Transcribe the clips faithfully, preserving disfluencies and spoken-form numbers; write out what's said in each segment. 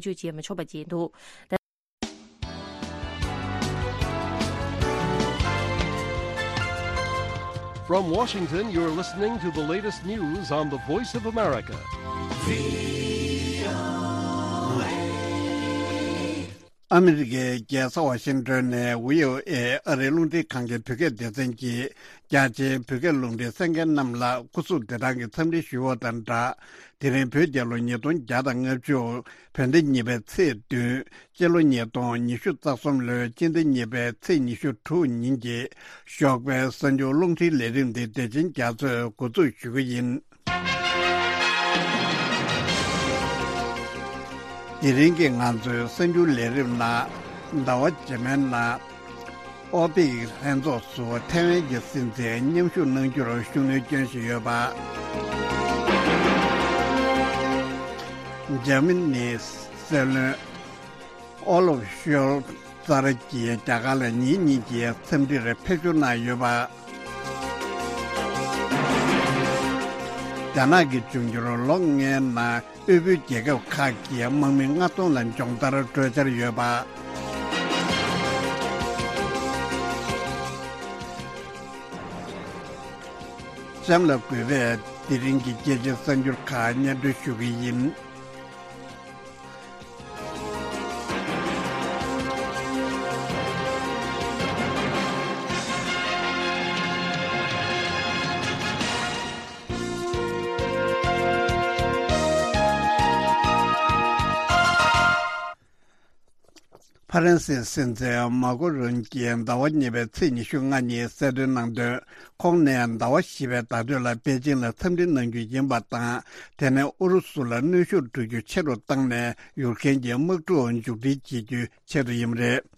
བཅོས་བྱེད་མི་ཆོག་པ་བཅས་འདུག། From Washington, you're listening to the latest news on the Voice of America. ཨ་མི་རི་ཀའི་རྒྱལ་ས་ཝ་ཤིང་ཏོན་ནས་བྷི་ཨོ་ཨེ་ཨ་རིའི་རླུང་འཕྲིན་ཁང་གི་བོད་སྐད་སྡེ་ཚན་གྱིས་རྒྱ་ཆེའི་བོད་སྐད་རླུང་འཕྲིན་གསན་མཁན་རྣམས་ལ་སྐུ་གཟུགས་བདེ་ཐང་གི་འཚམས་འདྲི་ཞུ་བ་དང་སྦྲགས། དེ་རིང་བོད་རྒྱལ་ལོ་ཉིས་སྟོང་བརྒྱ་དང་ལྔ་བཅུ། བོད་ཟླ་གཉིས་པའི་ཚེས་བདུན། སྤྱི་ལོ་ཉིས་སྟོང་ཉི་ཤུ་རྩ་གསུམ་ལོའི་སྤྱི་ཟླ་གཉིས་པའི་ཚེས་ཉི་ཤུ་དྲུག་ཉིན་གྱི་ཞོགས་པའི་གསར་འགྱུར་རླུང་འཕྲིན་ལས་རིམ་འདི་བདེ་ཆེན་རྒྱ་མཚོས་འགོ་འཛུགས་ཞུ་གི་ཡིན། དེ་རིང་གི་ང་ཚོའི་གསར་འགྱུར་ལས་རིམ་ནང་ཟླ་བ་རྗེས་མའི་ནང་ཨོ་པེག་ལྷན་ཚོགས་སུ་ཐའེ་ཝན་གྱི་སྲིད་འཛིན་མཉམ་ཞུགས་གནང་རྒྱུར་ཤུགས་སྣོན་སྐྱོན་བཞིན་ཡོད་པ། འཇར་མ་ནིའི་སྲིད་བློན་ཨོ་ལོབ་ཤོལ་ཙར་གྱིས་རྒྱ་གར་ལ་ཉིན་གཉིས་ཀྱི་འཚམས་འདྲིར་ཕེབས་བསུ་གནང་ཡོད་པ། རྒྱ་ནག་གི་འབྱུང་འགྱུར་ལོ་ལྔའི་ནང་དབུལ་པོའི་རྒྱལ་ཁབ་ཁག་གི་དམག་མི་ལྔ་སྟོང་ལ་སྦྱོང་བརྡར་སྤྲོད་འཆར་ཡོད་པ། གཤམ་ལ་གུས་པས་དེ་རིང་གི་རྒྱལ་སྤྱིའི་གསར་འགྱུར་ཁག་སྙན་སྒྲོན་ཞུ་གི་ཡིན། ཕ་རན་སིའི་སྲིད་འཛིན་མཱ་ཀོ་རོན་གྱིས་ཟླ་བ་གཉིས་པའི་ཚེས་ཉི་ཤུ་ལྔ་ཉིན་གསལ་སྟོན་གནང་དོན། ཁོང་ནས་ཟླ་བ་བཞི་པའི་ཟླ་སྟོད་ལ་པེ་ཅིང་ལ་འཚམས་འདྲི་གནང་རྒྱུ་ཡིན་པ་དང་། དེ་ནས་ཨུ་རུ་སུ་ལ་གནོན་ཤུགས་སྤྲོད་རྒྱུ་ཆེ་རུ་བཏང་ནས་ཡུར་ཀེན་གྱི་དམག་འཁྲུག་མཇུག་སྒྲིལ་བྱེད་རྒྱུའི་ཆེད་དུ་ཡིན་པ་རེད།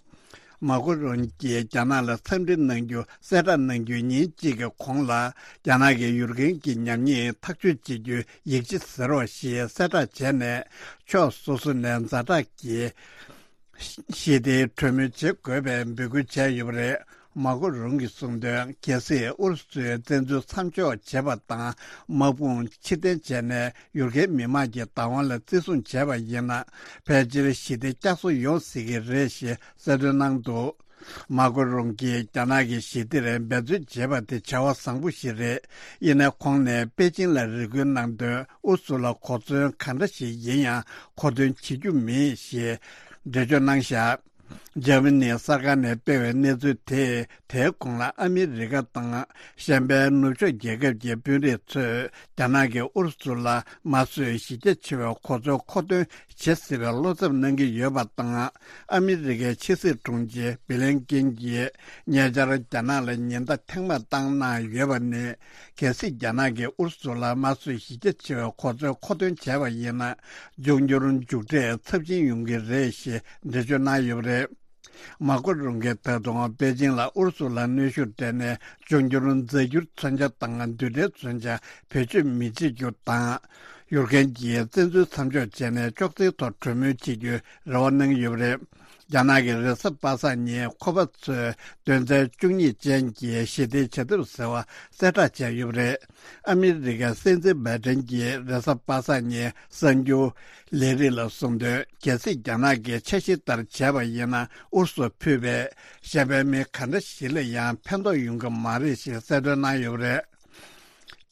མཱ་ཀོ་རོན་གྱིས་རྒྱ་ནག་ལ་འཚམས་འདྲི་གནང་རྒྱུ་གསལ་བསྒྲགས་གནང་རྒྱུའི་ཉིན་གཅིག་གི་གོང་ལ། རྒྱ་ནག་གིས་ཡུར་ཀེན་གྱི་ཉམས་ཉེས་ཐག་གཅོད་བྱེད་རྒྱུའི་ཡིག་ཆ་ཟེར་བ་ཞིག་གསལ་བསྒྲགས་བྱས་ནས། ཕྱོགས་སོ་སོ་ནས་ཛ་དྲག་གི་ཞི་བདེའི་གྲོས་མོལ་བྱེད་དགོས་པའི་འབོད་སྐུལ་བྱས་ཡོད་པ་རེད། མཱ་ཀོ་རོན་གྱིས་གསུངས་དོན། གལ་སྲིད་ཨུ་རུ་སུས་བཙན་འཛུལ་མཚམས་འཇོག་བྱས་པ་དང་། དམག་དཔུང་ཕྱིར་འཐེན་བྱས་ནས་ཡུར་ཀེན་མི་དམངས་ཀྱི་བདག་དབང་ལ་བརྩི་སྲུང་བྱས་པ་ཡིན་ན། ཕལ་ཆེར་ཞི་བདེ་བསྐྱར་གསོ་ཡོང་སྲིད་ཀྱི་རེད་ཞེས་གསལ་སྟོན་གནང་འདུག། མཱ་ཀོ་རོན་གྱིས་རྒྱ་ནག་གིས་ཞི་བདེར་འབད་རྩོལ་བྱེད་པ་དེ་བྱ་བ་བཟང་པོ་ཞིག་རེད། ཡིན་ནའི་ཁོང་ནས་པེ་ཅིང་ལ་རེ་སྐུལ་གནང་དོན། ཨུ་སུ་ལ་གོ་མཚོན་ག་འདྲ་ཞིག་ཡིན་ཡང་མཁོ་འདོན་བྱེད་རྒྱུ་མིན་ཞེས་འགྲེལ་བརྗོད་གནང་བཞག། འཇར་མ་ནིའི་གསར་ཁང་ནས་སྤེལ་བའི་གནས་ཚུལ་དེས། དེའི་གོང་ལ་ཨ་མི་རི་ཀ་དང་གཞན་པའི་ནུབ་ཕྱོགས་རྒྱལ་ཁབ་ཀྱི་དཔོན་རིགས་ཚོས་རྒྱ་ནག་གིས་ཨུ་རུ་སུ་ལ་དམར་གསོད་གཞི་རྒྱ་ཆེ་བའི་གོ་མཚོན་མཁོ་འདོན་བྱེད་སྲིད་པའི་བློ་འཚབ་གནང་གི་ཡོད་པ་དང་། ཨ་མི་རི་ཀའི་ཕྱི་སྲིད་དྲུང་ཆེ་བྷི་ལན་ཀིན་གྱིས་ཉེ་ཆར་རྒྱ་ནག་ལ་ཉེན་བརྡ་ཐེངས་མང་བཏང་གནང་ཡོད་པ་ནི། གལ་སྲིད་རྒྱ་ནག་གིས་ཨུ་རུ་སུ་ལ་དམར་གསོད་གཞི་རྒྱ་ཆེ་བའི་གོ་མཚོན་མཁོ་འདོན་བྱས་པ་ཡིན་ན། འབྱུང་འགྱུར་མཇུག་འབྲས་ཚབས་ཆེན་ཡོང་གི་རེད་ཞེས་འགྲེལ་བརྗོད་གནང་ཡོད་པ་རེད། མཱ་ཀོ་རོན་གྱིས་ད་དུང་པེ་ཅིང་ལ་ཨུ་རུ་སུ་ལ་གནོན་ཤུགས་སྤྲད་ནས་འབྱུང་འགྱུར་རྫས་འགྱུར་མཚོན་ཆ་དང་རྡུལ་ཕྲན་མཚོན་ཆ་བེད་སྤྱོད་མི་བྱེད་རྒྱུ་དང་། ཡུར་ཀེན་གྱིས་བཙན་འཛུལ་མཚམས་འཇོག་བྱས་ནས་ཅོག་ཙེའི་ཐོག་གྲོས་མོལ་བྱེད་རྒྱུའི་རེ་བ་གནང་ཡོད་པ་རེད། རྒྱ་ནག་གིས་རེས་གཟའ་པ་སངས་ཉིན་ཁོ་པ་ཚོས་དོན་ཚན་བཅུ་གཉིས་ཅན་གྱི་ཞི་བདེའི་བྱ་ཐབས་ཟེར་བ་གསལ་བསྒྲགས་བྱས་ཡོད་པ་རེད། ཨ་མི་རི་ཀའི་སྲིད་འཛིན་བྷའི་ཌེན་གྱིས་རེས་གཟའ་པ་སངས་ཉིན་གསར་འགྱུར་ལས་རིགས་ལ་གསུངས་དོན། གལ་སྲིད་རྒྱ་ནག་གིས་འཆར་གཞི་ལྟར་བྱས་པ་ཡིན་ན། ཨུ་རུ་སུར་ཕུད་པའི་གཞན་ཕན་མི་ག་འདྲ་ཞིག་ལ་ཡང་ཕན་ཐོགས་ཡོང་གི་མ་རེད་ཞེས་གསལ་སྟོན་གནང་ཡོད་པ་རེད།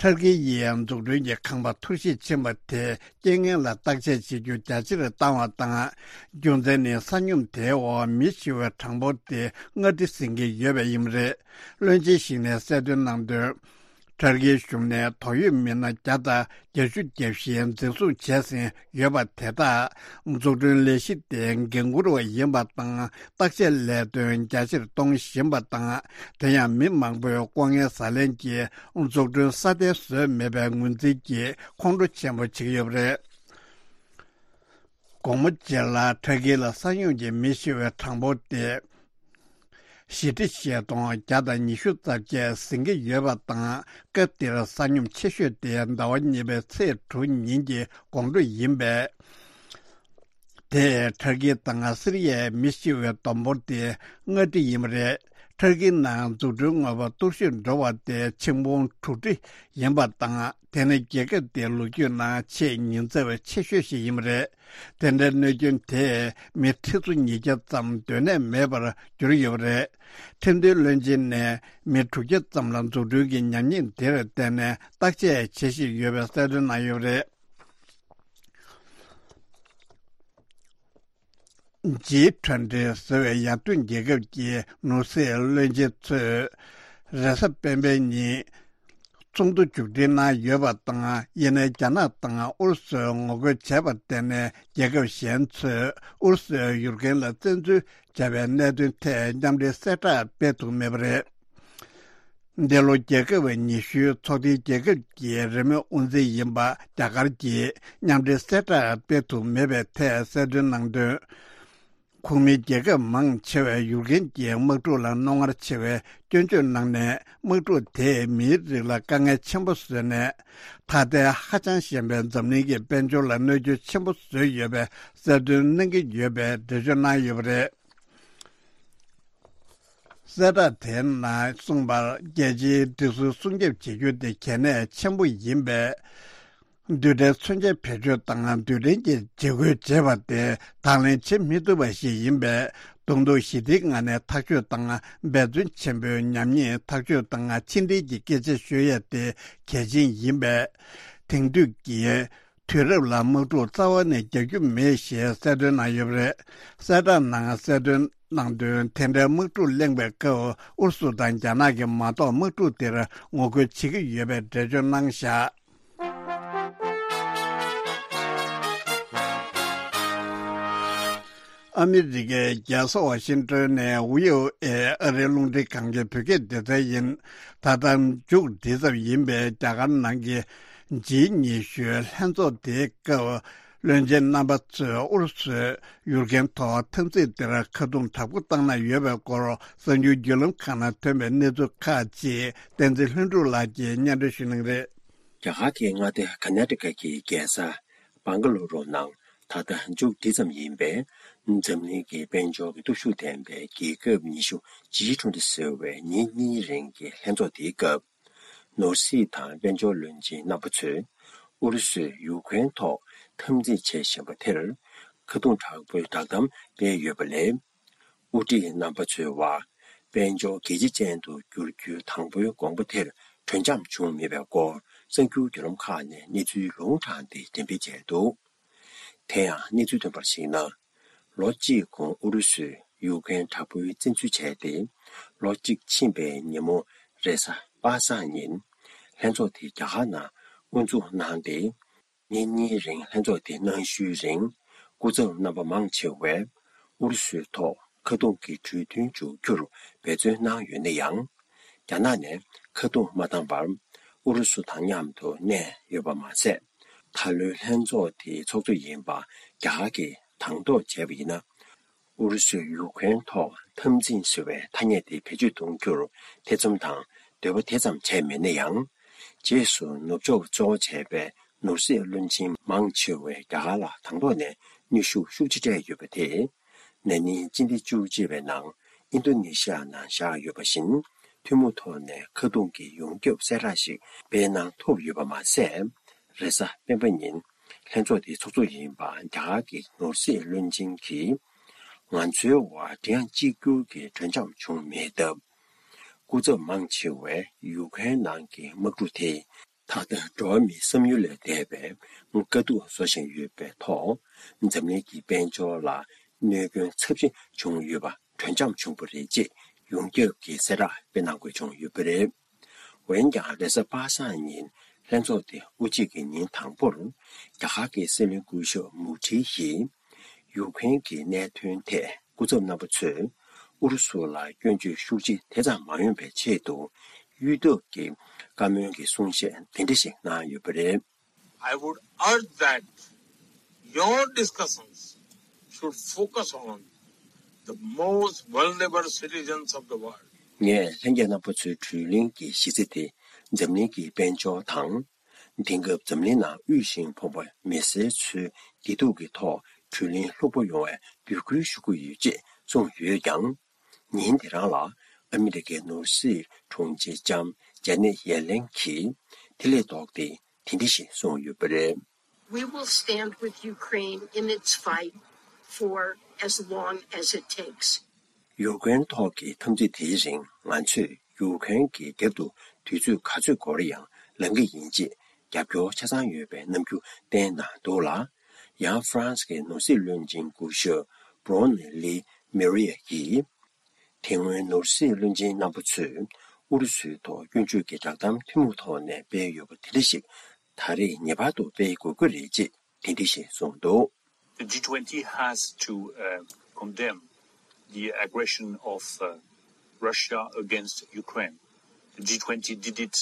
ཊར་ཀི་ཡིས་འཛུགས་སྐྲུན་གྱི་ཁང་པ་འཐོར་ཞིག་ཕྱིན་པ་དེ་རྐྱེན་ངན་ལ་བརྟག་དཔྱད་བྱེད་རྒྱུ་རྒྱ་ཆེར་བཏང་བ་དང་། རྒྱུ་མཚན་ནི་ས་སྙོམས་དེའི་འོག་མི་ཤི་བའི་གྲངས་འབོར་དེ་སྔ་འགྲོ་ཟིན་གྱི་ཡོད་པས་ཡིན་པ་རེད། བློན་ཆེན་ཞིག་ནས་གསལ་སྟོན་གནང་དོན། ཊར་ཀིའི་གཞུང་ནས་དོགས་ཡོད་མི་སྣ་བརྒྱ་དང་བརྒྱད་ཅུ་གྱ་བཞི་འཛིན་བཟུང་བྱས་ཟིན་ཡོད་པ་དེ་དག་འཛུགས་སྐྲུན་ལས་གཞི་དེ་འགན་འཁུར་བ་ཡིན་པ་དང་། བརྟག་དཔྱད་ལས་དོན་རྒྱ་ཆེར་གཏོང་བཞིན་པ་དང་། དེ་ཡང་མི་མང་པོས་ལྐོག་རྔན་ཟ་ལེན་གྱིས་འཛུགས་སྐྲུན་སྲ་བརྟན་བཟོས་མེད་པའི་ངོས་འཛིན་གྱིས་ཁོང་ཁྲོ་ཆེན་པོ་བྱེད་ཀྱི་ཡོད་པ་རེད། དགོང་མོ་རྗེས་ལ་ཊར་ཀི་ལ་ས་སྙོམས་ཀྱིས་མི་ཤི་བའི་གྲངས་འབོར་དེ་བཞི་ཁྲི་བཞི་སྟོང་བརྒྱ་དང་ཉི་ཤུ་རྩ་བརྒྱད་ཟིན་གྱི་ཡོད་པ་དང་། སྐབས་དེར་ས་སྙོམས་ཆེ་ཤོས་དེ་ཟླ་བ་གཉིས་པའི་ཚེས་དྲུག་ཉིན་གྱི་དགོང་དྲོ་ཡིན་པས། དེས་ཊར་ཀི་དང་སི་རི་ཡའི་མི་ཤི་བའི་བསྡོམས་འབོར་དེ་ལྔ་ཁྲི་ཡིན་པ་རེད། ཐར་ཀིའི་ནང་འཛུགས་སྐྲུན་དངོས་པོ་སྟོར་བཤིག་འགྲོ་བ་དེ་ཆིག་འབུམ་དྲུག་ཁྲི་ཡིན་པ་དང་། དེ་ནི་རྒྱལ་ཁབ་དེའི་ལོ་རྒྱུས་ནང་ཆེས་ཉེན་ཚབས་ཆེ་ཤོས་ཤིག་ཡིན་པ་རེད། དེ་འདྲའི་གནོད་སྐྱོན་དེས་མི་ཁྲི་ཚོ་ཉིས་བརྒྱ་ཙམ་སྡོད་གནས་མེད་པར་གྱུར་ཡོད་པ་རེད། ཁྲིམས་མཐུན་བློན་ཆེན་ནས་མི་དྲུག་བརྒྱ་ཙམ་ལ་འཛུགས་སྐྲུན་གྱི་ཉམས་ཉེས་དེར་བརྟེན་ནས་བརྟག་དཔྱད་བྱེད་བཞིན་ཡོད་པའི་གསལ་སྟོན་གནང་ཡོད་པ་རེད། ཇི་ཊུ་ཝེན་ཊི་ཟེར་བའི་ཡར་ཐོན་རྒྱལ་ཁབ་ཀྱི་ནོར་སྲིད་བློན་ཆེན་ཚོས་རེས་གཟའ་སྤེན་པའི་ཉིན་ཚོགས་འདུ་མཇུག་སྒྲིལ་གནང་ཡོད་པ་དང་། ཡིན་ནའི་རྒྱ་ནག་དང་ཨུ་རུ་སུས་ངོ་རྒོལ་བྱས་པར་བརྟེན་ནས། རྒྱལ་ཁབ་གཞན་ཚོས་ཨུ་རུ་སུའི་ཡུཀ་རེན་ལ་བཙན་འཛུལ་བྱས་པའི་གནད་དོན་ཐད་མཉམ་འབྲེལ་གསལ་བསྒྲགས་སྤེལ་ཐུབ་མེད་པ་རེད། འདི་ལོ་རྒྱལ་ཁབ་ཉི་ཤུའི་ཚོགས་སྡེའི་རྒྱལ་ཁབ་ཀྱི་རེས་མོས་དབུ་འཛིན་ཡིན་པ་རྒྱ་གར་གྱིས་མཉམ་འབྲེལ་གསལ་བསྒྲགས་སྤེལ་ཐུབ་མེད་པའི་ཐད་གསལ་སྟོན་གནང་དོན། ཁོངས་མི་རྒྱལ་ཁབ་མང་ཆེ་བས་ཡུཀ་རེན་གྱི་དམག་འཁྲུག་ལ་རྣོ་ངར་ཆེ་བའི་སྐྱོན་བརྗོད་གནང་ནས། དམག་འཁྲུག་དེས་མིའི་རིགས་ལ་དཀའ་ངལ་ཆེན་པོ་བཟོས་ནས། ཐ་དད་ཧ་ཅང་ཞན་པའི་འཛམ་གླིང་གི་དཔལ་འབྱོར་ལ་གནོད་སྐྱོན་ཆེན་པོ་བཟོས་ཡོད་པའི་གསལ་སྟོན་གནང་གི་ཡོད་པའི་འགྲེལ་བརྗོད་གནང་ཡོད་པ་རེད། གསལ་བསྒྲགས་དེའི་ནང་གསུངས་པར། རྒྱལ་སྤྱིའི་སྒྲིག་སྲོལ་སྲུང་སྐྱོབ་བྱེད་རྒྱུ་དེ་གལ་གནད་ཆེན་པོ་ཡིན་པས། རྡུལ་ཕྲན་མཚོན་ཆ་བེད་སྤྱོད་དང་རྡུལ་ཕྲན་གྱི་འཇིགས་སྐུལ་བྱེད་པ་དེ་དང་ལེན་བྱེད་མི་ཐུབ་པ་ཞིག་ཡིན་པས། རྡུང་རྡེག་ཞི་བདེའི་ངང་ནས་ཐག་གཅོད་དང་འབད་བརྩོན་ཆེན་པོས་ཉམས་ཉེས་ཐག་གཅོད་དང་ཕྱི་འབྲེལ་གྱི་སྐད་ཆ་ཤོད་ཡས་དེ་གལ་ཆེན་ཡིན་པས། དེང་དུས་ཀྱི་དུས་རབས་ལ་དམག་འཁྲུག་རྩ་བ་ནས་རྒྱག་རྒྱུ་མེད་ཞེས་གསལ་སྟོན་གནང་ཡོད་པ་རེད། གསལ་བསྒྲགས་ནང་གསལ་སྟོན་གནང་དོན། དེ་འདྲའི་དམག་འཁྲུག་གླེང་བའི་སྐབས། ཨུ་རུ་སུ་དང་རྒྱ་ནག་གིས་མ་གཏོགས་དམག་འཁྲུག་དེར་ངོ་རྒོལ་བྱེད་ཀྱི་ཡོད་པའི་འགྲེལ་བརྗོད་གནང་བཞག་ཨ་མི་རི་ཀའི་རྒྱལ་ས་ཝ་ཤིང་ཏོན་ནས་ཝི་ཨོ་ཨེ་ཨ་རིའི་རླུང་འཕྲིན་ཁང་གི་བོད་སྐད་སྡེ་ཚན་ཡིན། ད་ལྟ་མཇུག་སྒྲིལ་ཙམ་ཡིན་པའི་རྒྱ་གར་ནང་གི་ཇི་ཉི་ཤུའི་ལྷན་ཚོགས་དེའི་སྐབས། བློན་ཆེན་རྣམ་པ་ཚོས་ཨུ་རུ་སུས་ཡུཀ་རེན་ཐོག་འཐབ་འཛིང་དེར་ཁ་རྡུང་དྲག་པོ་བཏང་གནང་ཡོད་པའི་སྐོར། གསར་འགྱུར་བརྒྱུད་ལམ་ཁག་ནང་ཐོན་པའི་གནས་ཚུལ་ཁག་ཅིག་བསྟན་འཛིན་ལྷུན་གྲུབ་ལགས་ཀྱིས་སྙན་སྒྲོན་ཞུ་གནང་གི་རེད། རྒྱ་གར་གྱི་མངའ་སྡེ་ཀར་ནཱ་ཊ་ཀ་གི་རྒྱལ་ས་བང་ག་ལུ་རུ་ནང་ད་ལྟ་མཇུག་སྒྲིལ་ཙམ་ཡིན་པའི་འཛམ་གླིང་གི་དཔལ་འབྱོར་གྱི་སྟོབས་ཤུགས་ལྡན་པའི་རྒྱལ་ཁབ་ཉི་ཤུ་ཇི་ཊུ་ཝེན་ཊི་ཟེར་བའི་ཉིན་གཉིས་རིང་གི་ལྷན་ཚོགས་དེའི་སྐབས། ནོར་སྲིད་དང་དཔལ་འབྱོར་བློན་ཆེན་རྣམ་པ་ཚོས་ཨུ་རུ་སུས་ཡུཀ་རེན་ཐོག་འཐབ་འཛིང་བྱེད་བཞིན་པ་དེར་ཁ་རྡུང་དྲག་པོའི་བསྒྲགས་གཏམ་སྤེལ་ཡོད་པ་ལས། དབུ་ཁྲིད་རྣམ་པ་ཚོའི་བར་དཔལ་འབྱོར་རྒྱལ་སྤྱི་ཅན་དུ་བསྒྱུར་རྒྱུའི་དང་པོའི་དགོངས་པ་དེར་གྲོས་འཆམ་བྱུང་མེད་པའི་སྐོར་གསར་འགྱུར་བརྒྱུད་ལམ་ཁག་ནས་གནས་ཚུལ་ལུང་དྲངས་ཏེ་འགྲེམས་སྤེལ་བྱས་འདུག་དེ་ཡང་གནས་ཚུལ་ཐོན་པར་གཞིགས་ན། ལོ་གཅིག་གོང་ཨུ་རུ་སུས་ཡུཀ་རེན་དྲག་པོའི་བཙན་འཛུལ་བྱས་ཏེ། ལོ་གཅིག་ཕྱིན་པའི་ཉིན་མོ་རེས་གཟའ་པ་སངས་ཉིན། ལྷན་ཚོགས་དེ་རྒྱ་གར་ནང་དབུ་འཛུགས་གནང་སྟེ། ཉིན་གཉིས་རིང་ལྷན་ཚོགས་དེ་གནང་ཞུའི་རིང་། སྐུ་ཚབ་རྣམ་པ་མང་ཆེ་བས་ཨུ་རུ་སུའི་ཐོག་ཁ་རྡུང་གི་གྲོས་མཐུན་འཇོག་རྒྱུར་འབད་བརྩོན་གནང་ཡོད་ན་ཡང་། རྒྱ་ནག་ནས་ཁ་རྡུང་མ་བཏང་བར་ཨུ་རུ་སུ་དང་མཉམ་དུ་གནས་ཡོད་པ་མ་ཟད། ད་ལོའི་ལྷན་ཚོགས་དེའི་ཚོགས་གཙོ་ཡིན་པ་རྒྱ་གར་གྱིས་དང་ཐོག་བྱས་པ་ཡིན་ན། ཨུ་རུ་སུས་ཡུཀ་རེན་ཐོག་འཐབ་འཛིང་ཟེར་བའི་ཐ་སྙད་དེ་བེད་སྤྱོད་གཏོང་རྒྱུར་ཐེ་ཚོམ་དང་འདོད་པ་དེ་ཙམ་བྱས་མེད་ན་ཡང་། རྗེས་སུ་ནུབ་ཕྱོགས་གཙོ་བོ་བྱས་པའི་ནོར་སྲིད་བློན་ཆེན་མང་ཆེ་བས་རྒྱ་གར་ལ་དང་ཐོག་ནས་གནོན་ཤུགས་ཤུགས་ཆེ་སྤྲད་ཡོད་པ་དེས། ན་ནིང་སྤྱི་ཟླ་བཅུ་གཅིག་པའི་ནང་ཨིན་རྡོ་ནེ་ཤི་ཡ་ནང་བཞག་ཡོད་པ་བཞིན། ཐུན་མོང་ཐོག་ནས་ཁ་རྡུང་གི་ཡོངས་ཁྱབ་གསལ་བསྒྲགས་ཤིག་སྤེལ་གནང་ཐུབ་ཡོད་པ་མ་ཟད། རེས་གཟའ་སྤེན་པ་ཉིན་ལྷན་ཚོགས་དེའི་ཚོགས་གཙོ་ཡིན་པ་རྒྱ་གར་གྱི་ནོར་སྲིད་བློན་ཆེན་གྱིས། ང་ཚོའི་དབར་དེ་ཡང་གཅིག་གྱུར་གྱི་གྲོས་འཆམ་བྱུང་མེད་སྟབས། སྐུ་ཚབ་མང་ཆེ་བས་ཡུཀ་རེན་ནང་གི་དམག་འཁྲུག་དེས་ད་ལྟ་འགྲོ་བ་མིའི་བསམ་ཡུལ་ལས་འདས་པའི་དཀའ་སྡུག་བཟོ་བཞིན་ཡོད་པའི་ཐོག་འཛམ་གླིང་གི་དཔལ་འབྱོར་ལ་གནོད་སྐྱོན་ཚབས་ཆེན་བྱུང་ཡོད་པ་གྲོས་འཆམ་བྱུང་བ་རེད་ཅེས་ཡོངས་ཁྱབ་ཀྱི་གསལ་བསྒྲགས་སྤེལ་གནང་དགོས་བྱུང་ཡོད་པ་རེད། འོན་ཀྱང་རེས་གཟའ་པ་སངས་ཉིན་ལྷན་ཚོགས་དེ་དབུ་འབྱེད་ཀྱི་ཉིན་དང་པོར། རྒྱ་གར་གྱི་སྲིད་བློན་སྐུ་ཞབས་མུ་ཁྲི་ཡིས། ཡུཀ་རེན་གྱི་གནད་དོན་ཐད་སྐུ་ཚབ་རྣམ་པ་ཚོས་ཨུ་རུ་སུ་ལ་སྐྱོན་བརྗོད་ཤུགས་ཆེ་དེ་ཙམ་མ་ཡོང་བའི་ཆེད་དུ། གཡོལ་ཐབས་ཀྱི་བཀའ་མོལ་གྱི་གསུང་བཤད་དེ་འདྲ་ཞིག་གནང་ཡོད་པ་རེད། I would urge that your discussions should focus on the most vulnerable citizens of the world. ངས་ལྷན་རྒྱས་རྣམ་པ་ཚོའི་གྲོས་གླེང་གི་གཞི་རྩ་དེ་འཛམ་གླིང་གི་དཔལ་འབྱོར་དང་། དེང་སྐབས་འཛམ་གླིང་ནང་དབུལ་ཞིང་ཕོངས་པ་མི་སེར་ཚོའི་བདེ་སྡུག་གི་ཐོག་གྲོས་གླེང་ལྷུག་པོ་ཡོང་བའི་འབོད་སྐུལ་ཞུ་གི་ཡོད་ཅེས་གསུངས་ཡོད་ཀྱང་། ཉིན་དེ་རང་ལ་ ཨ་མི་རི་ཀའི་ནོར་སྲིད་དྲུང་ཆེ་ལྕམ་ཇེ་ནེ་ཡེ་ལེན་གྱིས་དེ་ལས་ལྡོག་སྟེ་དེ་འདྲ་ཞིག་གསུངས་ཡོད་པ་རེད། We will stand with Ukraine in its fight for as long as it takes. ཡུ་ཀེ་རེན་ཐོག་གི་འཐབ་འཛིང་དེའི་རིང་ང་ཚོས་ཡུ་ཀེ་རེན་གྱི་རྒྱབ་ཏུ་དུས་ཚོད་ག་ཚོད་འགོར་ཡང་ལངས་ཀྱི་ཡིན་ཅེས་རྒྱབ་སྐྱོར་ཆ་ཚང་ཡོད་པའི་རྣམ་འགྱུར་བསྟན་གནང་འདུག་ལ། ཡང་ཧྥ་རན་སི་གི་ནོར་སྲིད་བློན་ཆེན་སྐུ་ཞབས་Bruno Le Maire་ཡིས། དེ་སྔོན་ནོར་སྲིད་བློན་ཆེན་རྣམ་པ་ཚོས་ཨུ་རུ་སུའི་ཐོག་སྐྱོན་བརྗོད་ཀྱི་བསྒྲགས་གཏམ་ཐུན་མོང་ཐོག་ནས་སྤེལ་ཡོད་པ་དེ་འདྲ་ཞིག་ད་རེས་ངེས་པར་དུ་སྤེལ་དགོས་ཀྱི་རེད་ཅེས་དེ་འདྲ་ཞིག་གསུངས་འདུག། The G twenty has to uh, condemn the aggression of uh, Russia against Ukraine. The G twenty did it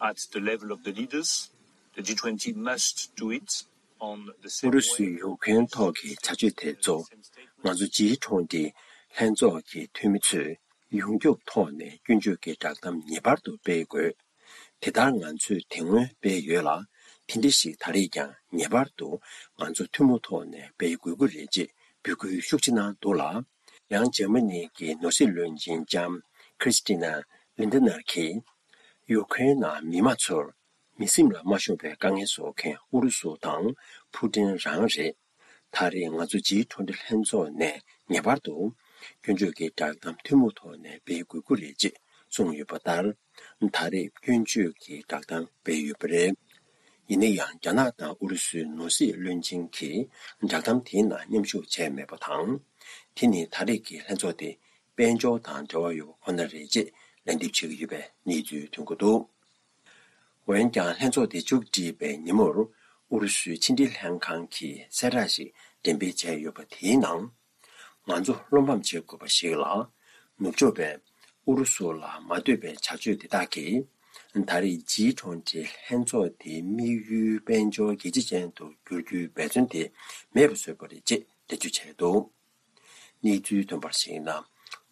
at the level of the leaders. The G twenty must do it on the same ཨུ་རུ་སུའི་ཡུ་ཀེ་རེན་ཐོག་གི་བྱ་སྤྱོད་དེ་ཚོ་ང་ཚོ་ཇི་ཁྲོང་ཏི་ལྷན་ཚོགས་ཀྱི་འཐུས་མི་ཚོས་ཡོངས་ཁྱབ་ཐོག་ནས་སྐྱོན་བརྗོད་ཀྱི་བསྒྲགས་གཏམ་ངེས་པར་དུ་སྤེལ་དགོས། དེ་ལྟར་ང་ཚོས་དེ་སྔོན་སྤེལ་ཡོད་ལ། དེ་འདྲ་ཞིག་ད་རེས་ཀྱང་ངེས་པར་དུ་ང་ཚོ་ཐུན་མོང་ཐོག་ནས་སྤེལ་དགོས་ཀྱི་རེད་ཅེས་འབོད་སྐུལ་ཤུགས་ཆེ་གནང་འདུག་ལ། ཡང་འཇར་མ་ནི་གི་ནོར་སྲིད་བློན་ཆེན་ལྕམ་Christina Lindner་གྱིས། ཡུ་ཁེ་རེན་ནང་མི་མང་ཚོར་མི་སེམས་ལ་མ་ཤོང་བའི་དཀའ་ངལ་བཟོ་མཁན་ཨུ་རུ་སུ་དང་ཕུ་ཏིན་རང་རེད། ད་རེས་ང་ཚོ་ཇི་ཁྲོང་ཏི་ལྷན་ཚོགས་ནས་ངེས་པར་དུ་སྐྱོན་བརྗོད་ཀྱི་བསྒྲགས་གཏམ་ཐུན་མོང་ཐོག་ནས་སྤེལ་དགོས་ཀྱི་རེད་ཅེས་གསུངས་ཡོད་པ་ལྟར། ད་རེས་སྐྱོན་བརྗོད་ཀྱི་བསྒྲགས་གཏམ་སྤེལ་ཡོད་པ་རེད། ཡིན་ན་ཡང་རྒྱ་ནག་དང་ཨུ་རུ་སུའི་ནོར་སྲིད་བློན་ཆེན་གྱིས་བསྒྲགས་གཏམ་དེའི་ནང་མཉམ་ཞུགས་བྱས་མེད་པ་དང་། དེ་ནི་ད་རེས་ཀྱི་ལྷན་ཚོགས་དེ་དཔལ་འབྱོར་དང་འབྲེལ་བ་ཡོད་པ་ཁོ་ན་རེད་ཅེས་ལན་འདེབས་བྱེད་ཀྱི་ཡོད་པའི་གནས་ཚུལ་ཐོན་གྱི་འདུག། འོན་ཀྱང་ལྷན་ཚོགས་དེ་མཇུག་བསྒྲིལ་བའི་ཉིན་མོར་ཨུ་རུ་སུའི་ཕྱི་འབྲེལ་ལྷན་ཁང་གིས་གསལ་བསྒྲགས་ཤིག་འགྲེམས་སྤེལ་བྱས་ཡོད་པ་དེའི་ནང་། ང་ཚོ་བློ་ཕམ་བྱེད་དགོས་པ་ཞིག་ལ། ནུབ་ཕྱོགས་པས་ཨུ་རུ་སུ་ལ་མ་འདོད་པའི་བྱ་སྤྱོད་དེ་དག་གིས། ད་རེས་ཇི་ཁྲོང་ཏི་ལྷན་ཚོགས་དེའི་དམིགས་ཡུལ་དཔལ་འབྱོར་རྒྱལ་སྤྱི་ཅན་དུ་བསྒྱུར་རྒྱུའི་འབད་བརྩོན་དེ་མེད་པར་བཟོས་པ་རེད་ཅེས་འགྲེལ་བརྗོད་བྱས་འདུག། གནས་ཚུལ་ཐོན་པར་གཞིགས་ན།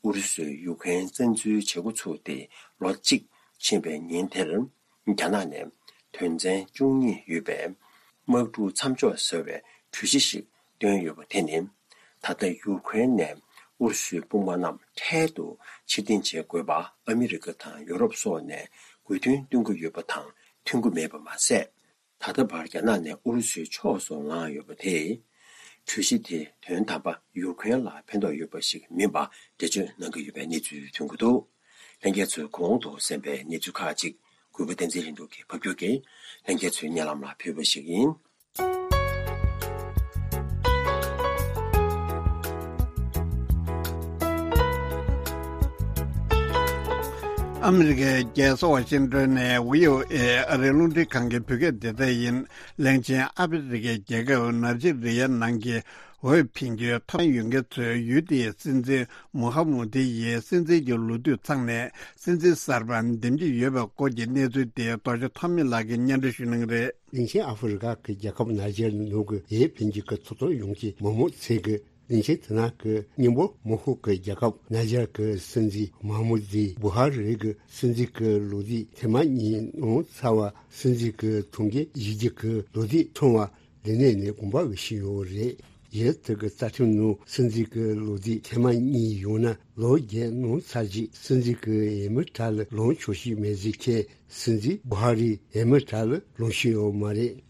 ཨུ་རུ་སུས་ཡུ་ཀེ་རེན་བཙན་འཛུལ་བྱེད་འགོ་ཚུགས་ཏེ་ལོ་གཅིག་ཕྱིན་པའི་ཉིན་དེར། རྒྱ་ནག་ནས་དོན་ཚན་བཅུ་གཉིས་ཡོད་པའི་དམག་འཁྲུག་མཚམས་འཇོག་ཟེར་བའི་གྲོས་གཞི་ཞིག་བཏོན་ཡོད་པ་དེ་ནི། ད་ལྟ་ཡུ་ཀེ་རེན་ནས་ཨུ་རུ་སུའི་དཔུང་དམག་རྣམས་འཕྲལ་དུ་ཕྱིར་འཐེན་བྱེད་དགོས་པ་ཨ་མི་རི་ཀ་དང་ཡོ་རོབ་སོགས་ནས་དགོས་འདུན་བཏོན་གྱི་ཡོད་པ་དང་མཐུན་གྱི་མེད་པ་མ་ཟད། ད་ལྟ་བར་རྒྱ་ནག་ནས་ཨུ་རུ་སུའི་ཕྱོགས་སུ་ལངས་ཡོད་པ་དེས། གྲོས་གཞི་དེ་དོན་དམ་པ་ཡུ་ཀེ་རེན་ལ་ཕན་ཐོགས་ཡོད་པ་ཞིག་མིན་པ་འགྲེལ་བརྗོད་གནང་གི་ཡོད་པའི་གནས་ཚུལ་ཐོན་གྱི་འདུག། ལྷན་རྒྱས་ཚོས་གོང་དུ་གསན་པའི་གནས་ཚུལ་ཁག་ཅིག་གུས་པ་བསྟན་འཛིན་ལྷུན་གྲུབ་ཀྱིས་ཕབ་སྒྱུར་གྱིས་ལྷན་རྒྱས་ཚོའི་སྙན་ལམ་ལ་ཕུལ་བ་ཞིག་ཡིན། ཨ་མི་རི་ཀའི་རྒྱལ་ས་ཝ་ཤིང་ཏོན་ནས་བྷི་ཨོ་ཨེ་ཨ་རིའི་རླུང་འཕྲིན་ཁང་གི་བོད་སྐད་སྡེ་ཚན་ཡིན། གླིང་ཆེན་ཨ་ཧྥེ་རི་ཁའི་རྒྱལ་ཁབ་ནཱི་ཇི་རི་ཡ་ནང་གི་འོས་འཕེན་རྒྱུའི་ཐོབ་ཐང་ཡོད་མཁན་ཚོས་ཡུལ་དེའི་སྲིད་འཛིན་མུ་ཧ་མུ་ཏི་ཡིས་སྲིད་འཛིན་གྱི་ལོ་དུས་ཚང་ནས་སྲིད་འཛིན་གསར་པ་འདེམས་ཀྱི་ཡོད་པའི་སྐོར་གྱི་གནས་ཚུལ་དེ་རྡོ་རྗེ་ཐོགས་མེད་ལགས་ཀྱིས་སྙན་སྒྲོན་ཞུ་གནང་གི་རེད། གླིང་ཆེན་ཨ་ཧྥེ་རི་ཁ་གི་རྒྱལ་ཁབ་ནཱི་ཇེར་ནང་གི་འོས་འཕེན་རྒྱུ་གི་ཐོབ་ཐང་ཡོད་མཁན་མང་པོ་ཚོས་གི་གླིང་ཆེན་དེ་ནང་གི་མཉམ་པོ་མོ་ཧོ་གི་རྒྱལ་ཁབ་ནཱི་ཇེར་གི་སྲིད་འཛིན་མ་མུ་ཛི་བུ་ཧ་རི་གི་སྲིད་འཛིན་གི་ལོ་དུས་ཐེངས་མ་གཉིས་ནང་ཚར་བ་སྲིད་འཛིན་གི་ཐུགས་འགན་བཞེས་རྒྱུ་གི་ལོ་དུས་ཚང་བ་ལས་གནས་ནས་དགོངས་པ་བཞེས་ཡོད་རེད། ཡུལ་དེ་གི་རྩ་ཁྲིམས་ནང་སྲིད་འཛིན་གི་ལོ་དུས་ཐེངས་མ་གཉིས་ཡོང་ན་ལོ་བརྒྱད་ནང་ཚར་རྗེས་སྲིད་འཛིན་གི་འོས་མི་གྲལ་ལ་ལངས་ཆོག་ཤེས་མེད་ཟེར་མཁན་སྲིད་འཛིན་བུ་ཧ་རིའི་འོས་མི་གྲལ་ལ་ལངས་ཤེས་ཡོད་མ་རེད།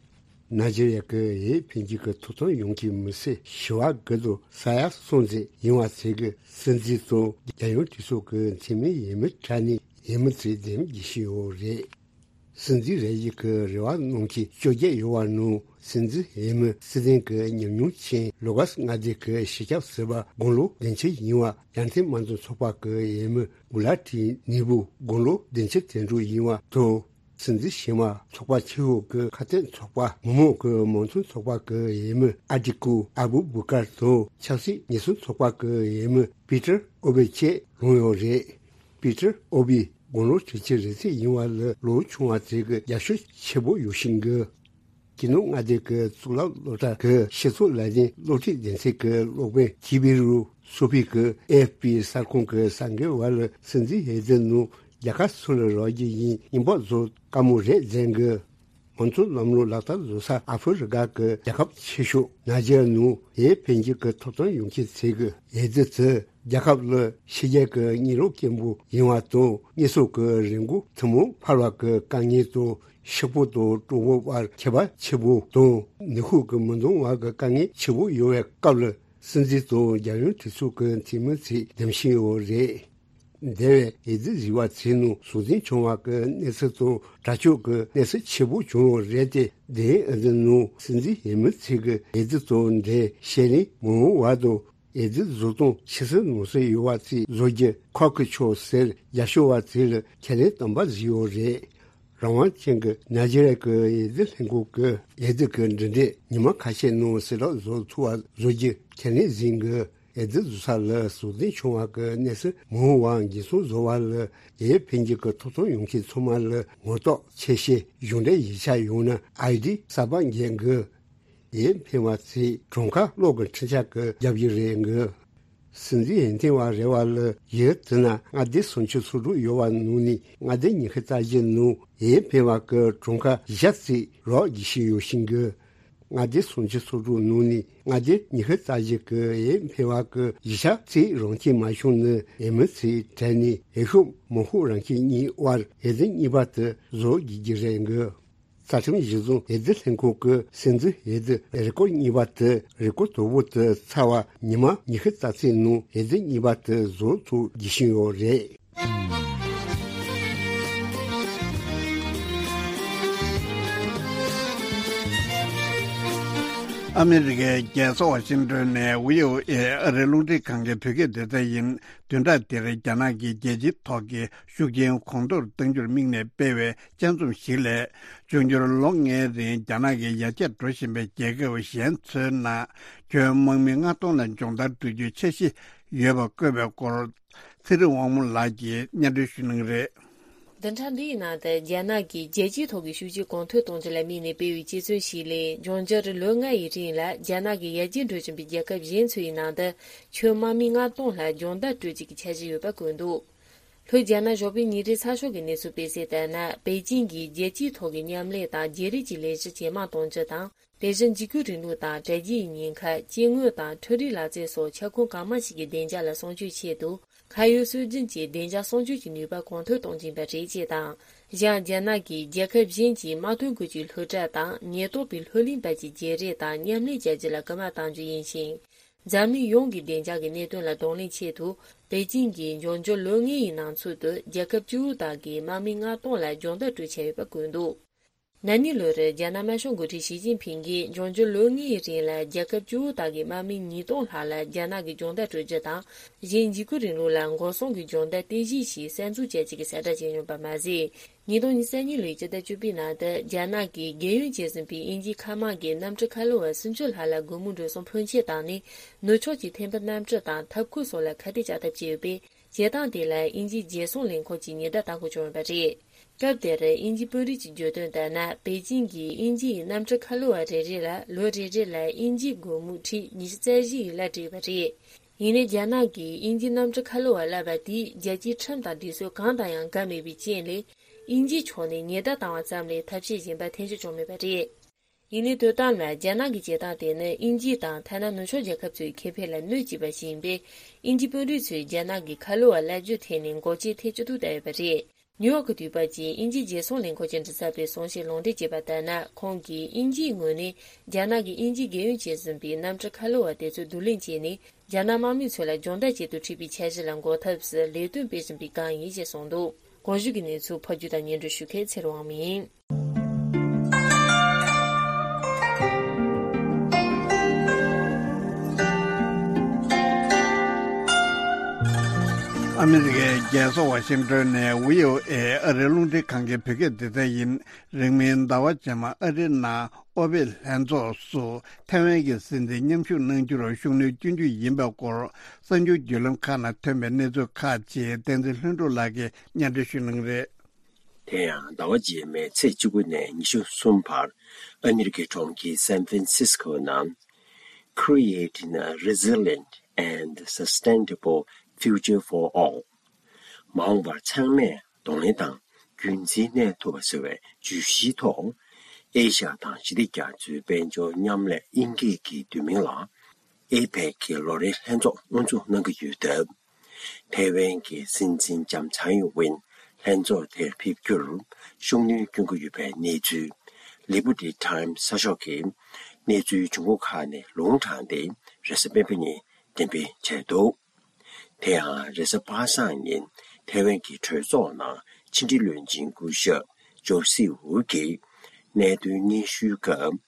ནཱི་ཇེ་རི་ཡ་གི་འོས་འཕེན་རྒྱུ་གི་ཐོབ་ཐང་ཡོད་མཁན་མི་སེར་བྱེ་བ་དགུ་དང་ས་ཡ་གསུམ་ཙམ་ཡིན་པ་ཚོས་གི་སྲིད་འཛིན་དང་རྒྱལ་ཡོངས་གྲོས་ཚོགས་གི་འཐུས་མི་འོས་མི་གྲལ་ནས་འོས་མི་ཚོས་འདེམས་རྒྱུ་ཞིག་ཡོད་རེད། སྲིད་འཛིན་རེ་ཡི་གི་རེ་བ་གནང་མཁན་བཅོ་བརྒྱད་ཡོད་པ་ནང་སྲིད་འཛིན་འོས་མི་སྲིད་དོན་གི་ཉམས་མྱོང་ཅན་ལོ་ག་ལྔ་སྡེ་གི་སྤྱི་ཁྱབ་ཟུར་པ་དགུང་ལོ་བདུན་ཅུ་ཡིན་པ་ཡར་ཐོན་དམངས་གཙོ་ཚོགས་པ་གི་འོས་མི་གུ་ལ་ཏི་ནི་བུ་དགུང་ལོ་བདུན་ཅུ་དོན་དྲུག་ཡིན་པ་དང་། སྲིད་འཛིན་གཞན་མ་ཚོགས་པ་ཆེ་ཤོས་ཀྱི་ཁ་གཏད་ཚོགས་པ་མི་མང་གི་མང་གཙོ་ཚོགས་པ་གི་འོས་མི་ཨ་ཏི་ཀུ་ཨ་བུ་བུ་ཀར་དང་ཆབ་སྲིད་ཉེན་སྲུང་ཚོགས་པ་གི་འོས་མི་པི་ཏར་ཨོ་བེ་བཅས་ལངས་ཡོད་རེད། པི་ཏར་ཨོ་བེ་དགུང་ལོ་དྲུག་ཅུ་རེ་གཅིག་ཡིན་པ་ལས་ལོ་ཆུང་བ་ཚོས་ཀྱི་རྒྱབ་སྐྱོར་ཆེ་པོ་ཡོད་བཞིན་གི། ཀྱི་ནུ་མངའ་སྡེ་གི་གཙུག་ལག་སློབ་གྲྭ་གི་སྤྱི་ཚོགས་ལས་དོན་སློབ་ཁྲིད་སྡེ་ཚན་གྱི་སློབ་དཔོན་ཐི་བི་རུ་སོ་ཕི་གིས་ཨེ་ཨེཕ་པི་གསར་ཁང་གི་གསར་འགོད་པ་ལ་སྲིད་འཛིན་འོས་བསྡུ་ནང་རྒྱལ་ཁ་སུ་ལ་རག་རྒྱུ་ཡིན་སྙན་པོ་བཟོ་དཀའ་མོ་རེད་ཟེར་གི། མང་གཙོ་ལམ་ལུགས་ལག་བསྟར་བཟོ་ས་ཨ་ཧྥེ་རི་ཁ་གི་རྒྱལ་ཁབ་ཆེ་ཤོས་ནཱི་ཇེ་རི་ཡ་ནང་ཡུན་ཕན་གྱི་ཐོབ་ཐང་ཡོང་མཁན་ཚོས་ཀྱི་ཨེ་ཛི་དེ་རྒྱལ་ཁབ་ལ་ཕྱི་རྒྱལ་གྱི་གཉན་རོ་སྐྱེན་པོ་ཡིན་པ་དང་། གཉན་སྲུང་གི་རིན་གོང་ཐུན་མོང་འཕར་བ་གི་དཀའ་ངལ་དང་། ཕྱུག་པོ་དང་གྲོགས་པོ་བར་ཁྱད་པར་ཆེ་པོ་དང་། ནུས་ཤུགས་ཀྱི་མི་འདང་བ་གི་དཀའ་ངལ་ཆེ་པོ་ཡོད་པའི་སྐབས་ལ། སྲིད་འཛིན་དང་རྒྱལ་ཡོངས་གྲོས་ཚོགས་ཀྱི་འཐུས་མི་ཚོས་འདེམས་བཞིན་ཡོད་རེད། འདས་པའི་ཨེ་ཛི་བཟི་བ་ཚོའི་ནང་ཟུར་འཛིན་བྱུང་བ་གི་གནས་ཚུལ་དང་། དྲག་སྤྱོད་ཀྱི་གནས་ཚུལ་ཆེ་པོ་བྱུང་བ་རེད་དེ། དེ་ཨེ་ཛི་ནང་སྲིད་འཛིན་འོས་མི་ཚོས་ཀྱི་ཨེ་ཛི་དང་འབྲེལ་བཤད་རིན་མི་འོང་བ་དང་། ཨེ་ཛི་བཟོ་སྟངས་ཕྱི་སེལ་ནང་སེལ་ཡོད་པ་ཚོས་བཟོ་རྒྱུ་ཁག་གི་ཆོག་ཟེར། རྒྱབ་སྐྱོར་བ་ཚོས་ལ་ཁས་ལེན་དམ་པ་བཟོས་ཡོད་རེད། རང་དབང་ཅན་གྱི་ནཱི་ཇེ་རི་ཡ་གི་ཨེ་ཛི་ལྷན་ཁང་གིས་ཨེ་ཛི་གི་འབྲུ་འགྲེམས་ཉི་མ་ཁ་ཤས་ནང་ཟས་རག་བཟོ་ཐུབ་པ་བཟོ་རྒྱུ་ཁས་ལེན་ཟིན་གི། ཨེ་ཛི་བཟོ་ས་ལ་ཟུར་འཛིན་བྱུང་བ་གི་གནས་ཚུལ་མི་འོང་བ་འགན་སྲུང་བཟོ་བ་ལ་ཡུན་ཕན་གྱི་ཐོབ་ཐང་ཡོང་མཁན་ཚང་མ་ལ་ངོ་ཐོག་ཆེད་བཤད་གཞུང་འབྲེལ་ཡིག་ཆ་ཡོང་ན་ཨའི་ཌི་གསར་པ་འགེལ་གི། ཡུན་ཕན་པ་ཚོས་གྲངས་ཀ་གློག་གི་འཕྲུལ་ཆས་ཀྱིས་རྒྱབ་ཀྱི་རེད་གི། སྲིད་འཛིན་འོས་ཐོན་པ་རེ་བ་ལ་ཡུལ་དེ་ན་མངའ་སྡེ་སུམ་ཅུ་སོ་དྲུག་ཡོད་པ་ནང་ནས། མངའ་སྡེ་ཉི་ཤུ་རྩ་བཞི་ནང་ཡུན་ཕན་པ་གི་གྲངས་ཀ་བཞི་ཙམ་རག་རྒྱུ་ཞིག་ཡོད་བཞིན་གི། མངའ་སྡེ་སུམ་ཅུ་སོ་དྲུག་ནང་ནས་མངའ་སྡེ་ཉི་ཤུ་རྩ་བཞི་གི་ཡུན་ཕན་པ་གི་བཞི་ཆ་ཙམ་རང་ཁྱིམ་མ་བྱུང་ན། འོས་མི་ཚོའི་གྲས་ནས་འོས་ཤོག་མང་ཤོས་རང་ཁྱིམ་གཉིས་དབར་ཨེ་ཛི་གཉིས་པ་དེ་བཟོ་དགོས་ཀྱི་རེད་གི། རྩ་ཁྲིམས་གཞི་བཟུང་ཨེ་ཛི་ལྷན་ཁང་གི་སྲིད་འཛིན་ཨེ་ཛི་རེ་སྐུལ་གཉིས་པ་དེ། རེ་སྐུལ་དོ་པོ་དེ་ཚར་བ་ཉི་མ་ཉི་ཤུ་རྩ་གཅིག་ནང་ཨེ་ཛི་གཉིས་པ་དེ་བཟོ་ཐུབ་རྒྱུ་བཞིན་ཡོད་རེད། ཨ་མི་རི་ཀའི་རྒྱལ་ས་ཝ་ཤིང་ཏོན་ནས་བྷི་ཨོ་ཨེ་ཨ་རིའི་རླུང་འཕྲིན་ཁང་གི་བོད་སྐད་སྡེ་ཚན་ཡིན། བདུན་ཕྲག་འདིར་རྒྱ་ནག་གིས་རྒྱལ་སྤྱིའི་ཐོག་གི་ཤུགས་རྐྱེན་གོང་མཐོར་གཏང་རྒྱུར་དམིགས་ནས་སྤེལ་བའི་དཔྱད་རྩོམ་ཞིག་ལས། འབྱུང་འགྱུར་ལོ་ལྔའི་རིང་རྒྱ་ནག་གི་ཡར་རྒྱས་འགྲོ་བཞིན་པའི་རྒྱལ་ཁབ་གཞན་ཚོའི་ནང་ཁྱོན་དམག་མི་ལྔ་སྟོང་ལ་སྦྱོང་བརྡར་སྤྲོད་རྒྱུའི་འཆར་གཞི་ཡོད་པ་བཀོད་པའི་སྐོར། ཚེ་རིང་དབང་མོ་ལགས་ཀྱིས་སྙན་སྒྲོན་ཞུ་གནང་གི་རེད། བདུན་ཕྲག་འདིའི་ནང་དུ་རྒྱ་ནག་གིས་རྒྱལ་སྤྱིའི་ཐོག་གི་ཤུགས་རྐྱེན་གོང་མཐོར་གཏོང་རྒྱུ་ལ་དམིགས་ནས་སྤེལ་བའི་དཔྱད་རྩོམ་ཞིག་ལས། འབྱུང་འགྱུར་ལོ་ལྔ་ཡི་རིང་ལ་རྒྱ་ནག་གི་ཡར་རྒྱས་འགྲོ་བཞིན་པའི་རྒྱལ་ཁབ་གཞན་ཚོའི་ནང་དུ་ཁྱོན་དམག་མི་ལྔ་སྟོང་ལྷག་སྦྱོང་བརྡར་སྤྲོད་རྒྱུ་གི་འཆར་གཞི་ཡོད་པ་བཀོད་འདུག་ལྷོ་རྒྱ་ནག་གཞུང་པའི་ཉིན་རེའི་ཚགས་ཤོག་གི་གནས་ཚུལ་སྤེལ་གསལ་ལྟར་ན། པེ་ཅིང་གིས་རྒྱལ་སྤྱིའི་ཐོག་གི་མཉམ་ལས་དང་བརྗེ་རེས་ཀྱི་ལས་གཞི་ཇེ་མང་གཏོང་རྒྱུ་དང་། དེ་བཞིན་འཇིགས་སྐུལ་རིང་ལུགས་དང་དྲ་རྒྱའི་ཉེན་ཁ། སྐྱེ་དངོས་དང་འཕྲུལ་རིག་ལག་རྩལ་སོགས་ཁྱབ་ཁོངས་གང་མང་ཞིག་གི་བདེ་འཇགས་ལ་སྲུང་སྐྱོབ་ཆེད་དུ། ཁ་ཡོད་སྲོལ་རྒྱུན་གྱི་བདེ་འཇགས་སྲུང་སྐྱོབ་ཀྱི་ནུས་པ་གོང་མཐོར་གཏོང་གི་ཡིན་པ་རེད་ཅེས་དང་། གཞན་རྒྱ་ནག་གིས་རྒྱལ་ཁབ་གཞན་གྱི་དམག་དོན་ཁུལ་གྱི་ལྷོ་བྲག་དང་ཉེན་རྟོག་པའི་ལྷོད་གླིང་བར་གྱི་བརྗེ་རེས་དང་མཉམ་ལས་བྱ་རྒྱུ་ལ་སྐུལ་མ་གཏང་རྒྱུ་ཡིན་ཞིང་། འཛམ་གླིང་ཡོངས་ཀྱི་བདེ་འཇགས་ཀྱི་གནད་དོན་ལ་གདོང་ལེན་ཆེད་དུ། པེ་ཅིང་གིས་འབྱུང་འགྱུར་ལོ་ལྔའི་ནང་ཚུད་དུ་རྒྱལ་ཁབ་བཅུ་དག་གི་དམག་མི་ལྔ་སྟོང་ལ་སྦྱོང་བརྡར་སྤྲོད་འཆར་ཡོད་པ་བཀོད་འདུག་ན་ནིང་ལོར་རྒྱ་ནག་དམར་ཤོག་འགོ་ཁྲིད་ཞི་ཅིན་ཕིང་གིས་འབྱུང་འགྱུར་ལོ་ལྔའི་རིང་ལ་རྒྱལ་ཁབ་བཅུ་དག་གི་དམག་མི་ཉིས་སྟོང་ལྷག་ལ་རྒྱ་ནག་གིས་སྦྱོང་བརྡར་སྤྲོད་རྒྱུ་དང་། གཞན་འཇིགས་སྐུལ་རིང་ལུགས་ལ་འགོག་སྲུང་གི་སྦྱོང་བརྡར་རྟེན་གཞི་ཞིག་གསར་འཛུགས་བྱ་རྒྱུ་གི་གསལ་བསྒྲགས་བྱས་ཡོད་པ་མ་ཟད། ཉིས་སྟོང་ཉི་ཤུ་རྩ་གཉིས་ལོའི་སྤྱི་ཟླ་བཅུ་པའི་ནང་དུ་རྒྱ་ནག་གིས་རྒས་ཡོལ་བྱས་ཟིན་པའི་དབྱིན་ཇིའི་མཁའ་དམག་གི་གནམ་གྲུ་ཁ་ལོ་བ་སུམ་ཅུ་ལྷག་ལ་སྒོར་མོ་འགྲོ་སོང་ཕོན་ཆེ་བཏང་ནས། ནུབ་ཕྱོགས་ཀྱི་ཐེམ་པའི་གནམ་གྲུ་དང་འཐབ་ཁུལ་སོགས་ལ་ཁ་གཏད་གཅོག་ཐབས་བྱས་ཡོད་པས། བྱེད་སྟངས་དེ་ལ་དབྱིན་ཇིའི་རྒྱལ་སྲུང་ལས་ཁུངས་ཀྱིས་ཉེན་བརྡ་བཏང་དགོས་བྱུང་ཡོད་པ་རེད། སྐབས་དེར་དབྱིན་ཇིའི་དཔོན་རིགས་ཀྱིས་བརྗོད་དོན་ལྟར་ན། པེ་ཅིང་གིས་དབྱིན་ཇི་ཡི་གནམ་གྲུ་ཁ་ལོ་བ་རེ་རེ་ལ་ལོ་རེ་རེ་ལ་དབྱིན་ཇིའི་སྒོར་མོ་ཁྲི་ཉི་ཤུ་རྩ་བཞི་ཡི་གླ་སྤྲད་ཡོད་པ་རེད། ཡིན་ནའི་རྒྱ་ནག་གིས་དབྱིན་ཇིའི་གནམ་གྲུ་ཁ་ལོ་བ་གླ་བ་དེས་རྒྱལ་སྤྱིའི་ཁྲིམས་དང་སྒྲིག་སྲོལ་གང་དང་ཡང་འགལ་མེད་པའི་རྐྱེན་ལས། དབྱིན་ཇིའི་ཕྱོགས་ནས་ཉེན་བརྡ་བཏང་བ་ཙམ་ལས་ཐབས་ཤེས་གཞན་པ་འཐེན་འཁྱེར་བྱུང་མེད་པ་རེད། ཡིན་ནའི་དོ་དམ་ལ་རྒྱ་ནག་གི་བྱེད་སྟངས་དེ་ནི་དབྱིན་ཇི་དང་ཐ་ན་ནུབ་ཕྱོགས་རྒྱལ་ཁབ་ཚོའི་ཁེ་ཕན་ལ་གནོད་སྐྱེལ་བ་ཞིག་ཡིན་པས། དབྱིན་ཇིའི་དཔོན་རིགས་ཚོས་རྒྱ་ནག་གི་ཁ་ལོ་བ་གླ་རྒྱུ་ཐད་ནས་འགོག་རྐྱེན་ཐེབས་ཅི་ཐུབ་བཏང་ཡོད་པ་རེད། ནིའུ་ཡོག་གི་དུས་བབ་ཀྱིས་དབྱིན་ཇིའི་རྒྱལ་སྲུང་ལས་ཁུངས་ཀྱིས་འབྲི་གསལ་པའི་གསུང་བཤད་ལུང་འདྲེན་བྱས་པ་ལྟར་ན། ཁོང་གིས་དབྱིན་ཇིའི་ངོས་ནས་རྒྱ་ནག་གིས་དབྱིན་ཇིའི་རྒས་ཡོལ་བྱས་ཟིན་པའི་གནམ་གྲུ་ཁ་ལོ་བ་དེ་ཚོ་བསྡུ་ལེན་བྱས་ནས། རྒྱ་ནག་དམག་མི་ཚོ་ལ་སྦྱོང་བརྡར་ཆེད་དུ་ཁྲིད་པའི་འཆར་གཞི་ལ་འགོག་ཐབས་སུ་ལས་དོན་སྤེལ་བཞིན་པའི་སྒང་ཡིན་ཞེས་གསུངས་འདུག་གོང་ཞུས་ཀྱི་གནས་ཚུལ་ཕབ་སྒྱུར་དང་སྙན་སྒྲོན་ཞུ་མཁན་ཚེ་རིང་དབང་མོ་ཡིན། ཨ་མི་རི་ཀའི་རྒྱལ་ས་ཝ་ཤིང་ཏོན་ནས་བྷི་ཨོ་ཨེ་ཨ་རིའི་རླུང་འཕྲིན་ཁང་གི་བོད་སྐད་སྡེ་ཚན་ཡིན། རིང་མིན་ཟླ་བ་རྗེས་མ་ཨ་རིའི་ནང་ཨོ་པེག་ལྷན་ཚོགས་སུ་ཐའེ་ཝན་གྱི་སྲིད་འཛིན་མཉམ་ཞུགས་གནང་རྒྱུར་ཤུགས་སྣོན་སྐྱོན་རྒྱུ་ཡིན་པའི་སྐོར་གསར་འགྱུར་བརྒྱུད་ལམ་ཁག་ནང་ཐོན་པའི་གནས་ཚུལ་ཁག་ཅིག་བསྟན་འཛིན་ལྷུན་གྲུབ་ལགས་ཀྱིས་སྙན་སྒྲོན་ཞུ་གནང་གི་རེད། དེ་ཡང་ཟླ་བ་རྗེས་མའི་ཚེས་བཅུ་དགུ་ནས་ཉི་ཤུ་གསུམ་བར་ཨ་མི་རི་ཀའི་གྲོང་ཁྱེར་སན་ཧྥན་སིས་ཀོ་ནང་Creating a Resilient and Sustainable Future for All མ་འོངས་པར་ཚང་མས་གདོང་ལེན་དང་རྒྱུན་འཛིན་གནས་ཐུབ་པ་ཟེར་བའི་བརྗོད་གཞིའི་ཐོག་ ཨེ་ཤ་ཡ་དང་ཞི་བདེ་རྒྱ་མཚོའི་དཔལ་འབྱོར་མཉམ་ལས་དབྱིན་སྐད་ཀྱི་བསྡུས་མིང་ལ་ཨེ་པེག་གི་ལོ་རེའི་ལྷན་ཚོགས་དབུ་འཛུགས་གནང་གི་ཡོད་སྟབས། ཐའེ་ཝན་གྱི་སྲིད་འཛིན་ལྕམ་ཚའེ་ཝེན་ལྷན་ཚོགས་དེར་ཕེབས་རྒྱུར་ཤུགས་སྣོན་སྐྱོན་གྱི་ཡོད་པའི་གནས་ཚུལ། Liberty Times་གསར་ཤོག་གིས་གནས་ཚུལ་བྱུང་ཁུངས་ཁག་ནས་ལུང་དྲངས་ཏེ། རེས་གཟའ་སྤེན་པ་ཉིན་འགྲེམས་སྤེལ་བྱས་འདུག་དེ་ཡང་རེས་གཟའ་པ་སངས་ཉིན་ཐའེ་ཝན་གྱི་གྲོས་ཚོགས་ནང་ཕྱི་འབྲེལ་བློན་ཆེན་སྐུ་ཞབས་ཇོ་སི་ཝུ་གིས་གནད་དོན་སྙན་ཞུའི་སྐབས།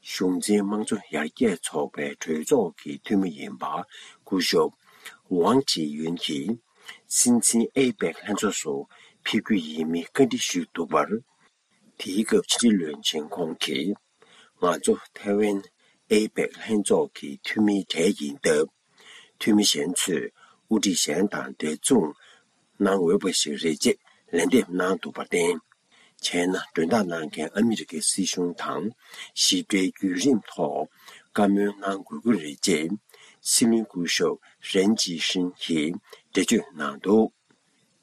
གཞུང་འཛིན་དམངས་གཙོ་ཡར་རྒྱས་ཚོགས་པའི་གྲོས་ཚོགས་ཀྱི་འཐུས་མི་ཡིན་པ་སྐུ་ཞབས་ཝང་ཅི་ཡུན་གྱིས་སྲིད་འཛིན་ཨེ་པེག་ལྷན་ཚོགས་སུ་ཕེབས་རྒྱུ་ཡིན་མིན་བཀའ་འདྲི་ཞུས་འདུག་པར། དེའི་སྐབས་ཕྱི་འབྲེལ་བློན་ཆེན་ཁོང་གིས། ང་ཚོ་ཐའེ་ཝན་ཨེ་པེག་ལྷན་ཚོགས་ཀྱི་འཐུས་མིའི་གྲས་ཡིན་སྟབས། འཐུས་མི་གཞན་ཚོས་དབུ་ཁྲིད་གཞན་དང་འབྲེལ་མཚུངས་གནང་འོས་པ་ཞིག་རེད་ཅེས་ལན་འདེབས་གནང་འདུག་པར་བརྟེན། བྱས་ན་མགྲོན་བདག་གནང་མཁན་ཨ་མི་རི་ཀའི་སྲིད་གཞུང་དང་ཞིབ་ཕྲའི་བརྒྱུད་རིམ་ཐོག་བཀའ་མོལ་གནང་དགོས་ཀྱི་རེད་ཅེས་སྲིད་བློན་སྐུ་ཞབས་རན་ཅི་ཧྲིན་གྱིས་འགྲེལ་བརྗོད་གནང་འདུག་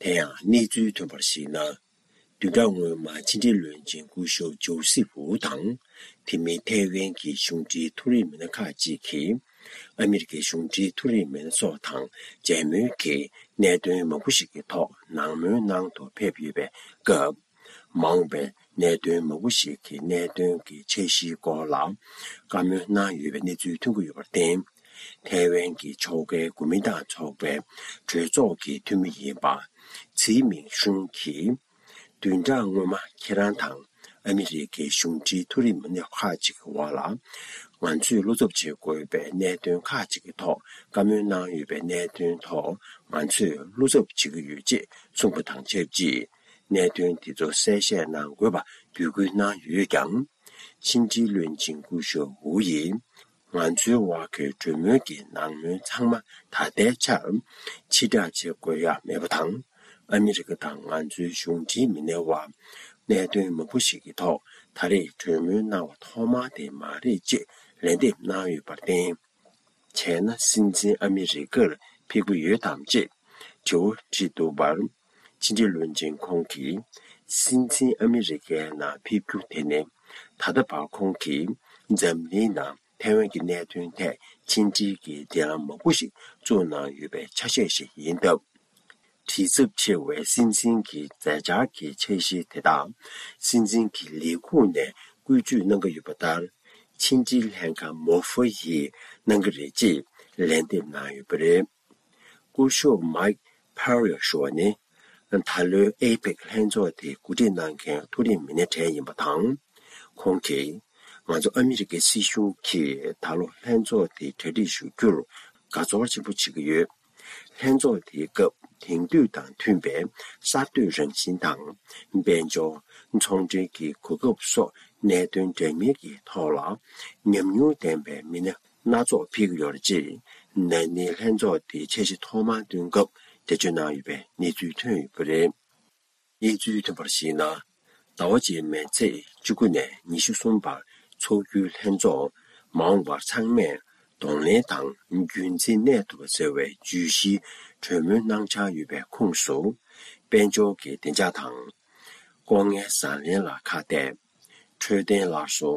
དེ་ཡང་གནས་ཚུལ་ཐོན་པར་གཞིགས་ན། བདུན་ཕྲག་སྔོན་མ་ཕྱི་འབྲེལ་བློན་ཆེན་སྐུ་ཞབས་ཇོ་སི་ཧྥུ་དང་། དེ་མིན་ཐའེ་ཝན་གྱི་གཞུང་འབྲེལ་མཐོ་རིམ་མི་སྣ་ཁག་ཅིག་གིས་ཨ་མི་རི་ཀའི་གཞུང་འབྲེལ་མཐོ་རིམ་མི་སྣ་སོགས་དང་མཇལ་མོལ་གྱིས་གནད་དོན་མང་པོ་ཞིག་གི་ཐོག་ནང་མོལ་གནང་དུ་ཕེབས་ཡོད་པའི་སྐབས། མ་འོངས་པའི་གནད་དོན་མང་པོ་ཞིག་གི་གནད་དོན་གྱི་འཆར་གཞིའི་སྐོར་ལ་བཀའ་མོལ་གནང་ཡོད་པའི་གནས་ཚུལ་ཐོན་གྱི་ཡོད་པར་བརྟེན། ཐའེ་ཝན་གྱི་ཕྱོགས་འགལ་གོ་མིན་ཏང་ཚོགས་པའི་གྲོས་ཚོགས་ཀྱི་འཐུས་མི་ཡིན་པ་ཚི་མིང་ཧྲུན་གྱིས། བདུན་ཕྲག་སྔོན་མ་ཁྱེད་རང་དང་ཨ་མི་རི་ཀའི་གཞུང་འབྲེལ་མཐོ་རིམ་མི་སྣ་ཁག་ཅིག་གི་འོག་ལ། ང་ཚོས་བློ་འཚབ་བྱེད་དགོས་པའི་གནད་དོན་ཁག་ཅིག་གི་ཐོག་བཀའ་མོལ་གནང་ཡོད་པའི་གནད་དོན་ཐོག་ང་ཚོས་བློ་འཚབ་བྱེད་ཀྱི་ཡོད་ཅེས་གསུངས་པ་དང་ཆབས་ཅིག་གནད་དོན་དེ་ཚོ་གསལ་བཤད་གནང་དགོས་པ་འབོད་སྐུལ་གནང་ཡོད་ཀྱང་། ཕྱི་འབྲེལ་བློན་ཆེན་སྐུ་ཞབས་ཝུ་ཡིས། ང་ཚོའི་དབར་གྱི་གྲོས་མོལ་གྱི་ནང་མོལ་ཚང་མ་ད་ལྟའི་ཆར་ཕྱིར་བསྒྲགས་བྱེད་དགོས་ཡག་མེད་པ་དང་། ཨ་མི་རི་ཀ་དང་ང་ཚོའི་གཞུང་འབྲེལ་མི་སྣའི་དབར་གནད་དོན་མང་པོ་ཞིག་གི་ཐོག་ད་རེས་གྲོས་མོལ་གནང་བ་ཐོག་མ་དེ་མ་རེད་ཅེས་ལན་འདེབས་གནང་ཡོད་པར་བརྟེན། བྱས་ན་སྲིད་འཛིན་ཨ་མི་རི་ཀར་ཕེབས་ཀྱི་ཡོད་དམ་ཅེས་དྲི་བ་དྲིས་འདུག་པར། ཕྱི་འབྲེལ་བློན་ཆེན་ཁོང་གིས་སྲིད་འཛིན་ཨ་མི་རི་ཀའི་ནང་ཕེབས་རྒྱུ་དེ་ནི་ད་ལྟ་བར་ཁོང་གིས་འཛམ་གླིང་ནང་ཐའེ་ཝན་གྱི་གནད་དོན་ཐད་ཕྱི་འབྲེལ་གྱི་འབྲེལ་ལམ་མང་པོ་ཞིག་བཙུགས་གནང་ཡོད་པའི་ཆ་ཤས་ཤིག་ཡིན་སྟབས། དྲི་ཚབས་ཆེ་བའི་སྲིད་འཛིན་གྱི་མཛད་འཆར་གྱི་འཆར་གཞི་དེ་དག་སྲིད་འཛིན་གྱི་ལས་ཁུངས་ནས་བཀོལ་སྤྱོད་གནང་གི་ཡོད་པ་ལྟར། ཕྱི་འབྲེལ་ལྷན་ཁང་མོ་ཧྥུ་ཡིས་གནང་གི་རེད་ཅེས་ལན་འདེབས་གནང་ཡོད་པ་རེད། སྐུ་ཞབས་མཱིག་ཕེ་རི་ཞུ་བ་ནི། ད་ལོའི་ཨེ་པེག་ལྷན་ཚོགས་དེ་གོ་སྒྲིག་གནང་མཁན་མཐོ་རིམ་མི་སྣའི་གྲས་ཡིན་པ་དང་། ཁོང་གིས། ང་ཚོ་ཨ་མི་རི་ཀའི་སྲིད་གཞུང་གིས་ད་ལོ་ལྷན་ཚོགས་དེ་གྲ་སྒྲིག་ཞུ་རྒྱུར་དགའ་ཚོར་ཆེན་པོ་བྱེད་ཀྱི་ཡོད། ལྷན་ཚོགས་དེའི་སྐབས་དེང་དུས་དང་མཐུན་པའི་གསར་གཏོད་རང་བཞིན་དང་། དཔལ་འབྱོར། ཚོང་འབྲེལ་གྱི་གོ་སྐབས་སོགས་གནད་དོན་འདྲ་མིན་གྱི་ཐོག་ལ་ཉམས་མྱོང་ལྡན་པའི་མི་སྣ་སྣ་ཚོགས་ཕེབས་ཀྱི་ཡོད་རེད་ཅེས་ན་ནིང་ལྷན་ཚོགས་དེའི་འཆར་གཞི་ཐོག་མར་བཏོན་སྐབས་འགྲེལ་བརྗོད་གནང་ཡོད་པའི་གནས་ཚུལ་ཐོན་ཡོད་པ་རེད། གནས་ཚུལ་ཐོན་པར་གཞིགས་ན། ཟླ་བ་རྗེས་མའི་ཚེས་བཅུ་དགུ་ནས་ཉི་ཤུ་གསུམ་བར་འཚོགས་རྒྱུའི་ལྷན་ཚོགས་མ་འོངས་པར་ཚང་མས་གདོང་ལེན་དང་རྒྱུན་འཛིན་གནས་ཐུབ་པ་ཟེར་བའི་བརྗོད་གཞིའི་གྲོས་མོལ་གནང་འཆར་ཡོད་པའི་ཁོངས་སུ། དཔལ་འབྱོར་གྱི་བདེ་འཇགས་དང་། ལྐོག་རྔན་བཟང་ལེན་ལ་ཁ་གཏད། འཕྲོད་བསྟེན་སླར་གསོ།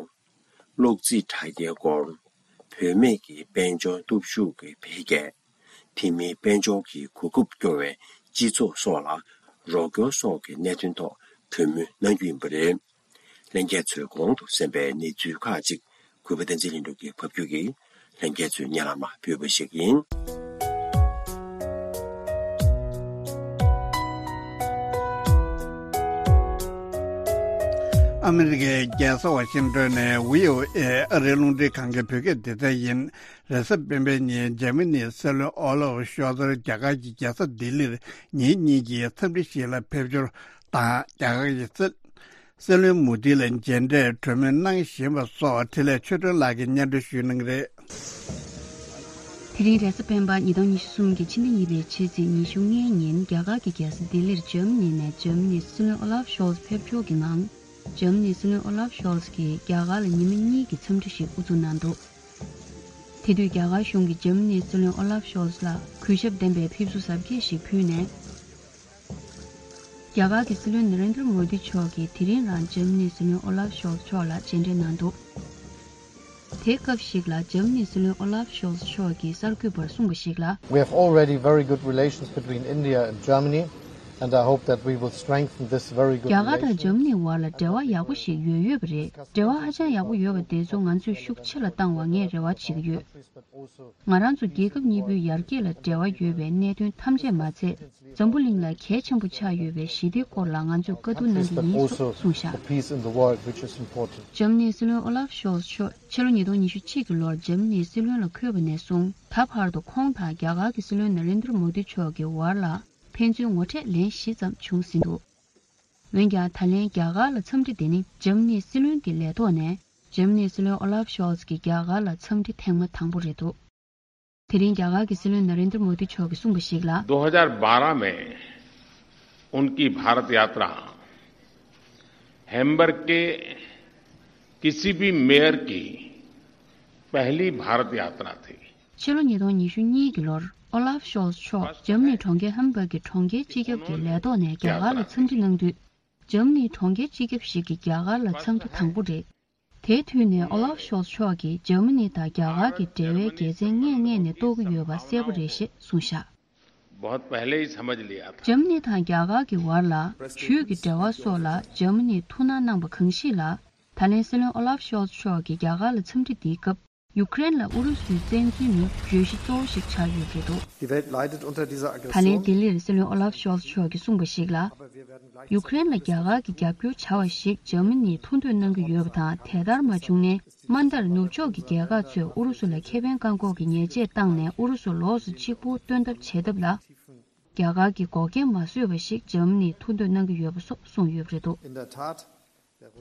གློག་རྩིས་དྲ་རྒྱའི་སྐོར། བུད་མེད་ཀྱི་དཔལ་འབྱོར་སྟོབས་ཤུགས་ཀྱི་འཕེལ་རྒྱས། དེ་མིན་དཔལ་འབྱོར་གྱི་གོ་སྐབས་སྐྱོ་བའི་སྤྱི་ཚོགས་སོགས་ལ་རོགས་སྐྱོར་སོགས་ཀྱི་གནད་དོན་ཐོག་གྲོས་མོལ་གནང་རྒྱུ་ཡིན་པ་རེད། ལྷན་རྒྱས་ཚོས་གོང་དུ་གསན་པའི་གནས་ཚུལ་ཁག་ཅིག་གུས་པ་བསྟན་འཛིན་ལྷུན་གྲུབ་ཀྱིས་ཕབ་སྒྱུར་གྱིས་ལྷན་རྒྱས་ཚོའི་སྙན་ལམ་ལ་ཕུལ་བ་ཞིག་ཡིན། ཨ་མི་རི་ཀའི་རྒྱལ་ས་ཝ་ཤིང་ཏོན་ནས་བྷི་ཨོ་ཨེ་ཨ་རིའི་རླུང་འཕྲིན་ཁང་གི་བོད་སྐད་སྡེ་ཚན་ཡིན། རེས་གཟའ་སྤེན་པའི་ཉིན་འཇར་མ་ནིའི་སྲིད་བློན་ཨོ་ལོབ་ཤོལ་ཚར་རྒྱ་གར་གྱི་རྒྱལ་ས་ལྡི་ལིར་ཉིན་གཉིས་ཀྱི་འཚམས་འདྲི་ཞིག་ལ་ཕེབས་འབྱོར་དང་། རྒྱ་གར་གྱི་སྲིད་སྲིད་བློན་མོ་དི་ལ་མཇལ་འཕྲད་གྲོས་མོལ་གནང་བཞིན་པ་སོགས་འཕྲིན་ལས་ཆོས་སྒྲོན་ལགས་ཀྱིས་སྙན་སྒྲོན་ཞུ་གནང་གི་རེད། དེ་རིང་རེས་གཟའ་སྤེན་པ་ཉིས་སྟོང་ཉི་ཤུ་གསུམ་གྱི་ཕྱི་ཟླ་གཉིས་པའི་ཕྱི་ཚེས་ཉི་ཤུ་ལྔའི་ཉིན་རྒྱ་གར་གྱི་རྒྱལ་ས་ལྡི་ལིར་འཇར་མ་ནི་ནས་འཇར་མ་ནིའི་སྲིད་བློན་ཨོ་ལབ་ཤོལ་ཚ་ཕེབས་འབྱོར་གྱི་ངང་། འཇར་མ་ནིའི་སྲིད་བློན་ཨོ་ལབ་ཤོལ་ཚ་གིས་རྒྱ་གར་ལ་ཉི་མ་གཉིས་ཀྱི་འཚམས་འདྲི་ཞིག་དབུ་འཛུགས་གནང་འདུག་དེ་དུས་རྒྱ་གར་གཞུང་གིས་འཇར་མ་ནིའི་སྲིད་བློན་ཨོ་ལབ་ཤོལ་ཚ་ལ་གུས་ཞབས་ལྡན་པའི་ཕེབས་བསུ་གཟབ་རྒྱས་ཤིག་ཕུལ་ནས། རྒྱ་གར་གྱི་སྲིད་བློན་ན་རེན་དྲ་མོ་དི་མཆོག་གིས་དེ་རིང་རང་འཇར་མ་ནིའི་སྲིད་བློན་ཨོ་ལཱབ་ཤོལ་ཚ་མཆོག་ལ་མཇལ་འཕྲད་གནང་འདུག་དེའི་སྐབས་ཤིག་ལ་འཇར་མ་ནིའི་སྲིད་བློན་ཨོ་ལཱབ་ཤོལ་ཚ་མཆོག་གིས་གསར་འགོད་པར་གསུངས་པ་ཞིག་ལ། We have already very good relations between India and Germany, and I hope that we will strengthen this very good རྒྱ་གར་དང་འཇར་མ་ནིའི་བར་ལ་འབྲེལ་བ་ཡག་པོ་ཞིག་ཡོད་ཡོད་པ་རེད། འབྲེལ་བ་ཧ་ཅང་ཡག་པོ་ཡོད་པ་དེ་ཚོ་ང་ཚོས་ཤུགས་ཆེ་རུ་བཏང་བ་ངས་རེ་བ་བྱེད་ཀྱི་ཡོད། ང་རང་ཚོ་རྒྱལ་ཁབ་གཉིས་པོའི་ཡར་རྒྱས་ལ་འབྲེལ་བ་ཡོད་པའི་གནད་དོན་ཐམས་ཅད་མ་ཚད། འཛམ་བུ་གླིང་ལ་གལ་ཆེན་པོ་ཆགས་ཡོད་པའི་ཞི་བདེའི་སྐོར་ལ་ང་ཚོས་བཀའ་བསྡུར་གནང་གི་ཡིན་སོགས་གསུངས་བཞག་འཇར་མ་ནིའི་སྲིད་བློན་ཨོ་ལཱབ་ཤོལ་ཚ་མཆོག་ཕྱི་ལོ་ཉིས་སྟོང་ཉི་ཤུ་གཅིག་གི་ལོར་འཇར་མ་ནིའི་སྲིད་བློན་ལ་འཁོད་པ་ནས་བཟུང་ད་བར་དུ་ཁོང་དང་རྒྱ་གར་གྱི་སྲིད་བློན་ན་རེན་དྲ་མོ་དི་མཆོག་གི་བར་ལ་ཕན་ཚུན་ངོ་འཕྲད་ལན་བཞི་ཙམ་བྱུང་ཟིན་འདུག་འོན་ཀྱང་ད་ལན་རྒྱ་གར་ལ་འཚམས་འདྲི་དེ་ནི་འཇར་མ་ནིའི་སྲིད་བློན་གྱི་ལས་ཐོག་ནས་འཇར་མ་ནིའི་སྲིད་བློན་ཨོ་ལཱབ་ཤོལ་ཚ་གྱི་རྒྱ་གར་ལ་འཚམས་འདྲི་ཐེངས་མ་དང་པོ་རེད་འདུག་དེ་རིང་རྒྱ་གར་གྱི་སྲིད་བློན་ན་རེན་དྲ་མོ་དི་མཆོག་གིས་གསུངས་པ་ཞིག་ལ། दो हज़ार बारह में उनकी भारत यात्रा हैम्बर्ग के किसी भी मेयर की पहली भारत यात्रा थी। ཕྱི་ལོ་ཉིས་སྟོང་ཉི་ཤུ་གཉིས་ཀྱི་ལོར་ཨོ་ལཱབ་ཤོལ་ཚ་མཆོག་འཇར་མ་ནིའི་གྲོང་ཁྱེར་ཧམ་བྷག་གི་གྲོང་ཁྱེར་སྤྱི་ཁྱབ་ཀྱི་ལས་ཐོག་ནས་རྒྱ་གར་ལ་འཚམས་འདྲི་གནང་དུས། འཇར་མ་ནིའི་གྲོང་ཁྱེར་སྤྱི་ཁྱབ་ཞིག་གིས་རྒྱ་གར་ལ་འཚམས་འདྲི་དང་པོ་རེད། དེའི་དུས་ནས་ཨོ་ལཱབ་ཤོལ་ཚ་མཆོག་གིས་འཇར་མ་ནི་དང་རྒྱ་གར་གྱི་འབྲེལ་བའི་དགེ་མཚན་སྔས་ངོས་ནས་རྟོགས་ཀྱི་ཡོད་པ་གསལ་པོ་རེད་ཞེས་གསུངས་བཞག། बहुत पहले ही समझ लिया था। འཇར་མ་ནི་དང་རྒྱ་གར་གྱི་བར་ལ་ཇུས་ཀྱི་འབྲེལ་བ་སོགས་ལ་འཇར་མ་ནིས་ཐུགས་སྣང་གནང་པ་གང་ཞིག་ལ། ད་ལན་སྲིད་བློན་ཨོ་ལཱབ་ཤོལ་ཚ་མཆོག་གིས་རྒྱ་གར་ལ་འཚམས་འདྲི་འདིའི་སྐབས། ཡུ་ཀེ་རེན་ལ་ཨུ་རུ་སུའི་བཙན་འཛུལ་ནི་བརྗོད་གཞི་གཙོ་བོ་ཞིག་ཆགས་ཡོད་པ་རེད་འདུག Die Welt leidet unter dieser Aggression. ད་ལན་ལྡི་ལིར་སྲིད་བློན་ཨོ་ལཱབ་ཤོལ་ཚ་མཆོག་གིས་གསུངས་པ་ཞིག་ལ། ཡུ་ཀེ་རེན་ལ་རྒྱ་གར་གྱིས་རྒྱབ་སྐྱོར་བྱ་བ་ཞིག་འཇར་མ་ནིས་ཐུགས་འདོད་གནང་གི་ཡོད་པ་དང་དེ་ལྟར་མ་བྱུང་ན་དམའ་མཐར་ནུབ་ཕྱོགས་ཀྱི་རྒྱལ་ཁག་ཚོས་ཨུ་རུ་སུ་ལ་ཁེ་ཕན་བཀག་འགོག་གི་ཉེས་ཆད་བཏང་ནས་ཨུ་རུ་སུ་ལོགས་སུ་གཅིག་པུ་སྟོན་ཐབས་བྱེད་ཐབས་ལ། རྒྱ་གར་གྱིས་འགོག་རྐྱེན་མ་བཟོས་པ་ཞིག་འཇར་མ་ནིས་ཐུགས་འདོད་གནང་གི་ཡོད་པ་སོགས་གསུངས་ཡོད་པ་རེད་འདུག In der Tat,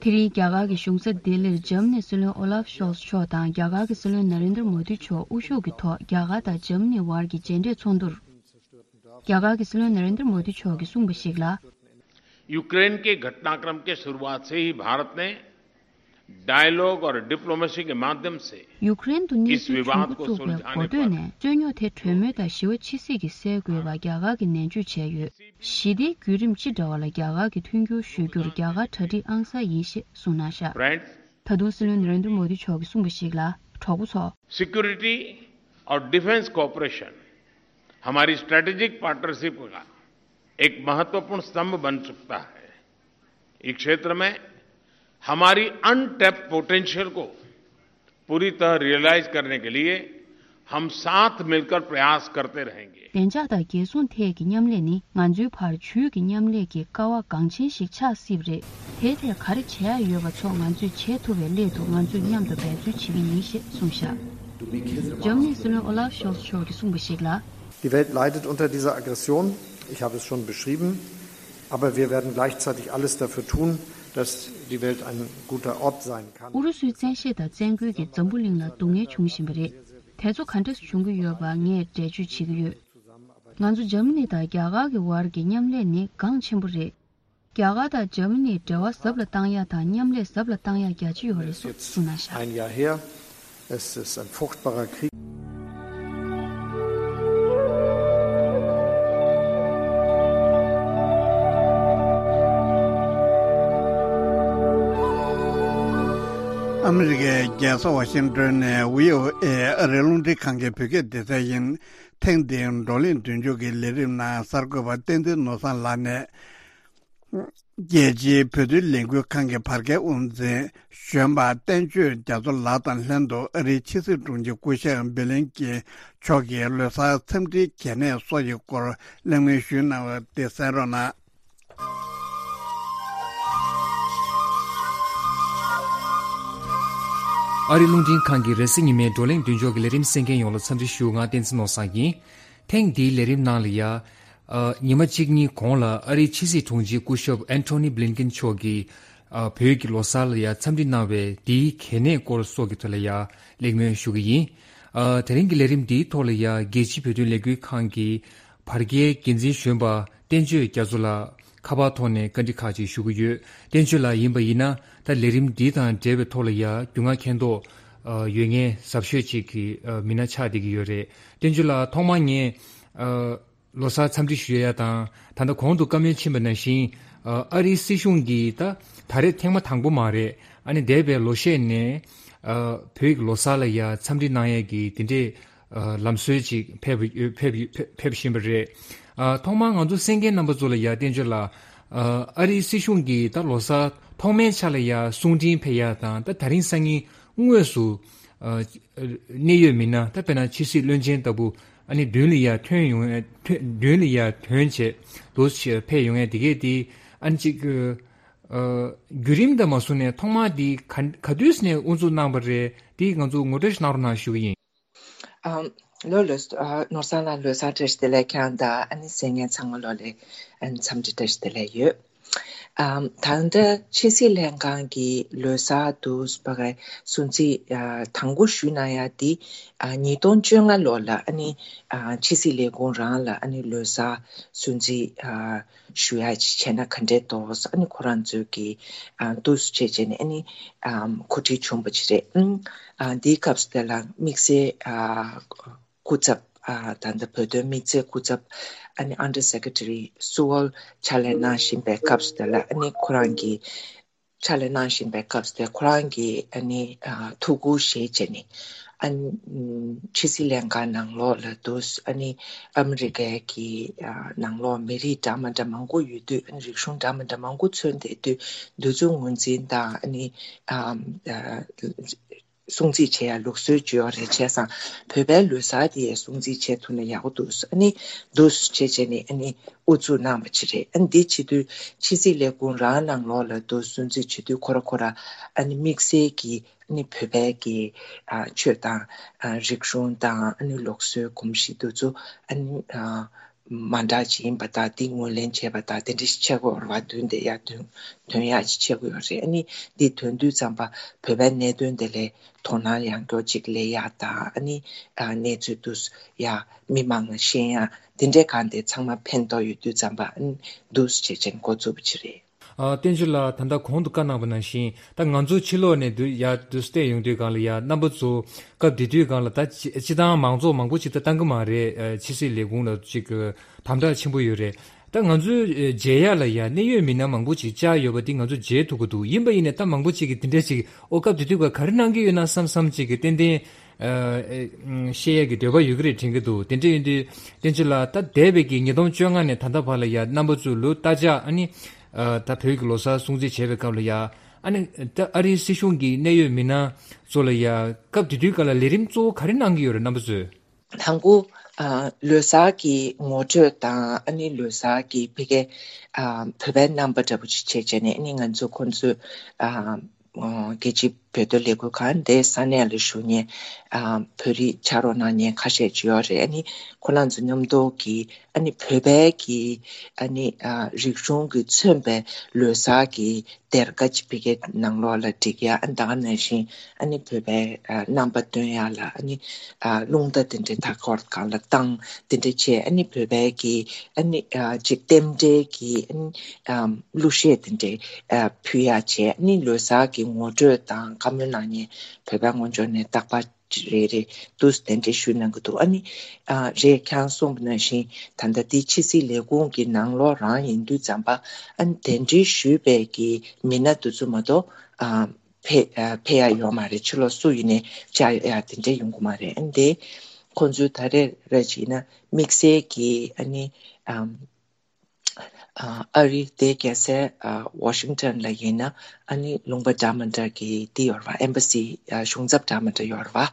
དེ་རིང་རྒྱ་གར་གྱི་གཞུང་ས་ལྡི་ལིར་འཇར་མ་ནིའི་སྲིད་བློན་ཨོ་ལཱབ་ཤོལ་ཚ་མཆོག་དང་རྒྱ་གར་གྱི་སྲིད་བློན་ན་རེན་དྲ་མོ་དི་མཆོག་དབུ་བཞུགས་ཀྱི་ཐོག་རྒྱ་གར་དང་འཇར་མ་ནིའི་བར་གྱི་མཇལ་འཕྲད་ཚོགས་འདུར། རྒྱ་གར་གྱི་སྲིད་བློན་ན་རེན་དྲ་མོ་དི་མཆོག་གིས་གསུངས་པ་ཞིག་ལ། यूक्रेन के घटनाक्रम के शुरुआत से ही भारत ने डायलॉग और डिप्लोमेसी के माध्यम से ཡུ་ཀེ་རེན་དུ་གནས་ཚུལ་བྱུང་འགོ་བཙུགས་པའི་གོ་ཐོས་ནས་རྩོད་རྙོག་དེ་གྲོས་མོལ་དང་ཞི་བ་ཕྱི་སྲིད་ཀྱི་སེལ་དགོས་པ་རྒྱ་གར་གྱིས་ནན་བརྗོད་བྱས་ཡོད། ཞི་བདེའི་བརྒྱུད་རིམ་ཅི་འདྲ་བ་ལ་རྒྱ་གར་གྱིས་མཐུན་འགྱུར་ཞུ་རྒྱུར་རྒྱ་གར་གྲ་སྒྲིག་ཨང་གསར་ཡིན་ཞེས་གསུངས་གནང་བཞག Friends, ད་དུང་སྲིད་བློན་ན་རེན་དྲ་མོ་དི་མཆོག་གིས་གསུངས་པ་ཞིག་ལ་གྲོགས་པོ་ཚོ། सिक्योरिटी और डिफेंस कोऑपरेशन हमारी स्ट्रेटेजिक पार्टनरशिप का एक महत्वपूर्ण स्तंभ बन सकता है। इस क्षेत्र में हमारी अनटैप्ड पोटेंशियल को पूरी तरह रियलाइज करने के लिए हम साथ मिलकर प्रयास करते रहेंगे। བདེ་འཇགས་དང་རྒྱལ་སྲུང་ཐད་ཀྱི་མཉམ་ལས་ནི་ང་ཚོའི་བར་ཇུས་ཀྱི་མཉམ་ལས་ཀྱི་ཀ་བ་འགངས་ཆེན་ཞིག་ཆགས་སྲིད་པ་རེད། དེའི་ཐད་ག་རེ་བྱེད་ཡ་ཡོད་པ་ཚོ་ང་ཚོས་བྱེད་ཐུབ་པའི་སླད་དུ་ང་ཚོས་མཉམ་དུ་འབད་རྩོལ་བྱེད་ཀྱི་ཡིན་ཞེས་གསུངས་བཞག་འཇར་མ་ནིའི་སྲིད་བློན་ཨོ་ལཱབ་ཤོལ་ཚ་མཆོག་གིས་གསུངས་པ་ཞིག་ལ། Die Welt leidet unter dieser Aggression. Ich habe es schon beschrieben. Aber wir werden gleichzeitig alles dafür tun, dass die Welt ein guter Ort sein kann. ཨུ་རུ་སུའི་བཙན་ཤེད་དང་བཙན་རྒོལ་གྱིས་འཛམ་བུ་གླིང་ལ་སྡུག་བསྔལ་བྱུང་བཞིན་པ་རེད། དེ་ཚོ་ག་འདྲ་བྱུང་གི་ཡོད་པ་ངས་འགྲེལ་བརྗོད་བྱེད་ཀྱི་ཡོད། ང་ཚོ་འཇར་མ་ནི་དང་རྒྱ་གར་གྱི་བར་གྱི་མཉམ་ལས་ནི་འགངས་ཆེན་པོ་རེད། རྒྱ་གར་དང་འཇར་མ་ནིའི་འབྲེལ་བ་ཟབ་ལ་བཏང་ཡ་དང་མཉམ་ལས་ཟབ་ལ་བཏང་ཡ་རྒྱ་ཆེ་ཡོད་རེད་སོགས་གསུངས་གནང་བཞག Ein Jahr her. Es ist ein furchtbarer Krieg. ཨ་མི་རི་ཀའི་རྒྱལ་ས་ཝ་ཤིང་ཏོན་ནས་བྷི་ཨོ་ཨེ་ཨ་རིའི་རླུང་འཕྲིན་ཁང་གི་བོད་སྐད་སྡེ་ཚན་ཡིན། ཐེངས་འདིའི་བགྲོ་གླེང་མདུན་སྐྱོད་ཀྱི་ལས་རིམ་ནང་གསར་འགོད་པ་བསྟན་འཛིན་ནོར་བཟང་ལགས་ནས། རྒྱལ་སྤྱིའི་བོད་དོན་ལས་འགུལ་ཁང་གི་བར་བརྒལ་དབུ་འཛིན་གཞོན་པ་བསྟན་ཆོས་རྒྱ་མཚོ་ལགས་དང་ལྷན་དུ་ཨ་རིའི་ཕྱི་སྲིད་དྲུང་ཆེ་སྐུ་ཞབས་བྷི་ལིན་ཀེན་མཆོག་གིས་ལོ་གསར་འཚམས་འདྲིའི་གལ་གནད་སོགས་ཀྱི་སྐོར་གླེང་མོལ་ཞུས་གནང་བ་དེ་གསན་རོགས་གནང་། ཨ་རིའི་རླུང་འཕྲིན་ཁང་གི་རེས་གཟའ་ཉི་མའི་བགྲོ་གླེང་མདུན་ཅོག་གི་ལས་རིམ་གསན་མཁན་ཡོངས་ལ་འཚམས་འདྲི་ཞུ། ང་བསྟན་འཛིན་ནོར་བཟང་ཡིན། ཐེངས་འདིའི་ལས་རིམ་ནང་ལ་ཡ། ཨ། ཉི་མ་གཅིག་གཉིས་གོང་ལ་ཨ་རིའི་ཕྱི་སྲིད་དྲུང་ཆེ་སྐུ་ཞབས་ཨན་ཐོ་ནི་བྷི་ལིན་ཀིན་མཆོག་གིས། ཨ། བོད་ཀྱི་ལོ་གསར་ལ་ཡ་འཚམས་འདྲི་གནང་བའི་འདིའི་གལ་གནད་སྐོར་སོགས་ཀྱི་ཐོག་ལ་ཡ་གླེང་མོལ་ཞུ་གི་ཡིན། ཨ། དེ་རིང་གི་ལས་རིམ་འདིའི་ཐོག་ལ་ཡ་རྒྱལ་སྤྱིའི་བོད་དོན་ལས་འགུལ་ཁང་གི་བར་བརྒལ་འགན་འཛིན་གཞོན་པ་བསྟན་ཆོས་རྒྱ་མཚོ་ལགས་ཁ་པར་ཐོག་ནས་བཀའ་འདྲི་ཁག་ཅིག་ཞུ་གི་ཡོད། བསྟན་ཆོས་ལགས་ཡིན་པ་ཡིན་ན་ད་ལས་རིམ་འདི་དང་འབྲེལ་བའི་ཐོག་ལ་ཡ་རྒྱུས་མངའ་མཁྱེན་རྟོགས། ཨ། ཡོད་མཁན་ཟབ་ཤོས་ཅིག་གི། ཨ། མི་སྣ་ཆགས་བསྡད་ཀྱི་ཡོད་རེད། བསྟན་ཆོས་ལགས་ཐོག་མར་ངས། ཨ། ལོ་གསར་འཚམས་འདྲི་ཞུ་ཡ་དང་། ད་ལྟ་གོང་དུ་བཀའ་མོལ་ཕྱིན་པ་ནང་བཞིན། ཨ་ཨ་རིའི་སྲིད་གཞུང་གིས་ད་ད་རེས་ཐེངས་མ་དང་པོ་མ་རེད། ཨ་ནི་འདས་པའི་ལོ་ཤས་ནས་ཨ་བོད་ཀྱི་ལོ་གསར་ལ་ཡ་འཚམས་འདྲི་གནང་ཡས་ཀྱི་དེ་འདྲའི་ཨ་ལམ་སྲོལ་ཅིག་ཕེབས་ཕེབས་ཕེབས་ཕེབས་བཞིན་པ་རེད། ཨ་ཐོག་མར་ང་ཚོ་གསན་མཁན་རྣམ་པ་ཚོ་ལ་ཡ་བསྟན་བཅོས་ལགས། ཨ་ཨ་རིའི་སྲིད་གཞུང་གིས་ད་ལོ་གསར་ཐོག་མའི་ཆ་ལ་ཡ་གསུང་འཕྲིན་ཕེབས་ཡ་དང་། ད་ད་རིང་སང་ཉིན་དངོས་སུ་ཨ་གནད་ཡོད་མི་སྣ། ད་དཔེར་ན་ཕྱི་སྲིད་བློན་ཆེན་ལྟ་བུ་ཨ་ནི་མདུན་ལ་ཡ་ཐོན་ཡོང་ཡ་ཐོན་མདུན་ལ་ཡ་ཐོན་བྱས་འདུག་སེ་ཕེབས་ཡོང་ཡ་དེ་གས་དེ་ཨ་ནི་ཅིག་ཨ་བརྒྱུད་རིམ་དང་མ་བཟུང་ནས་ཐོག་མར་དེ་ག་ག་དུས་ནས་དབུ་འཛུགས་གནང་བ་རེད། དེ་ང་ཚོ་ངོ་སྤྲོད་ཞིག་གནང་རོགས་གནང་ཞུ་གི་ཡིན། ཨམ། ལོ་ལོ། ཨ་ནོར་བཟང་ལགས་ལོ་གསར་བཀྲ་ཤིས་བདེ་ལེགས། ཁྱེད་དང་ཨ་ནི་གསན་མཁན་ཚང་མ་ལོ་ལ་ཨ་ནི་འཚམས་འདྲི་བཀྲ་ཤིས་བདེ་ལེགས་ཡོད། ཨམ། ད་ལྟ་ཕྱི་སྲིད་ལྷན་ཁང་གི་ལོ་གསར་དུ་ཕ་གི་སྲུང་བརྩི་ཨ་དང་པོ་ཞུས་གནང་ཡ་དེ་ཨ་ཉིས་སྟོང་བཅོ་ལྔ་ལོ་ལ་ཨ་ནི་ཨ་ཕྱི་སྲིད་ལས་ཁུངས་རང་ལ་ཨ་ནི་ལོ་གསར་སྲུང་བརྩི་ཨ་ཞུ་ཡ་ཅིག་བྱས་ན་ག་འདྲས་འདུག་ཨ་ནི་ཁོ་རང་ཚོས་ཀྱི་ཨ་འདུག་སེ་བྱས་བྱས་ནས་ཨ་ནི་ཨམ་གོ་སྒྲིག་བྱུང་བ་ཅིག་རེད། ཨ་ཨ་འདིའི་སྐབས་སུ་དེ་ལ་དམིགས་བསལ་ཨ་སྐུ་ཚབ། ཨ་ད་ལྟ་བོད་དོན་དམིགས་བསལ་སྐུ་ཚབ་ཨ་ནི་Under Secretary Sewell ཕྱག་ལས་གནང་བཞིན་པའི་སྐབས་སུ་དེ་ལ་ཨ་ནི་ཁོ་རང་གིས་ཕྱག་ལས་གནང་བཞིན་པའི་སྐབས་སུ་དེ་ཁོ་རང་གིས་ཨ་ནི་ཨ་ཐུགས་ཁུར་བཞེས་བྱས་ནས་ཨ་ནི་ཕྱི་སྲིད་ལྷན་ཁང་ནང་ལོགས་ལ་དུ་ཨ་ནི་ཨ་མི་རི་ཀའི་གི་ཨ་ནང་ལོགས་མི་རིགས་འདྲ་མི་འདྲ་མང་པོ་ཡོད་དུས། ཨ་ནི་རིག་གཞུང་འདྲ་མི་འདྲ་མང་པོ་མཚོན་བསྡད་དུས། འདི་ཚོ་ངོས་འཛིན་དང་ཨ་ནི་ཨ་ཨ་སྲུང་བརྩི་བྱེད་ཡ་ལུགས་སྲོལ་ཅིག་ཡོད་རེད། བྱས་ཙང་བོད་པའི་ལོ་གསར་དེ་ཡ་སྲུང་བརྩི་བྱེད་ཐུབ་ན་ཡག་པོ་འདུག་ཨ་ནི་འདུག་བྱས་བྱས་ནས་ཨ་ནི་དབུ་བཙུགས་གནང་བ་ཅིག་རེད། ཨ་ནི་འདི་བྱེད་དུས་ཕྱི་སྲིད་ལས་ཁུངས་རང་ནང་ལོགས་ལ་འདུག་སྲུང་བརྩི་བྱེད་དུས་ཁོ་ར་ཁོ་ར་ཨ་ནི་དམིགས་བསལ་གྱི་ཨ་ནི་བོད་པའི་གི་ཨ་ཆོས་དང་ཨ་རིག་གཞུང་དང་ཨ་ནི་ལུགས་སྲོལ་གོམས་གཤིས་འདི་ཚོ་ཨ་ནི་ཨ་མ་འདྲ་ཅིག་ཡིན་པ་དང་། འདི་ངོས་ལེན་བྱས་པ་དང་དེ་འདྲ་ཞིག་བྱེད་དགོས་རེད་བ། མདུན་དེ་ཡར་ཐོན་ཐོན་ཡག་ཅིག་བྱེད་དགོས་ཡོད་རེད། ཨ་ནི་འདི་ཐོན་དུས་ཙམ་པ་བོད་པའི་གནད་དོན་དེ་ལ་དོ་སྣང་ཡང་སྐྱར་ཅིག་སླེབས་ཡག་དང་། ཨ་ནི་ཨ་གནས་ཚུལ་འདུག་སེ་ཡ་མི་མང་ལ་ཤེས་ཡག་དེ་འདྲའི་སྒང་དེ་ཚང་མ་ཕན་ཐོགས་ཡོད་དུས་ཙམ་པ་ཨ་ནི་འདུག་སེ་བྱས་བྱས་འགོ་བཙུགས་པ་ཅིག་རེད། ཨ་བསྟན་ཆོས་ལགས། ད་ལྟ་གོང་དུ་བཀའ་གནང་བ་ནང་བཞིན་ད་ང་ཚོ་ཕྱི་ལོགས་ནས་འདུག་ཡ་འདུག་སེ་བལྟས་ཡོང་དུས་སྒང་ལ་ཡ་རྣམ་པ་ཚོ་སྐབས་དེ་དུས་སྒང་ལ་ད་སྤྱི་སྤྱི་བཏང་མང་ཚོགས་མང་པོ་ཅིག་ད་བཏང་གི་མ་རེད། ཨ་ཕྱི་སྲིད་ལས་ཁུངས་ལ་ཅིག་དམ་དྲག་ཆེན་པོ་ཡོད་རེད། ད་ང་ཚོའི་ཨེ་མཇལ་ཡ་ལ་ཡ་གནད་ཡོད་མི་སྣ་མང་པོ་ཅིག་བཅར་ཡོད་པ་འདི་ང་ཚོ་མཇལ་ཐུབ་ཀྱི་འདུག་ཡིན་པ་ཡིན་ནའི་ད་མང་པོ་ཅིག་གིས་དེ་འདྲ་ཅིག་ཨོ་སྐབས་དེ་དུས་ཀ་ག་རེ་གནང་གི་ཡོད་ན་བསམ་བསམ་ཅིག་གི་ཏན་ཏན་ཨ་ཨེ་ཨུམ་ཤེས་ཡ་གི་འདོད་པ་ཡོད་ཀྱི་རེད་དྲན་གྱི་འདུག་དེ་འདྲ་ཡིན་དུས་བསྟན་ཆོས་ལགས། ད་འདས་པའི་གི་ཉིས་སྟོང་བཅོ་ལྔ་ནས་ད་ལྟ་བར་ལ་ཡ་རྣམ་པ་ཚོས་ལོ་ལྟར་ཆགས་ཨ་ནི་ཨ་ད་བོད་ཀྱི་ལོ་གསར་སྲུང་བརྩི་བྱེད་པའི་སྐབས་ལ་ཡ་ཨ་ནི་ད་ཨ་རིའི་སྲིད་གཞུང་གི་གནད་ཡོད་མི་སྣ་ཚོ་ལ་ཡ་སྐབས་དེ་དུས་ཀ་ལ་ལས་རིམ་གཙོ་བོ་ག་རེ་གནང་གི་ཡོད་རེད་རྣམ་པ་ཚོས། དང་པོ་ཨ་ལོ་གསར་གྱི་ངོ་སྤྲོད་དང་ཨ་ནི་ལོ་གསར་གྱི་ཕ་གི་ཨ་བོད་པའི་རྣམ་པ་འདྲ་པོ་ཅིག་བྱས་བྱས་ནས་ཨ་ནི་ང་ཚོ་ཁོང་ཚོའི་ཨ་ཨ་རྒྱལ་སྤྱིའི་བོད་དོན་ལས་འགུལ་ཁང་དེ་ས་གནས་ལ་བཞུགས་མཁན་ཨ་བོད་རིགས་ཕྱག་རོགས་གནང་མཁན་ཁ་ཤས་ཅིག་ཡོད་རེད། ཨ་ནི་ཁོ་རང་ཚོ་མཉམ་དུ་གི་ཨ་ནི་བོད་པའི་གི་ཨ་ནི་ཨ་རིག་གཞུང་གིས་མཚོན་པའི་ལོ་གསར་གྱི་སྡེར་ཁ་ཅིག་ཕ་གི་ནང་ལོགས་ལ་བསྒྲིགས་ཡ། ཨ་ད་ག་ནང་བཞིན་ཨ་ནི་བོད་པའི་ཨ་རྣམ་པ་སྟོན་ཡ་ལ་ཨ་ནི་ཨ་རླུང་རྟ་དེ་འདྲའི་མཐའ་འཁོར་སྒང་ལ་བཏང་། དེ་འདྲ་བྱས་ཨ་ནི་བོད་པའི་གི་ཨ་ནི་ཨ་ཅིག་རྟེན་འབྲེལ་གྱི་ཨ་ནི་ཨ་གླུ་གཞས་དེ་འདྲའི་ཨ་ཕུལ་ཡ་བྱས། ཨ་ནི་ལོ་གསར་གྱི་ངོ་སྤྲོད་དང་བཀའ་མོལ་གནང་མཁན་བོད་པའི་ངོ་ཕྱོགས་ནས་རྟག་པར་རེ་རེ་དུས་གདན་འདྲེན་ཞུས་གནང་གི་འདུག་ཨ་ནི་ཨ་རེད། ཁྱེད་རང་གསུངས་པ་ནང་བཞིན་ད་ལྟ་འདི་ཕྱི་སྲིད་ལས་ཁུངས་ཀྱི་ནང་ལོགས་རང་ཡིན་དུས་ཙམ་པ་ཨ་ནི་གདན་འདྲེན་ཞུས་པའི་གི་མི་སྣ་དེ་ཚོ་མ་གཏོགས་ཨ་ཕེ་ཨ་ཕེབས་ཡ་ཡོད་མ་རེད། ཕྱི་ལོགས་སུ་ཡིན་ནའི་བཅར་ཡ་དེ་འདྲ་ཡོང་གི་མ་རེད། ཨ་ནི་དེ་ཁོང་ཚོས་ད་རེས་ར་བྱས་ན་དམིགས་བསལ་གྱི་ཨ་ནི་ཨམ། ཨ་ཨ་རི་དེ་རྒྱལ་སའི་ཨ་ཝ་ཤིང་ཊོན་ལ་ཡིན་ན་ཨ་ནི་ལུང་པ་འདྲ་མི་འདྲ་གི་དེ་ཡོད་རེད་བ། ཨེམ་བྷ་སི་ཨ་གཞུང་ཚབ་འདྲ་མི་འདྲ་ཡོད་རེད་བ།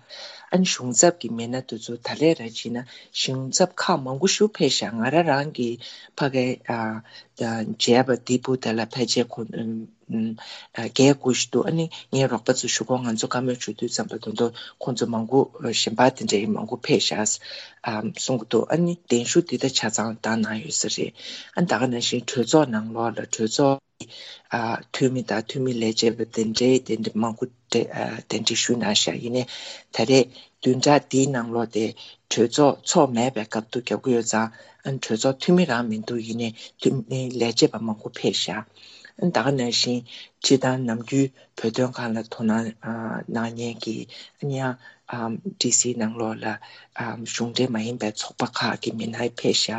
ཨ་ནི་གཞུང་ཚབ་ཀྱི་མི་སྣ་དེ་ཚོ་ད་ལས་ར་བྱས་ན་གཞུང་ཚབ་ཁག་མང་པོ་ཞིག་ཕེབས་ཤག་ང་རང་རང་གི་ཕ་གའི་ཨ་ཨ་མཇལ་བ་དེ་བུ་དེ་ལ་ཕལ་ཆེར་ཁོ་ཨ་བརྒྱད་དགུ་ཞིག་འདུག་ཨ་ནི་ངའི་རོགས་པ་ཚོ་ཞུ་གོ་ང་ཚོ་བཀའ་མོལ་ཞུ་དུས་ཙམ་པ་དོན་དུ་ཁོང་ཚོ་མང་པོ་གཞན་པ་དེ་འདྲའི་མང་པོ་ཕེབས་ཤག་ཨ་གསུང་གི་འདུག་ཨ་ནི་གདན་ཞུ་འདི་ད་ཆ་ཚང་བཏང་གནང་ཡོད་ས་རེད། ཨ་ནི་ད་ག་ནང་བཞིན་གྲོས་ཚོགས་ནང་ལོགས་ལ་གྲོས་ཚོགས་ཨ་འཐུས་མི་དང་འཐུས་མི་ལས་བྱེད་པ་དེ་འདྲའི་དེ་འདྲ་མང་པོ་གྲ་ཨ་གདན་འདྲེན་ཞུས་གནང་ཤག་ཡིན་ནའི་ད་རེས་བདུན་ཕྲག་འདིའི་ནང་ལོགས་དེ་གྲོས་ཚོགས་ཚོགས་མེད་པའི་སྐབས་དུ་རྒྱབ་ཀྱི་ཡོད་ཙང་། ཨ་ནི་གྲོས་ཚོགས་འཐུས་མི་རང་མི་འདུག་ཡིན་ནའི་འཐུས་མི་ལས་བྱེད་པ་མང་པོ་ཕེབས་ཤག་ཨ་ནི་ད་ག་ནང་བཞིན་སྤྱི་བཏང་ནམ་རྒྱུན་བོད་དོན་སྒང་ལ་དོ་སྣང་ཨ་གནང་མཁན་གྱི་ཨ་ནི་ཡང་ ཨམ་ཌི་སི་ནང་ལོགས་ལ་ཨམ་གཞུང་འབྲེལ་མ་ཡིན་པའི་ཚོགས་པ་ཁག་གི་མི་སྣ་ཕེབས་ཤག་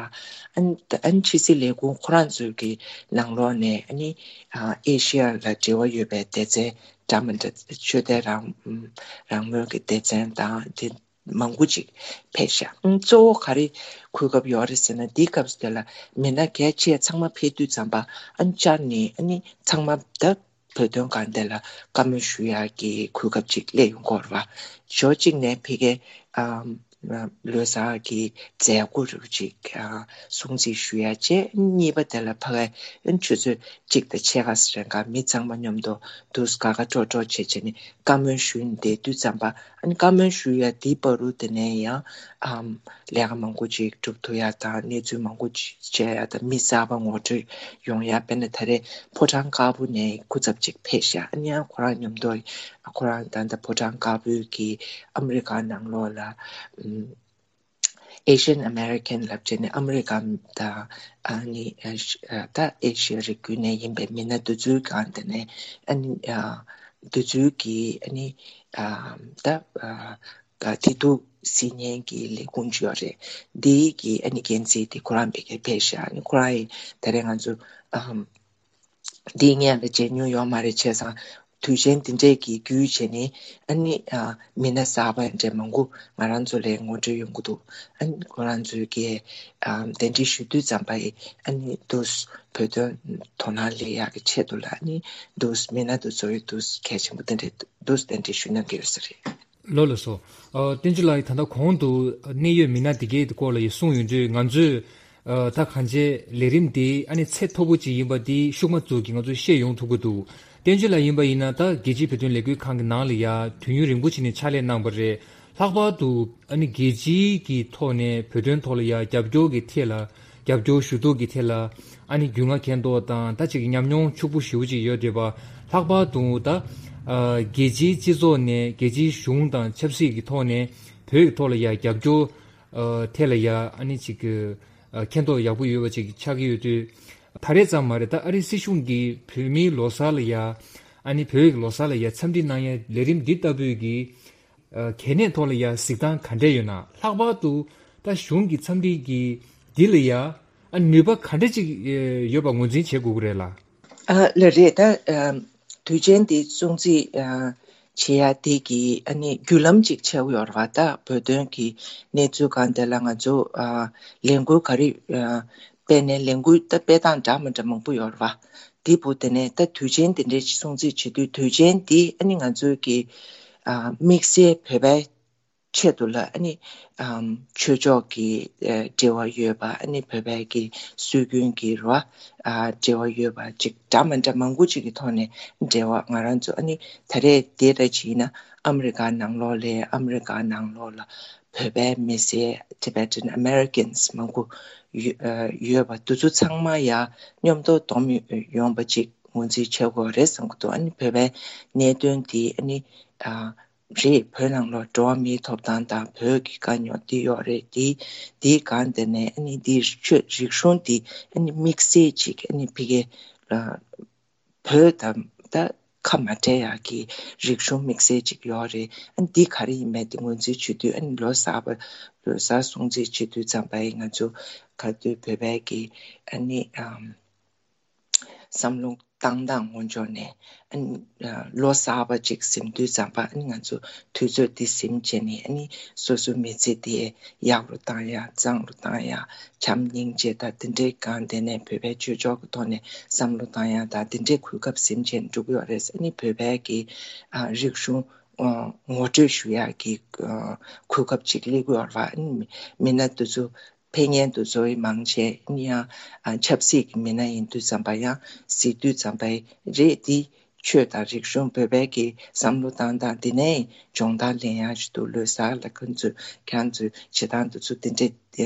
ཨ་ནི་ཨ་ནི་ཕྱི་སྲིད་ལས་ཁུངས་ཁོ་རང་ཚོའི་གི་ནང་ལོགས་ནས་ཨ་ནི་ཨ་ཨེ་ཤི་ཡ་ལ་འབྲེལ་བ་ཡོད་པའི་སྡེ་ཚན་འདྲ་མི་འདྲ་ཆོས་དད་རང་རང་མོས་ཀྱི་སྡེ་ཚན་དང་དེ་མང་པོ་ཅིག་ཕེབས་ཤག་ཨ་ནི་གཙོ་བོ་ག་རེ་གོ་སྐབས་ཡོད་རེད་ཟེར་ན། འདི་སྐབས་སུ་དེ་ལ་མི་སྣ་གལ་ཆེ་ཚང་མ་ཕེབས་དུས་ཙམ་པ་ཨ་ནི་བཅར་ནས་ཨ་ནི་ཚང་མ་ད་བོད་དོན་སྒང་དེ་ལ་བཀའ་མོལ་ཞུ་ཡག་གི་གོ་སྐབས་ཅིག་སླེབས་ཡོང་གི་ཡོད་རེད་བ། ཕྱོགས་གཅིག་ནས་ཕ་གིའི་ཨམ་ལོ་གསར་གྱི་མཛད་སྒོ་རུ་ཅིག་ཨ་སྲུང་བརྩི་ཞུ་ཡག་བྱས། གཉིས་པ་དེ་ལ་ཕ་གིའི་ཆུ་ཚོད་གཅིག་དང་ཕྱེད་ཀ་ཙམ་རིང་ག་མི་ཚང་མ་མཉམ་དུ་འདུག་དགའ་དགའ་སྤྲོ་སྤྲོ་བྱས་བྱས་ནས་བཀའ་མོལ་ཞུས་ནས་བསྡད་དུས་ཙམ་པ། ཨ་ནི་བཀའ་མོལ་ཞུ་ཡག་དེའི་བར་དུ་དེ་ནས་ཡང་ཨམ་ལས་ཀ་མང་པོ་ཅིག་སྒྲུབ་ཐུབ་ཡག་དང་གནས་ཚུལ་མང་པོ་ཅིག་བྱས་ཡག་དང་མི་གསར་པ་ངོ་སྤྲོད་ཡོང་ཡག་དཔེར་ན་ད་རེས་ཕོ་བྲང་དཀར་པོ་ནས་སྐུ་ཚབ་ཅིག་ཕེབས་ཤག་ཨ་ནི་ཡང་ཁོ་རང་མཉམ་དུ་ཁོ་རང་ད་ལྟ་ཕོ་བྲང་དཀར་པོའི་གི་ཨ་མི་རི་ཀ་ནང་ལོགས་ལ་ཨམ་Asian American ལབ་བྱས་ནས་ཨ་མི་རི་ཀ་དང་ཨ་ནི་ཨ་ཤ་ཨ་ད་ཨེ་ཤི་ཡ་རི་རྒྱུད་ནས་ཡིན་པའི་མི་སྣ་དེ་ཚོའི་སྒང་དེ་ནས་ཨ་ནི་ཨ་དེ་ཚོའི་གི་ཨ་ནི་ཨ་ད་ཨ་ད་དེ་དུས་སྲིད་བརྙན་གྱི་ལས་ཁུངས་ཅིག་ཡོད་རེད། འདིའི་གི་ཨ་ནི་འགན་འཛིན་དེ་ཁོ་རང་ཕ་གིར་ཕེབས་ཤག་ཨ་ནི་ཁོ་རང་ཡིན་ད་རེས་ང་ཚོ་ཨམ་འདི་སྔོན་ལ་མཇལ་མྱོང་ཡོད་མ་རེད། བྱས་ཙང་དུས་ཆེན་འདི་འདྲས་ཀྱི་བརྒྱུད་བྱས་ནས་ཨ་ནི་ཨ་མི་སྣ་གསར་པ་འདྲས་མང་པོ་ང་རང་ཚོ་ལ་ངོ་སྤྲོད་ཡོང་གི་འདུག་ཨ་ནི་ཁོ་རང་ཚོའི་གི་ཨ་གདན་འདྲེན་ཞུ་དུས་ཙམ་པ་ཡི་ཨ་ནི་འདུག་བོད་དོན་དོ་སྣང་སླེབས་ཡག་གི་ཆེད་དུ་ལ་ཨ་ནི་འདུག་མི་སྣ་འདུག་ཚོ་ཡི་འདུག་གལ་ཆེན་པོ་དེ་འདྲས་འདུག་གདན་འདྲེན་ཞུ་གནང་གི་ཡོད་ས་རེད། ལགས་ལགས་སོ། ཨ་བསྟན་ཆོས་ལགས་ཡིས་ད་ལྟ་གོང་དུ་གནད་ཡོད་མི་སྣ་དེ་གའི་སྐོར་ལ་ཡི་གསུངས་ཡོང་དུས། ང་ཚོས་ཨ་ད་གང་ཅི་ལས་རིམ་འདི་ཨ་ནི་ཚད་མཐོ་པོ་ཅིག་ཡིན་པ་འདི་ཤུགས་མ་བཙུགས་ཀྱིས་ང་ཚོས་ཤེས་ཡོང་ཐུབ་ཀྱི་འདུག་བསྟན་ཆོས་ལགས་ཡིན་པ་ཡིན་ན་ད་རྒྱལ་སྤྱིའི་བོད་དོན་ལས་འགུལ་ཁང་གི་ནང་ལ་ཡ་དུས་ཡུན་རིང་པོ་ཅིག་ནས་ཕྱག་ལས་གནང་པ་རེད། ལྷག་པར་དུ་ཨ་ནི་རྒྱལ་སྤྱིའི་གི་ཐོག་ནས་བོད་དོན་ཐོག་ལ་ཡ་རྒྱབ་སྐྱོར་གྱི་ཐད་ལ། རྒྱབ་སྐྱོར་ཞུ་གཏུག་གི་ཐད་ལ་ཨ་ནི་རྒྱུས་མངའ་མཁྱེན་རྟོགས་དང་ད་ཅིག་ཉམས་མྱོང་ཕྱུག་པོ་ཞེ་པོ་ཅིག་ཡོད་བསྡད་པ། ལྷག་པར་དུ་ད་ཨ་རྒྱལ་སྤྱིའི་སྤྱི་ཚོགས་ནས་རྒྱལ་སྤྱིའི་གཞུང་དང་ཆབ་སྲིད་ཀྱི་ཐོག་ནས་བོད་ཀྱི་ཐོག་ལ་ཡ་རྒྱབ་སྐྱོར་ཨ་ཐད་ལ་ཡ་ཨ་ནི་ཅིག་ཨ་མཁྱེན་རྟོགས་ཡག་པོ་ཡོད་པ་ཅིག་ཆགས་ཀྱི་ཡོད་དུས། ད་རེས་ཙམ་མ་རེད། ད་ཨ་རིའི་སྲིད་གཞུང་གིས་བོད་མིའི་ལོ་གསར་ལ་ཡ་ཨ་ནི་བོད་ཀྱི་ལོ་གསར་ལ་ཡ་འཚམས་འདྲི་གནང་ཡ་ལས་རིམ་འདི་ལྟ་བུའི་གི་ཨ་གལ་གནད་ཐོག་ལ་ཡ་གཟིགས་སྟངས་ག་འདྲས་ཡོད་ན། ལྷག་པར་དུ་ད་གཞུང་གི་འཚམས་འདྲི་གི་འདི་ལ་ཡ་ཨ་ནུས་པ་ག་འདྲས་ཅིག་ཨེ་ཡོད་པ་ངོས་འཛིན་བྱེད་དགོས་ཀྱི་རེད་ལ། ཨ་ལགས་རེད། ད་ཨ་དུས་ཆེན་འདི་སྲུང་བརྩི་ཨ་བྱེད་ཡ་དེ་གི་ཨ་ནི་བརྒྱུད་ལམ་ཅིག་ཆགས་ཡོད་རེད་བ། ད་བོད་དོན་གི་གནས་ཚུལ་སྒང་དེ་ལ་ང་ཚོ་ཨ་ལས་འགུལ་ག་རེ་ཨ་སྤེལ་ནས་ལས་འགུལ་ད་སྤེལ་སྟངས་འདྲ་མི་འདྲ་མང་པོ་ཡོད་རེད་བ། དེ་བུ་དེ་ནས་ད་དུས་ཆེན་དེ་འདྲའི་སྲུང་བརྩི་བྱེད་དུས། དུས་ཆེན་འདི་ཨ་ནི་ང་ཚོའི་གི་ཨ་དམིགས་བསལ་བོད་པའི་ཆེད་དུ་ལ་ཨ་ནི་ཨམ་ཆོས་ཕྱོགས་ཀྱི་ཨ་འབྲེལ་བ་ཡོད་པ། ཨ་ནི་བོད་པའི་གི་སྲོལ་རྒྱུན་གྱི་རེད་བ། ཨ་འབྲེལ་བ་ཡོད་པ་ཅིག་འདྲ་མི་འདྲ་མང་པོ་ཅིག་གི་ཐོག་ནས་འབྲེལ་བ། ང་རང་ཚོ་ཨ་ནི་ད་རེས་དེ་ར་ཅིག་ཡིན་ན་ཨ་མི་རི་ཀ་ནང་ལོགས་ལ་ཨ་མི་རི་ཀ་ནང་ལོགས་ལ་བོད་པའི་མི་སེར་Tibetan Americans མང་པོ་ཡོད་ཨ་ཡོད་པ་དེ་ཚོ་ཚང་མ་ཡ་མཉམ་དུ་བསྡོམས་ཡོང་པ་ཅིག་ངོས་འཛིན་བྱེད་དགོས་རེད་བསམ་གྱི་འདུག་ཨ་ནི་བོད་པའི་གནད་དོན་དེ་ཨ་ནི་ཨ་རེད། བོད་ནང་ལ་འགྲོ་བ་མིའི་ཐོབ་ཐང་དང་བོད་ཀྱི་དཀའ་རྙོག་འདི་ཡོད་རེད། འདི་འདིའི་སྒང་དེ་ནས་ཨ་ནི་འདི་ཆོས་རིག་གཞུང་འདི་ཨ་ནི་དམིགས་བསལ་ཅིག་ཨ་ནི་ཕ་གི་ཨ་བོད་དང་ད་ཁ་མ་བྲལ་ཡག་གི་རིག་གཞུང་དམིགས་བསལ་ཅིག་ཡོད་རེད། ཨ་ནི་འདི་ག་རེ་ཡིན་མིན་དེ་ངོས་འཛིན་བྱེད་དུས། ཨ་ནི་ལོ་གསར་པ་ལོ་གསར་སྲུང་བརྩི་བྱེད་དུས་ཙམ་པ་ཡིན་ང་ཚོ་ག་དུས་བོད་པའི་གི་ཨ་ནི་ཨམ་བསམ་བློ་བཏང་སྟངས་ངོ་ཕྱོགས་ནས་ཨ་ནི་ལོ་གསར་པ་ཅིག་ཟིན་དུས་ཙམ་པ་ཨ་ནི་ང་ཚོ་དུས་ཚོད་འདི་ཟིན་བྱས་ནས་ཨ་ནི་སོ་སོའི་མི་ཚེ་འདི་ཡག་རུ་བཏང་ཡ། བཟང་རུ་བཏང་ཡ། བྱམས་སྙིང་རྗེ་དང་དེ་འདྲའི་སྒང་དེ་ནས་བོད་པའི་ཆོས་ཕྱོགས་ཀྱི་ཐོག་ནས་བསམ་བློ་བཏང་ཡ་དང་དེ་འདྲའི་གོ་སྐབས་ཟིན་བྱས་ནས་འགྲོ་གི་ཡོད་རེད། ཨ་ནི་བོད་པའི་གི་ཨ་རིག་གཞུང་ངོ་སྤྲོད་ཞུ་ཡག་གི་གོ་སྐབས་ཅིག་སླེབས་ཀྱི་ཡོད་རེད་བ། ཨ་ནི་མི་སྣ་དེ་ཚོ་ཕེབས་མཁན་དེ་ཚོ་ཡི་མང་ཆེ་ཡང་ཨ་ཆབ་སྲིད་ཀྱི་མི་སྣ་ཡིན་དུས་ཙམ་པ་ཡང་གཟིགས་དུས་ཙམ་པ་རེད། འདི་ཆོས་དང་རིག་གཞུང་བོད་པའི་གི་བསམ་བློ་བཏང་སྟངས་འདི་ནས་སྦྱོང་བརྡར་ལེན་ཡག་ཅིག་འདུག་ལོ་གསར་ལ་ཁོང་ཚོས་ཁྱེད་རང་ཚོས་བྱེད་སྟངས་དེ་ཚོ་འདི་འདྲས་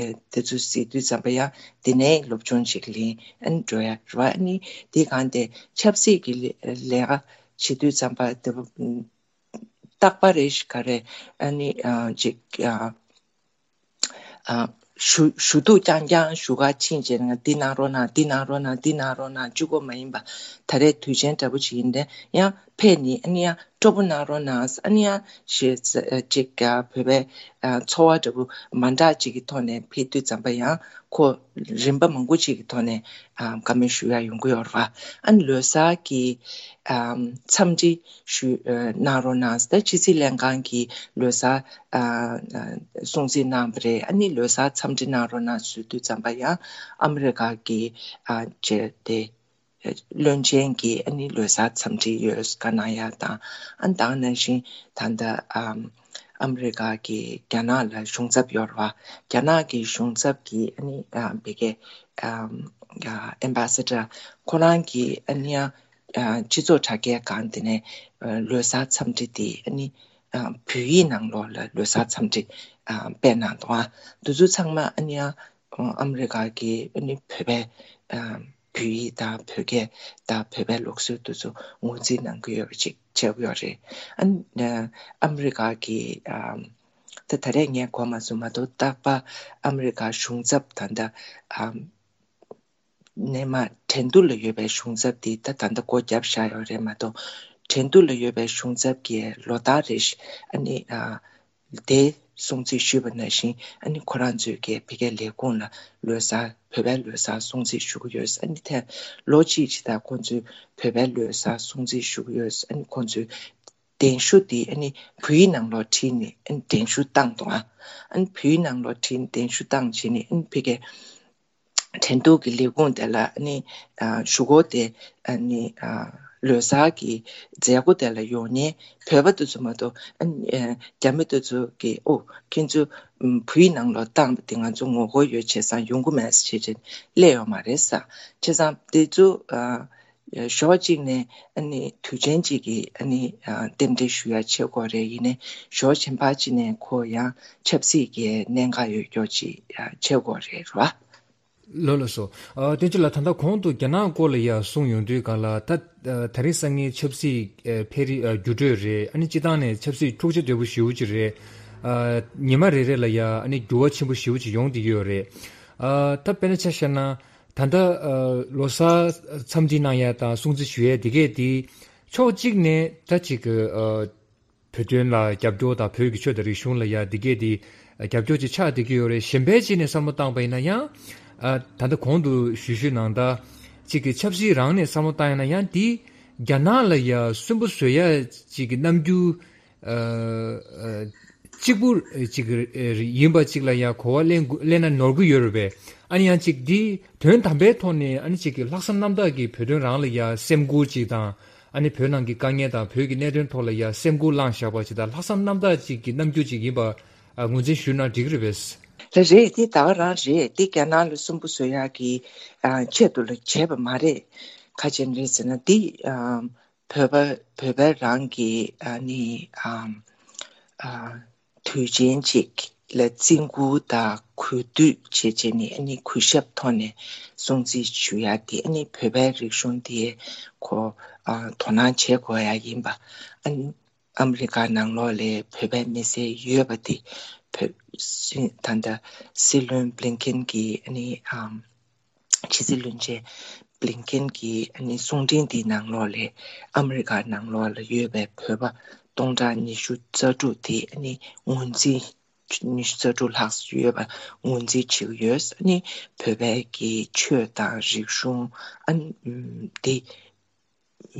དེ་ཚོ་གཟིགས་དུས་ཙམ་པ་ཡང་འདི་ནས་སློབ་སྦྱོང་ཅིག་ལེན་ཨ་ནི་འགྲོ་ཡ་རེད་བ། ཨ་ནི་འདི་གང་དེ་ཆབ་སྲིད་ཀྱི་ལས་ལས་ཀ་བྱེད་དུས་ཙམ་པ་དེ་རྟག་པ་རེ་ཞིག་ག་རེ་ཨ་ནི་ཨ་ཅིག་ཨ་ཨ་ཞུ་ཞུ་གཏུག་རྐྱང་རྐྱང་ཞུ་ག་ཕྱིན་བྱས་ན་འདི་གནང་རོགས་གནང་། འདི་གནང་རོགས་གནང་། འདི་གནང་རོགས་གནང་། གཅིག་པོ་མ་ཡིན་པ་ད་རེས་དུས་ཆེན་འདྲ་པོ་ཅིག་ཡིན་ཏེ་ཡང་ ཕེབས་ནས་ཨ་ནི་ཡང་སྤྲོ་པོ་གནང་རོགས་གནང་། ཨ་ནི་ཡང་ཞེས་ཅིག་བོད་པའི་ཚོར་བ་འདྲ་པོ་མ་འདྲ་ཅིག་གི་ཐོག་ནས་ཕེབས་དུས་ཙམ་པ་ཡང་ཁོ་རིམ་པ་མང་པོ་ཅིག་གི་ཐོག་ནས་བཀའ་མོལ་ཞུ་ཡ་ཡོང་གི་ཡོད་རེད་བ། ཨ་ནི་ལོ་གསར་གྱི་འཚམས་འདྲི་ཞུ་གནང་རོགས་གནང་། ད་ཕྱི་སྲིད་ལྷན་ཁང་གི་ལོ་གསར་སྲུང་བརྩི་གནང་བ་རེད། ཨ་ནི་ལོ་གསར་འཚམས་འདྲི་གནང་རོགས་གནང་ཞུ་དུས་ཙམ་པ་ཡང་ཨ་མི་རི་ཀ་གི་ཨ་ཅེ་དེ་བློན་ཆེན་གྱི་ཨ་ནི་ལོ་གསར་འཚམས་འདྲི་ཡོད་བཀའ་གནང་ཡ་དང་། ཨ་ནི་ད་ག་ནང་བཞིན་ད་ལྟ་ཨམ་ཨ་མི་རི་ཀ་གི་རྒྱ་ནག་ལ་གཞུང་ཚབ་ཡོད་རེད་བ། རྒྱ་ནག་གི་གཞུང་ཚབ་ཀྱི་ཨ་ནི་ཨ་བི་གེ་ཨམ་ཨ་ཨེམ་བྷ་སེ་ཌར་ཁོ་རང་གི་ཨ་ནི་ཨ་སྤྱི་ཚོགས་དྲ་རྒྱའི་སྒང་དེ་ནས་ལོ་གསར་འཚམས་འདྲི་དེ་ཨ་ནི་བོད་ཡིག་ནང་ལོགས་ལ་ལོ་གསར་འཚམས་འདྲི་སྤེལ་གནང་འདུག་ཨ་འདི་ཚོ་ཚང་མ་ཨ་ནི་ཨ་ཨ་མི་རི་ཀ་གི་ཨ་ནི་བོད་པའི་བོད་ཡིག་དང་བོད་སྐད་དང་བོད་པའི་ལུགས་སྲོལ་དེ་ཚོ་ངོས་འཛིན་གནང་གི་ཡོད་པ་ཅིག་བྱེད་ཀྱི་ཡོད་རེད། ཨ་ནི་ཨ་མི་རི་ཀ་གི་ད་ད་རེས་ངས་གོ་མ་སོང་མ་གཏོགས། རྟག་པར་ཨ་མི་རི་ཀ་གཞུང་ཚབ་ད་ལྟ་ནས་མར་ཁྲེང་ཏུའུ་ལ་ཡོད་པའི་གཞུང་ཚབ་དེ་ད་ད་ལྟ་སྒོ་བརྒྱབ་བཞག་ཡོད་རེད་མ་གཏོགས། ཁྲེང་ཏུའུ་ལ་ཡོད་པའི་གཞུང་ཚབ་ཀྱིས་ལོ་ལྟར་རེ་བཞིན་ཨ་ནི་ཨ་དེ་སྲུང་བརྩི་ཞུས་པ་ནང་བཞིན་ཨ་ནི་ཁོ་རང་ཚོས་ཀྱི་ཕ་གིའི་ལས་ཁུངས་ལ་ལོ་གསར་བོད་པའི་ལོ་གསར་སྲུང་བརྩི་ཞུ་གི་ཡོད། ཨ་ནི་ཐེངས་ལོ་གཅིག་ཅིག་ད་ཁོང་ཚོས་བོད་པའི་ལོ་གསར་སྲུང་བརྩི་ཞུ་གི་ཡོད། ཨ་ནི་ཁོང་ཚོས་གདན་ཞུ་དེ་ཨ་ནི་བོད་ཡིག་ནང་ལོགས་བྲིས་ནས་ཨ་ནི་གདན་ཞུ་བཏང་འདུག་ཨ་ནི་བོད་ཡིག་ནང་ལོགས་བྲིས་ནས་གདན་ཞུ་བཏང་བྱས་ནས་ཨ་ནི་ཕ་གིའི་ཁྲེང་ཏུའུ་གི་ལས་ཁུངས་དེ་ལ་ཨ་ནི་ཨ་ཞུ་སྒོ་དེ་ཨ་ནི་ཨ་ལོ་གསར་གྱི་མཛད་སྒོ་དེ་ལ་ཡོང་མཁན་བོད་པ་དེ་ཚོ་མ་གཏོགས། ཨ་ནི་ཨ་རྒྱ་མི་དེ་ཚོ་གིས་ཨོ་ཁྱེད་ཚོ་ཨམ་བོད་ཡིག་ནང་ལོགས་བཏང་བ་དེ་ང་ཚོ་ངོ་རྒོལ་ཡོད་བྱས་ཙང་ཡོང་གི་མེད་ཟེར་བྱས་བྱས་སླེབས་ཡོད་མ་རེད་ཟེར། བྱས་ཙང་དེ་ཚོ་ཨ་ཕྱོགས་གཅིག་ནས་ཨ་ནི་དུས་ཆེན་གཅིག་གི་ཨ་ནི་ཨ་རྟེན་འབྲེལ་ཞུ་ཡ་བྱེད་དགོས་རེད། ཡིན་ནའི་ཕྱོགས་གཞན་པ་གཅིག་ནས་ཁོ་ཡང་ཆབ་སྲིད་ཀྱི་གནད་འགག་ཡོད་རྒྱུ་ཅིག་ཨ་བྱེད་དགོས་རེད་ར། ལགས་ལགས་སོ། ཨ་བསྟན་ཆོས་ལགས། ད་ལྟ་གོང་དུ་རྒྱ་ནག་སྐོར་ལ་ཡ་གསུངས་ཡོང་དུས་སྒང་ལ། ད་ཨ་དེ་རིང་སང་ཉིན་ཆབ་སྲིད་ཨ་འཕེལ་རིམ་ཨ་འགྱུར་འགྲོས་རེད། ཨ་ནི་སྤྱིར་བཏང་ནས་ཆབ་སྲིད་འཁྲུག་ཆ་དོད་པོ་ཞེ་པོ་ཅིག་རེད། ཨ་ཉི་མ་རེ་རེ་ལ་ཡ་ཨ་ནི་འགྱུར་བ་ཆེན་པོ་ཞེ་པོ་ཅིག་ཡོང་བསྡད་ཀྱི་ཡོད་རེད། ཨ་ད་དཔེར་ན་ཆ་བཞག་ན། ད་ལྟ་ཨ་ལོ་གསར་འཚམས་འདྲི་གནང་ཡ་དང་སྲུང་བརྩི་ཞུ་ཡ་དེ་གས་དེ་ཕྱོགས་གཅིག་ནས་ད་ཅིག་གི་ཨ་བོད་དོན་ལ་རྒྱབ་སྐྱོར་དང་བོད་ཀྱི་ཆོས་དང་རིག་གཞུང་ལ་ཡ་དེ་གས་དེ་རྒྱབ་སྐྱོར་ཅིག་ཆགས་བསྡད་ཀྱི་ཡོད་རེད། གཞན་པའི་ཅིག་ནས་བསམ་བློ་བཏང་པ་ཡིན་ན་ཡང་ཨ་ད་ལྟ་གོང་དུ་ཞུས་ཞུས་ནང་ལྟར་ཅིག་གི་ཆབ་སྲིད་རང་ནས་བསམ་བློ་བཏང་ཡ་ན་ཡང་དེ་རྒྱ་ནག་ལ་ཡ་སུན་པོ་བཟོ་ཡ་ཅིག་གི་རྣམ་འགྱུར་ཨ་ཨ་གཅིག་པུ་ཅིག་ཡིན་པ་ཅིག་ལ་ཡང་གོ་བ་ལེན་དགོས་ལེན་ན་ནོར་གྱི་ཡོད་རེད་པས། ཨ་ནི་ཡང་ཅིག་འདི་དོན་དམ་པའི་ཐོག་ནས་ཨ་ནི་ཅིག་གི་ལྷག་བསམ་རྣམ་དག་གིས་བོད་དོན་རང་ལ་ཡང་སེམས་ཁུར་ཅིག་དང་། ཨ་ནི་བོད་ནང་གི་དཀའ་ངལ་དང་བོད་ཀྱི་གནད་དོན་ཐོག་ལ་ཡང་སེམས་ཁུར་བླངས་བཞག་པ་ཅིག་དང་། ལྷག་བསམ་རྣམ་དག་ཅིག་གི་རྣམ་འགྱུར་ཅིག་ཡིན་པ་ཨ་ངོས་འཛིན་ཞུས་ན་འགྲིག་གི་རེད་པས། ལགས་རེད། འདི་ད་ག་རང་རེད། འདི་རྒྱ་ནག་ལ་སུན་པོ་བཟོ་ཡག་གི་ཨ་ཆེད་དུ་ལ་བྱས་པ་མ་རེད། ག་ཅི་རེད་ཟེར་ན་འདི་ཨ་བོད་པ་བོད་པ་རང་གི་ཨ་ནི་ཨ་ཨ་དུས་ཆེན་ཅིག་ལ་བརྩི་བཀུར་དང་གུས་འདུད་བྱེད་བྱེད་ནི་ཨ་ནི་གུས་ཞབས་ཐོག་ནས་སྲུང་བརྩི་ཞུ་ཡག་དེ་ཨ་ནི་བོད་པའི་རིག་གཞུང་དེ་ཁོ་ཨ་དོ་སྣང་བྱེད་དགོས་ཡག་ཡིན་པ། ཨ་ནི་ཨ་མི་རི་ཀ་ནང་ལོགས་ལ་བོད་པའི་མི་སེར་ཡོད་པ་དེ་བོད་སྲིད་ད་ལྟ་སྲིད་བློན་བྷི་ལིན་ཀེན་གྱིས་ཨ་ནི་ཨམ་ཕྱི་སྲིད་བློན་ཆེན་བྷི་ལིན་ཀེན་གྱིས་ཨ་ནི་གསུང་འཕྲིན་འདིའི་ནང་ལོགས་ལ་ཨ་མི་རི་ཀ་ནང་ལོགས་ལ་ཡོད་པའི་བོད་པ་སྟོང་ཕྲག་ཉི་ཤུ་རྩ་དྲུག་དེ་ཨ་ནི་ངོས་འཛིན་ཉི་ཤུ་རྩ་དྲུག་ལྷག་ཡོད་པ་ངོས་འཛིན་བྱེད་ཀྱི་ཡོད། ཨ་ནི་བོད་པའི་གི་ཆོས་དང་རིག་གཞུང་ཨ་ནི་ཨམ་དེ་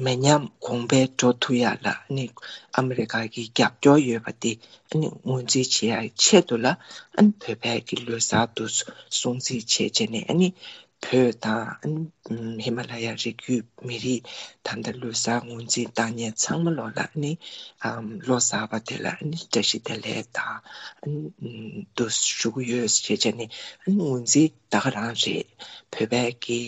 མི་ཉམས་གོང་འཕེལ་འགྲོ་ཐུབ་ཡག་ལ་ཨ་ནི་ཨ་མི་རི་ཀ་གི་རྒྱབ་སྐྱོར་ཡོད་པ་དེ་ཨ་ནི་ངོས་འཛིན་བྱེད་ཡག་ཆེད་དུ་ལ་ཨ་ནི་བོད་པའི་གི་ལོ་གསར་དུ་སྲུང་བརྩི་བྱས་བྱས་ནས་ཨ་ནི་བོད་དང་ཨ་ནི་ཧི་མ་ལ་ཡ་རི་རྒྱུད་མི་རིགས་ད་ལྟ་ལོ་གསར་ངོས་འཛིན་བཏང་མཁན་ཚང་མ་ལོག་ལ་ཨ་ནི་ཨམ་ལོ་གསར་པ་དེ་ལ་ཨ་ནི་བཀྲ་ཤིས་བདེ་ལེགས་དང་ཨ་ནི་དུ་ཞུ་གི་ཡོད་ཅེས་བྱས་ནས་ཨ་ནི་ངོས་འཛིན་ད་ག་རང་རེད། བོད་པའི་གི་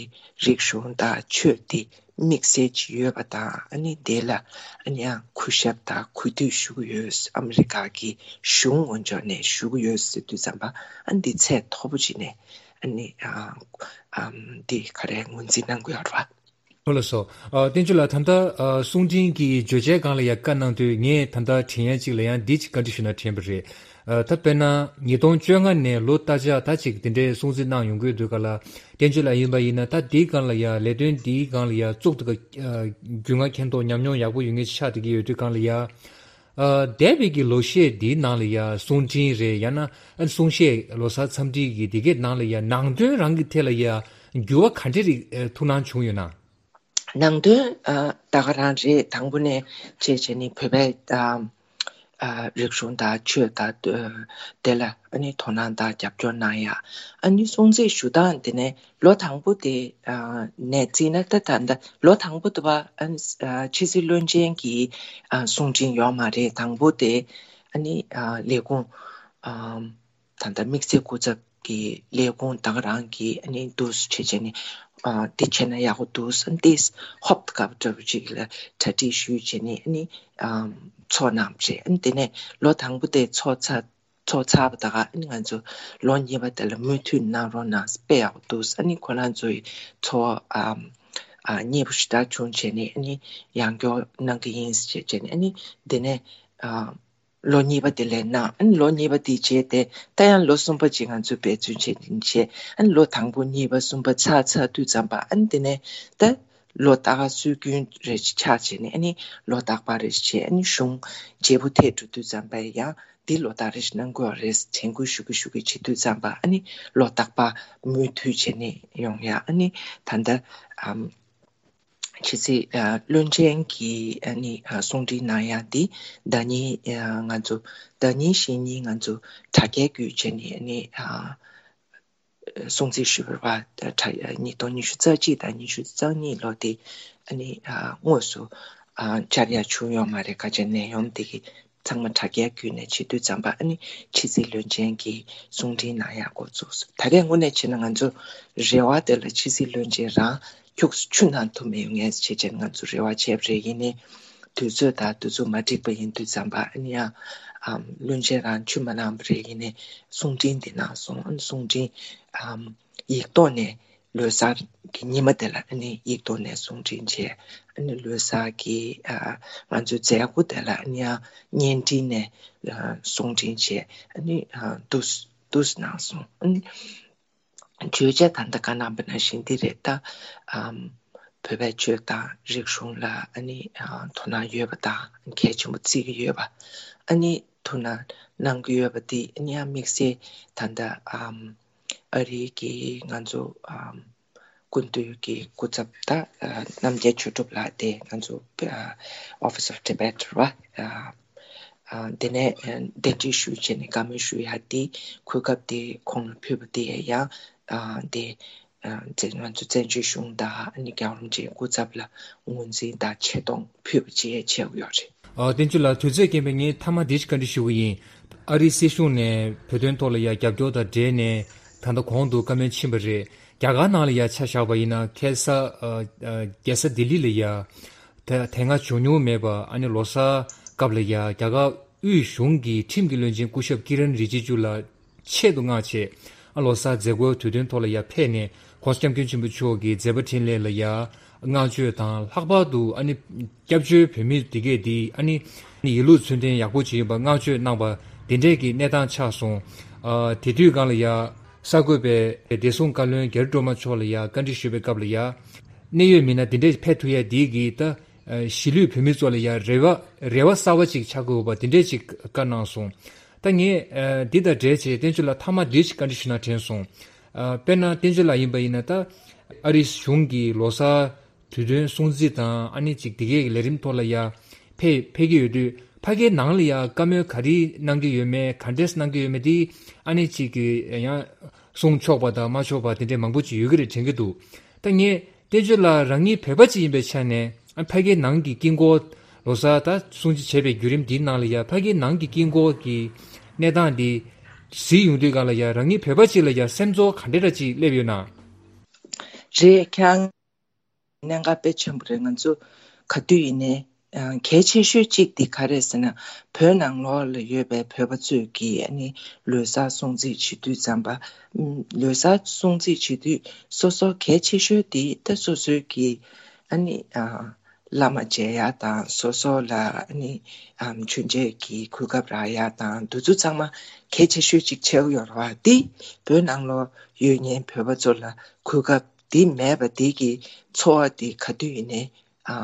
རིག་གཞུང་དང་ཆོས་དེ་དམིགས་བསལ་ཅིག་ཡོད་པ་དང་། ཨ་ནི་དེ་ལ་ཨ་ནི་ཡང་གུས་ཞབས་དང་གུས་འདུད་ཞུ་གི་ཡོད། ཨ་མི་རི་ཀ་གི་གཞུང་ངོས་ཕྱོགས་ནས་ཞུ་གི་ཡོད་ཟེར་དུས་ཙམ་པ་ཨ་ནི་འདི་ཚད་མཐོ་པོ་ཅིག་ནས་ཨ་ནི་ཨ་ཨམ་འདི་ག་རེ་ངོས་འཛིན་གནང་གི་ཡོད་རེད་བ། ལགས་སོ། ཨ། བསྟན་ཆོས་ལགས། ད་ལྟ་ཨ་གསུང་འཕྲིན་གྱི་བརྗོད་བྱའི་སྒང་ལ་ཡ་བཀའ་གནང་དུས་ངས་ད་ལྟ་དྲན་ཡ་གཅིག་ལ་ཡང་འདི་གཅིག་བཀའ་འདྲི་ཞུ་ན་དྲན་པ་རེད། ཨ། ད་དཔེར་ན་ཉིས་སྟོང་བཅོ་ལྔ་ནས་ལོ་ལྟར་ཆགས་ད་ཅིག་དེ་འདྲའི་སྲུང་བརྩི་གནང་ཡོང་གི་ཡོད་དུས་ག་ལ། བསྟན་ཆོས་ལགས་ཡིན་པ་ཡིན་ན་ད་འདིའི་སྒང་ལ་ཡ་ལས་དོན་འདིའི་སྒང་ལ་ཡ་བཙུགས་དུས་ཀ་ཨ་རྒྱུས་མངའ་མཁྱེན་རྟོགས་ཉམས་མྱོང་ཡག་པོ་ཡོད་མཁན་ཆགས་བསྡད་ཀྱི་ཡོད་དུས་སྒང་ལ་ཡ། ཨ། འདས་པའི་གི་ལོ་ཤས་འདིའི་ནང་ལ་ཡ་གསུང་འཕྲིན་རེད། ཡང་ན་ཨ་གསུང་བཤད་ལོ་གསར་འཚམས་འདྲི་གི་འདི་གའི་ནང་ལ་ཡ་ནང་དོན་རང་གི་ཐད་ལ་ཡ་འགྱུར་བ་ག་འདྲ་རིགས་ཨ་ཐུགས་སྣང་བྱུང་ཡོད་ན། ནང་དོན་ཨ་ད་ག་རང་རེད། དང་པོ་ནས་བྱས་བྱས་ནས་བོད་པའི་ཨ་ཨ་རིག་གཞུང་དང་ཆོས་དང་དེ་ལ་ཨ་ནི་དོ་སྣང་དང་རྒྱབ་སྐྱོར་གནང་ཡ། ཨ་ནི་སྲུང་བརྩི་ཞུ་སྟངས་དེ་ནས་ལོ་དང་པོ་དེ་ཨ་ནས་བརྩིས་ན་ད་ད་ལྟ་ལོ་དང་པོ་དེ་བ་ཨ་ནི་ཨ་ཕྱི་སྲིད་བློན་ཆེན་གྱི་ཨ་གསུང་འཕྲིན་ཡོད་མ་རེད། དང་པོ་དེ་ཨ་ནི་ཨ་ལས་ཁུངས་ཨ་ད་ལྟ་དམིགས་བསལ་སྐུ་ཚབ་ཀྱི་ལས་ཁུངས་ད་ག་རང་གི་ཨ་ནི་འདུག་སེ་བྱས་བྱས་ནས་ཨ་དེ་བྱས་ན་ཡག་པོ་འདུག་ཨ་ནི་དེས་ཧོབ་ཏེ་ག་པ་འདྲ་པོ་ཅིག་ལ་གྲ་སྒྲིག་ཞུས་བྱས་ནས་ཨ་ནི་ཨ་ཚོགས་གནང་བ་རེད། ཨ་ནི་དེ་ནས་ལོ་དང་པོ་དེ་ཚོགས་ཚར་ཚོགས་ཚར་བ་ད་ག་ཨ་ནི་ང་ཚོ་ལོ་གཉིས་པ་དེ་ལ་མུ་མཐུད་གནང་རོགས་གནང་། དཔེ་ཡག་པོ་འདུག་ཨ་ནི་ཁོ་རང་ཚོའི་ཚོགས་ཨ་ཨ་མཉེས་པོ་ཞེ་དྲག་བྱུང་བྱས་ནས་ཨ་ནི་ཡང་སྐྱོར་གནང་གི་ཡིན་ཟེར་བྱས་བྱས་ནས། ཨ་ནི་དེ་ནས་ཨ་ལོ་གཉིས་པ་དེ་ལས་གནང་། ཨ་ནི་ལོ་གཉིས་པ་དེ་རྗེས་དེ་ད་ཡང་ལོ་གསུམ་པ་ཅིག་ང་ཚོས་འབད་བརྩོན་བྱས་བྱས། ཨ་ནི་ལོ་དང་པོ་གཉིས་པ་གསུམ་པ་ཚར་ཚར་དུས་ཙམ་པ། ཨ་ནི་དེ་ནས་ད་ལོ་རྟག་པ་སྲོལ་རྒྱུན་རེ་ཆགས་བྱས་ནས། ཨ་ནི་ལོ་རྟག་པ་རེ་བྱས། ཨ་ནི་གཞུང་བརྗེ་པོ་ཐེབས་འགྲོ་དུས་ཙམ་པ་ཡང་འདི་ལོ་རྟག་རེ་གནང་དགོས་རེད། དྲན་སྐུལ་ཞུ་གི་ཞུ་གི་བྱེད་དུས་ཙམ་པ། ཨ་ནི་ལོ་རྟག་པ་མུ་མཐུད་བྱས་ནས་ཡོང་ཡ། ཨ་ནི་ད་ལྟ་ཨམ་ཕྱི་སྲིད་ཨ་བློན་ཆེན་གྱིས་ཨ་ནི་ཨ་གསུང་འཕྲིན་གནང་ཡ་འདི་ཟླ་ཉིན་ཨ་ང་ཚོ་ཟླ་ཉིན་གཞེས་ཉིན་ང་ཚོ་དྲ་རྒྱའི་བརྒྱུད་བྱས་ནས་ཨ་ནི་ཨ་སྲུང་བརྩི་ཞུས་པ་དྲ་ཉིས་སྟོང་ཉི་ཤུ་རྩ་གཅིག་དང་ཉི་ཤུ་རྩ་གཉིས་ལོ་དེ་ཨ་ནི་ཨ་དངོས་སུ་ཨ་བཅར་ཡ་བྱུང་ཡོད་མ་རེད། ཁ་ཆེ་ནད་ཡོམ་དེ་གི་ཚང་མ་དྲ་རྒྱའི་བརྒྱུད་ནས་བྱེད་དུས་ཙམ་པ། ཨ་ནི་ཕྱི་སྲིད་བློན་ཆེན་གྱིས་གསུང་འཕྲིན་གནང་ཡག་འགོ་བཙུགས་སོང་། ད་རེས་དངོས་གནས་བྱས་ན་ང་ཚོ་རེ་བ་དེ་ལ་ཕྱི་སྲིད་བློན་ཆེན་རང་ཁྱུག་ཙམ་ཆུ་ནང་ཐུག་མི་ཡོང་ངེས་བྱས་བྱས་ང་ཚོ་རེ་བ་བྱས་པ་རེད། ཡིན་ནའི་དུས་ཚོད་དང་དུས་ཚོད་མ་འགྲིག་པ་ཡིན་དུས་ཙམ་པ། ཨ་ནི་ཡང་ཨམ་བློན་ཆེན་རང་ཆུ་མ་གནང་བ་རེད། ཡིན་ནའི་གསུང་འཕྲིན་དེ་གནང་སོང་། ཨ་ནི་གསུང་འཕྲིན་ཨམ་ཡིག་ཐོག་ནས་ལོ་གསར་གྱི་ཉི་མ་དེ་ལ་ཨ་ནི་ཡིག་ཐོག་ནས་གསུང་འཕྲིན་བྱས། ཨ་ནི་ལོ་གསར་གྱི་ཨ་ང་ཚོའི་མཛད་སྒོ་དེ་ལ་ཨ་ནི་ཡང་བརྙན་འཕྲིན་ནས་ཨ་གསུང་འཕྲིན་བྱས། ཨ་ནི་ཨ་འདུག་འདུག་གནང་སོང་། ཨ་ནི་བརྗོད་བྱ་ད་ལྟ་བཀའ་གནང་བ་ནང་བཞིན་འདི་རེད། ད་ཨམ་བོད་པའི་ཆོས་དང་རིག་གཞུང་ལ་ཨ་ནི་ཨ་དོ་སྣང་ཡོད་པ་དང་གལ་ཆེན་པོ་བརྩི་གི་ཡོད་པ། ཨ་ནི་ཐུགས་སྣང་གནང་གི་ཡོད་པ་འདི་ཨ་ནི་ཡང་དམིགས་བསལ་ད་ལྟ་ཨམ་ཨ་རིའི་གི་ང་ཚོ་ཨམ་སྐུ་མདུན་གྱི་སྐུ་ཚབ་ད་ཨ་རྣམ་རྒྱལ་ཆོས་གྲུབ་ལགས་དེ་ང་ཚོ་ཨ་Office of Tibet རེད་བ། ཨ་ཨ་དེ་ནས་ཨ་གདན་འདྲེན་ཞུས་བྱས་ནས་བཀའ་མོལ་ཞུ་ཡ་དེ་གོ་སྐབས་དེ་ཁོང་ལ་ཕུལ་བ་དེ་ཡང་ཨ་དེ་ཨ་བཙན་ང་ཚོ་བཙན་བྱོལ་གཞུང་དང་ཨ་ནི་རྒྱལ་བ་རིན་པོ་ཆེའི་སྐུ་ཚབ་ལ་ངོས་འཛིན་དང་ཆེ་མཐོང་ཕུལ་བ་བཅས་བྱས་ཡོད་རེད། ཨ་བསྟན་ཆོས་ལགས། དུས་ཚོད་རྐྱེན་པས་ངས་མཐའ་མ་འདི་ཞིག་བཀའ་འདྲི་ཞུ་གི་ཡིན། ཨ་རིའི་སྲིད་གཞུང་ནས་བོད་དོན་ཐོག་ལ་ཡ་རྒྱབ་སྐྱོར་དང་འབྲེལ་ནས་ད་ལྟ་གོང་དུ་བཀའ་མོལ་ཕྱིན་པ་རེད། རྒྱ་གར་ནང་ལ་ཡ་ཆ་བཞག་པ་ཡིན་ན་ཁ་སང་ཨ་ཨ་རྒྱལ་ས་ལྡི་ལི་ལ་ཡ་དེ་དེ་སྔ་བྱུང་མྱོང་མེད་པ། ཨ་ནི་ལོ་གསར་སྐབས་ལ་ཡ་རྒྱ་གར་དབུས་གཞུང་གི་ཁྲིམས་ཀྱི་བློན་ཆེན་སྐུ་ཞབས་ཀི་རན་རི་ཇི་ཇུ་ལགས་ཆེད་དུ་མངགས་བྱས། ཨ་ལོ་གསར་མཛད་སྒོའི་དུས་སྟོན་ཐོག་ལ་ཡ་ཕེབས་ནས་༸གོང་ས་༸སྐྱབས་མགོན་ཆེན་པོ་མཆོག་གི་མཛད་པ་འཕྲིན་ལས་ལ་ཡ་བསྔགས་བརྗོད་དང་། ལྷག་པར་དུ་ཨ་ནི་སྐྱབས་བཅོལ་བོད་མི་དེ་གས་འདི་ཨ་ནི་ཡིད་ལུས་ཚུལ་ལྡན་ཡག་པོ་ཅིག་ཡིན་པ་བསྔགས་བརྗོད་གནང་པ་འདི་འདྲས་ཀྱི་གནས་སྟངས་ཆགས་སོང་། ཨ་དེ་དུས་སྒང་ལ་ཡ་གསར་འགོད་པས་བདེ་སྲུང་བཀའ་བློན་རྒྱ་རི་སྒྲོལ་མ་མཆོག་ལ་ཡ་བཀའ་འདྲི་ཞུས་པའི་སྐབས་ལ་ཡ། གནད་ཡོད་མི་སྣ་འདི་འདྲས་ཕེབས་ཐུབ་ཡ་འདི་གིས་ད་ཨ་གཞིས་ལུས་བོད་མི་ཚོ་ལ་ཡ་རེ་བ་རེ་བ་གསར་བ་ཅིག་ཆགས་ཀྱི་ཡོད་པ་འདི་འདྲས་ཅིག་བཀའ་གནང་སོང་། ད་ངས་ཨ་འདི་དང་འབྲེལ་བྱས་བསྟན་ཆོས་ལགས་མཐའ་མ་འདི་ཞིག་བཀའ་འདྲི་ཞུ་ན་དྲན་སོང་། ཨ་དཔེར་ན་བསྟན་ཆོས་ལགས་ཡིན་པ་ཡིན་ན་ད་ཨ་རིའི་གཞུང་གིས་ལོ་གསར་དུས་སྟོན་སྲུང་བརྩི་དང་ཨ་ནི་ཅིག་འདི་གའི་ལས་རིམ་ཐོག་ལ་ཡ་ཕེབས་ཕེབས་ཀྱི་ཡོད་དུས། ཕ་གིའི་ནང་ལ་ཡ་བཀའ་མོལ་ག་རེ་གནང་གི་ཡོད་མེད། ག་འདྲས་གནང་གི་ཡོད་མེད་དེ་ཨ་ནི་ཅིག་གི་ཡང་གསུང་ཆོག་པ་དང་མ་ཆོག་པ་དེ་འདྲས་མང་པོ་ཅིག་ཡོད་ཀྱི་རེད་དྲན་གྱི་འདུག། ད་ངས་བསྟན་ཆོས་ལགས་རང་ཉིད་བོད་པ་ཅིག་ཡིན་པའི་ཆ་ནས་ཨ་ཕ་གིའི་ནང་གི་དཀྱིལ་འཁོར་ལོ་གསར་ད་སྲུང་བརྩི་བྱས་པའི་བརྒྱུད་རིམ་འདིའི་ནང་ལ་ཡ་ཕ་གིའི་ནང་གི་དཀྱིལ་འཁོར་གྱི་གནས་སྟངས་འདི་གཟིགས་ཡོང་དུས་སྒང་ལ་ཡ་རང་ཉིད་བོད་པ་ཅིག་ལ་ཡ་སེམས་ཚོར་ག་འདྲས་འདྲ་ཅིག་སླེབས་ཡོད་ན། རེད། ཁྱེད་གནད་འགག་དཔེ་ཆེན་པོ་རེད། ང་ཚོ་ག་དུས་ཡིན་ནའི་ཨ་གལ་ཆེ་ཤོས་གཅིག་དེ་ག་རེ་ཟེར་ན། བོད་ནང་ལོགས་ལ་ཡོད་པའི་བོད་པ་ཚོས་ཀྱིས་ཨ་ནི་ལོ་གསར་སྲུང་བརྩི་བྱེད་དུས་ཙམ་པ། ཨམ་ལོ་གསར་སྲུང་བརྩི་བྱེད་དུས་སོ་སོ་གལ་ཆེ་ཤོས་དེ་ད་སོ་སོའི་གི་ ཨ་ནི་ཨ་བླ་མ་མཇལ་ཡ་དང་སོ་སོ་ལ་ཨ་ནི་ཨམ་མཆོད་མཇལ་གྱི་གོ་སྐབས་རག་ཡ་དང་འདི་ཚོ་ཚང་མ་གལ་ཆེ་ཤོས་ཅིག་ཆགས་ཀྱི་ཡོད་རེད་བ། འདི་བོད་ནང་ལོགས་ཡོད་མཁན་བོད་པ་ཚོ་ལ་གོ་སྐབས་འདི་མེད་པ་འདི་གི་ཚོར་བ་འདི་ག་དུས་ཡིན་ནའི་ཨ་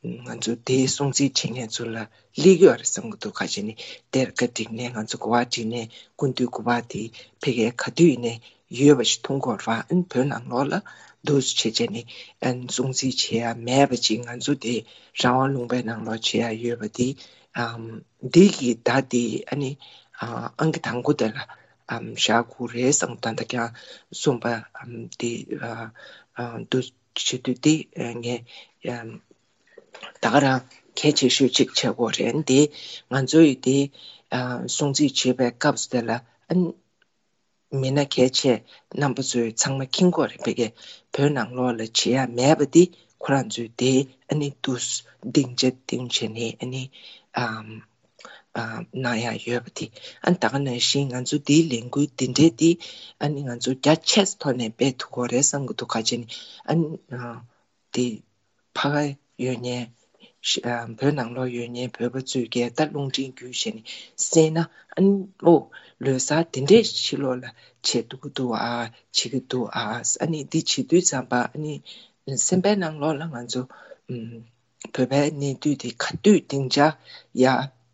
ང་ཚོ་དེའི་སྲུང་བརྩི་བྱེད་མཁན་ཚོ་ལ་སླེབས་ཀྱི་ཡོད་རེད་བསམ་གྱི་འདུག་ག་ཅི་ནི་གཏེར་ཁ་བསྒྲིགས་ནས་ང་ཚོ་གོ་བ་བསྒྲིགས་ནས་སྐུ་མདུན་སྐུ་པར་དེ་ཕ་གིར་ག་དུས་ཡིན་ནའི་ཡོད་པ་ཞིག་མཐོང་གི་ཡོད་རེད་བ། ཨ་ནི་བོད་ནང་ལོགས་ལ་འདུག་སེ་བྱས་བྱས་ནས་ཨ་ནི་སྲུང་བརྩི་བྱེད་ཡ་མེད་པ་ཅིག་ང་ཚོ་དེ་རང་དབང་ལུང་པའི་ནང་ལོགས་བྱེད་ཡ་ཡོད་པ་དེ་ཨམ་འདི་གི་ཟླ་དེ་ཨ་ནི་ཨ་ཨང་ཀི་དང་པོ་དེ་ལ་ཨམ་བཞག་དགོས་རེད་བསམ། ད་ལྟ་ཀྱང་གསུངས་པ་ཨམ་དེ་ཨ་ཨ་འདུག་བྱེད་དུས་དེ་ཨ་ངས་ཨམ། ད་ག་རང་གལ་ཆེ་ཤོས་གཅིག་བྱེད་དགོས་རེད་འདི། ང་ཚོ་ཡི་འདི་ཨ་སྲུང་བརྩི་བྱེད་པའི་སྐབས་སུ་དེ་ལ་ཨ་མི་སྣ་གལ་ཆེ་རྣམ་པ་ཚོས་ཚང་མ་མཁྱེན་གྱི་ཡོད་རེད། ཕ་གིར་བོད་ནང་ལོགས་ལ་བྱེད་ཡ་མེད་པ་འདི་ཁོ་རང་ཚོས་དེ་ཨ་ནི་འདུག་སྡིངས་ཆ་བཏིང་བྱས་ནས་ཨ་ནི་ཨམ་ཨ་གནང་ཡ་ཡོད་པ་འདི། ཨ་ནི་ད་ག་ནང་བཞིན་ང་ཚོ་འདིའི་ལས་འགུལ་འདི་འདྲའི་འདི་ཨ་ནི་ང་ཚོ་རྒྱ་ཆེ་ས་ཐོག་ནས་སྤེལ་ཐུབ་ཀྱི་ཡོད་རེད་བསམ་གྱི་འདུག་ག་ཅི་ནི་ཨ་ནི་ཨ། དེ་ཕ་ག་ཡོད་མཁན་ཤ་ཨ་བོད་ནང་ལོགས་ཡོད་མཁན་བོད་པ་ཚོས་ཀྱང་ད་རླུང་འཕྲིན་བརྒྱུད་བྱས་ནས་གསན་ན་ཨ་ནི་ཨོ་ལོ་གསར་དེ་འདྲས་ཕྱི་ལོགས་ལ་བྱེད་ཐུབ་ཀྱི་འདུག་ཨ། བྱེད་ཀྱི་འདུག་ཨ། ཨ་ནི་འདི་བྱེད་དུས་ཙམ་པ་ཨ་ནི་སེམས་པའི་ནང་ལོགས་ལ་ང་ཚོ་ཨམ་བོད་པའི་གནས་དུས་དེ་ག་དུས་སྡིངས་ཆ་ཡ་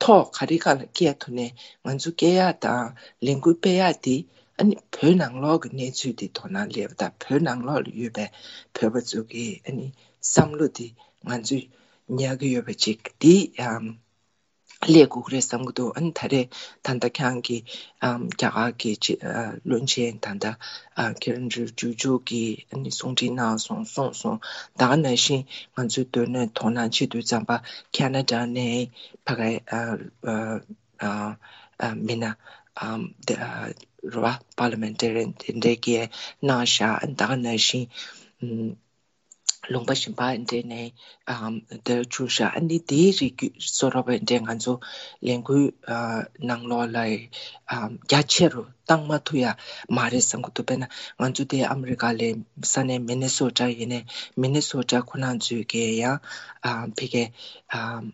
ཐོག་ག་རེ་ག་ལ་སྐྱེལ་ཐུབ་ནས་ང་ཚོ་སྐྱེལ་ཡ་དང་ལས་འགུལ་སྤེལ་ཡ་དེ་ཨ་ནི་བོད་ནང་ལོགས་ཀྱི་གནས་ཚུལ་དེ་དོ་སྣང་སླེབས་པ་དང་བོད་ནང་ལོགས་ལ་ཡོད་པའི་བོད་པ་ཚོ་གི་ཨ་ནི་བསམ་བློ་དེ་ང་ཚོས་ཉར་གྱི་ཡོད་པ་ཅིག་དེ་ཨམ་སླེབས་དགོས་ཀྱི་རེད་བསམ་གྱི་འདུག་ཨ་ནི་ད་རེས་ད་ལྟ་ཁྱེད་རང་གི་ཨམ་རྒྱ་གར་གྱི་ཅི་ཨ་བློན་ཆེན་ད་ལྟ་ཨ་ཀི་རན་རི་ཇི་ཇུ་གིས་ཨ་ནི་གསུང་འཕྲིན་གནང་སོང་གསུངས་སོང་། ད་ག་ནང་བཞིན་ང་ཚོའི་སྡོད་གནས་དོ་སྣང་བྱེད་དུས་ཙམ་པ་ཁ་ན་ཌ་ནས་ཕ་གའི་ཨ་ཨ་ཨ་མི་སྣ་ཨམ་དེ་ཨ་རེད་བ། པར་ལི་མེན་ཊ་རི་ཡན་དེ་འདྲས་ཀྱིས་གནང་བཞག་ད་ག་ནང་བཞིན་ཨམ་ལུང་པ་གཞན་པ་འདྲས་ནས་ཨམ་དེར་བྱུང་བཞག་ཨ་ནི་དེའི་རིགས་བཟོ་འདྲ་བ་འདྲས་ང་ཚོ་ལས་འགུལ་ཨ་ནང་ལོགས་ལ་ཨམ་རྒྱ་ཆེ་རུ་བཏང་མ་ཐུབ་ཡ་མ་རེད་བསམ་གྱི་འདུག་དཔེར་ན་ང་ཚོ་དེ་ཨ་མི་རི་ཀ་ལ་ས་གནས་མི་ནི་སོ་ཊ་ཡིན་ནའི་མི་ནི་སོ་ཊ་ཁོ་རང་ཚོས་ཀྱིས་ཡང་ཨམ་ཕ་གའི་ཨམ།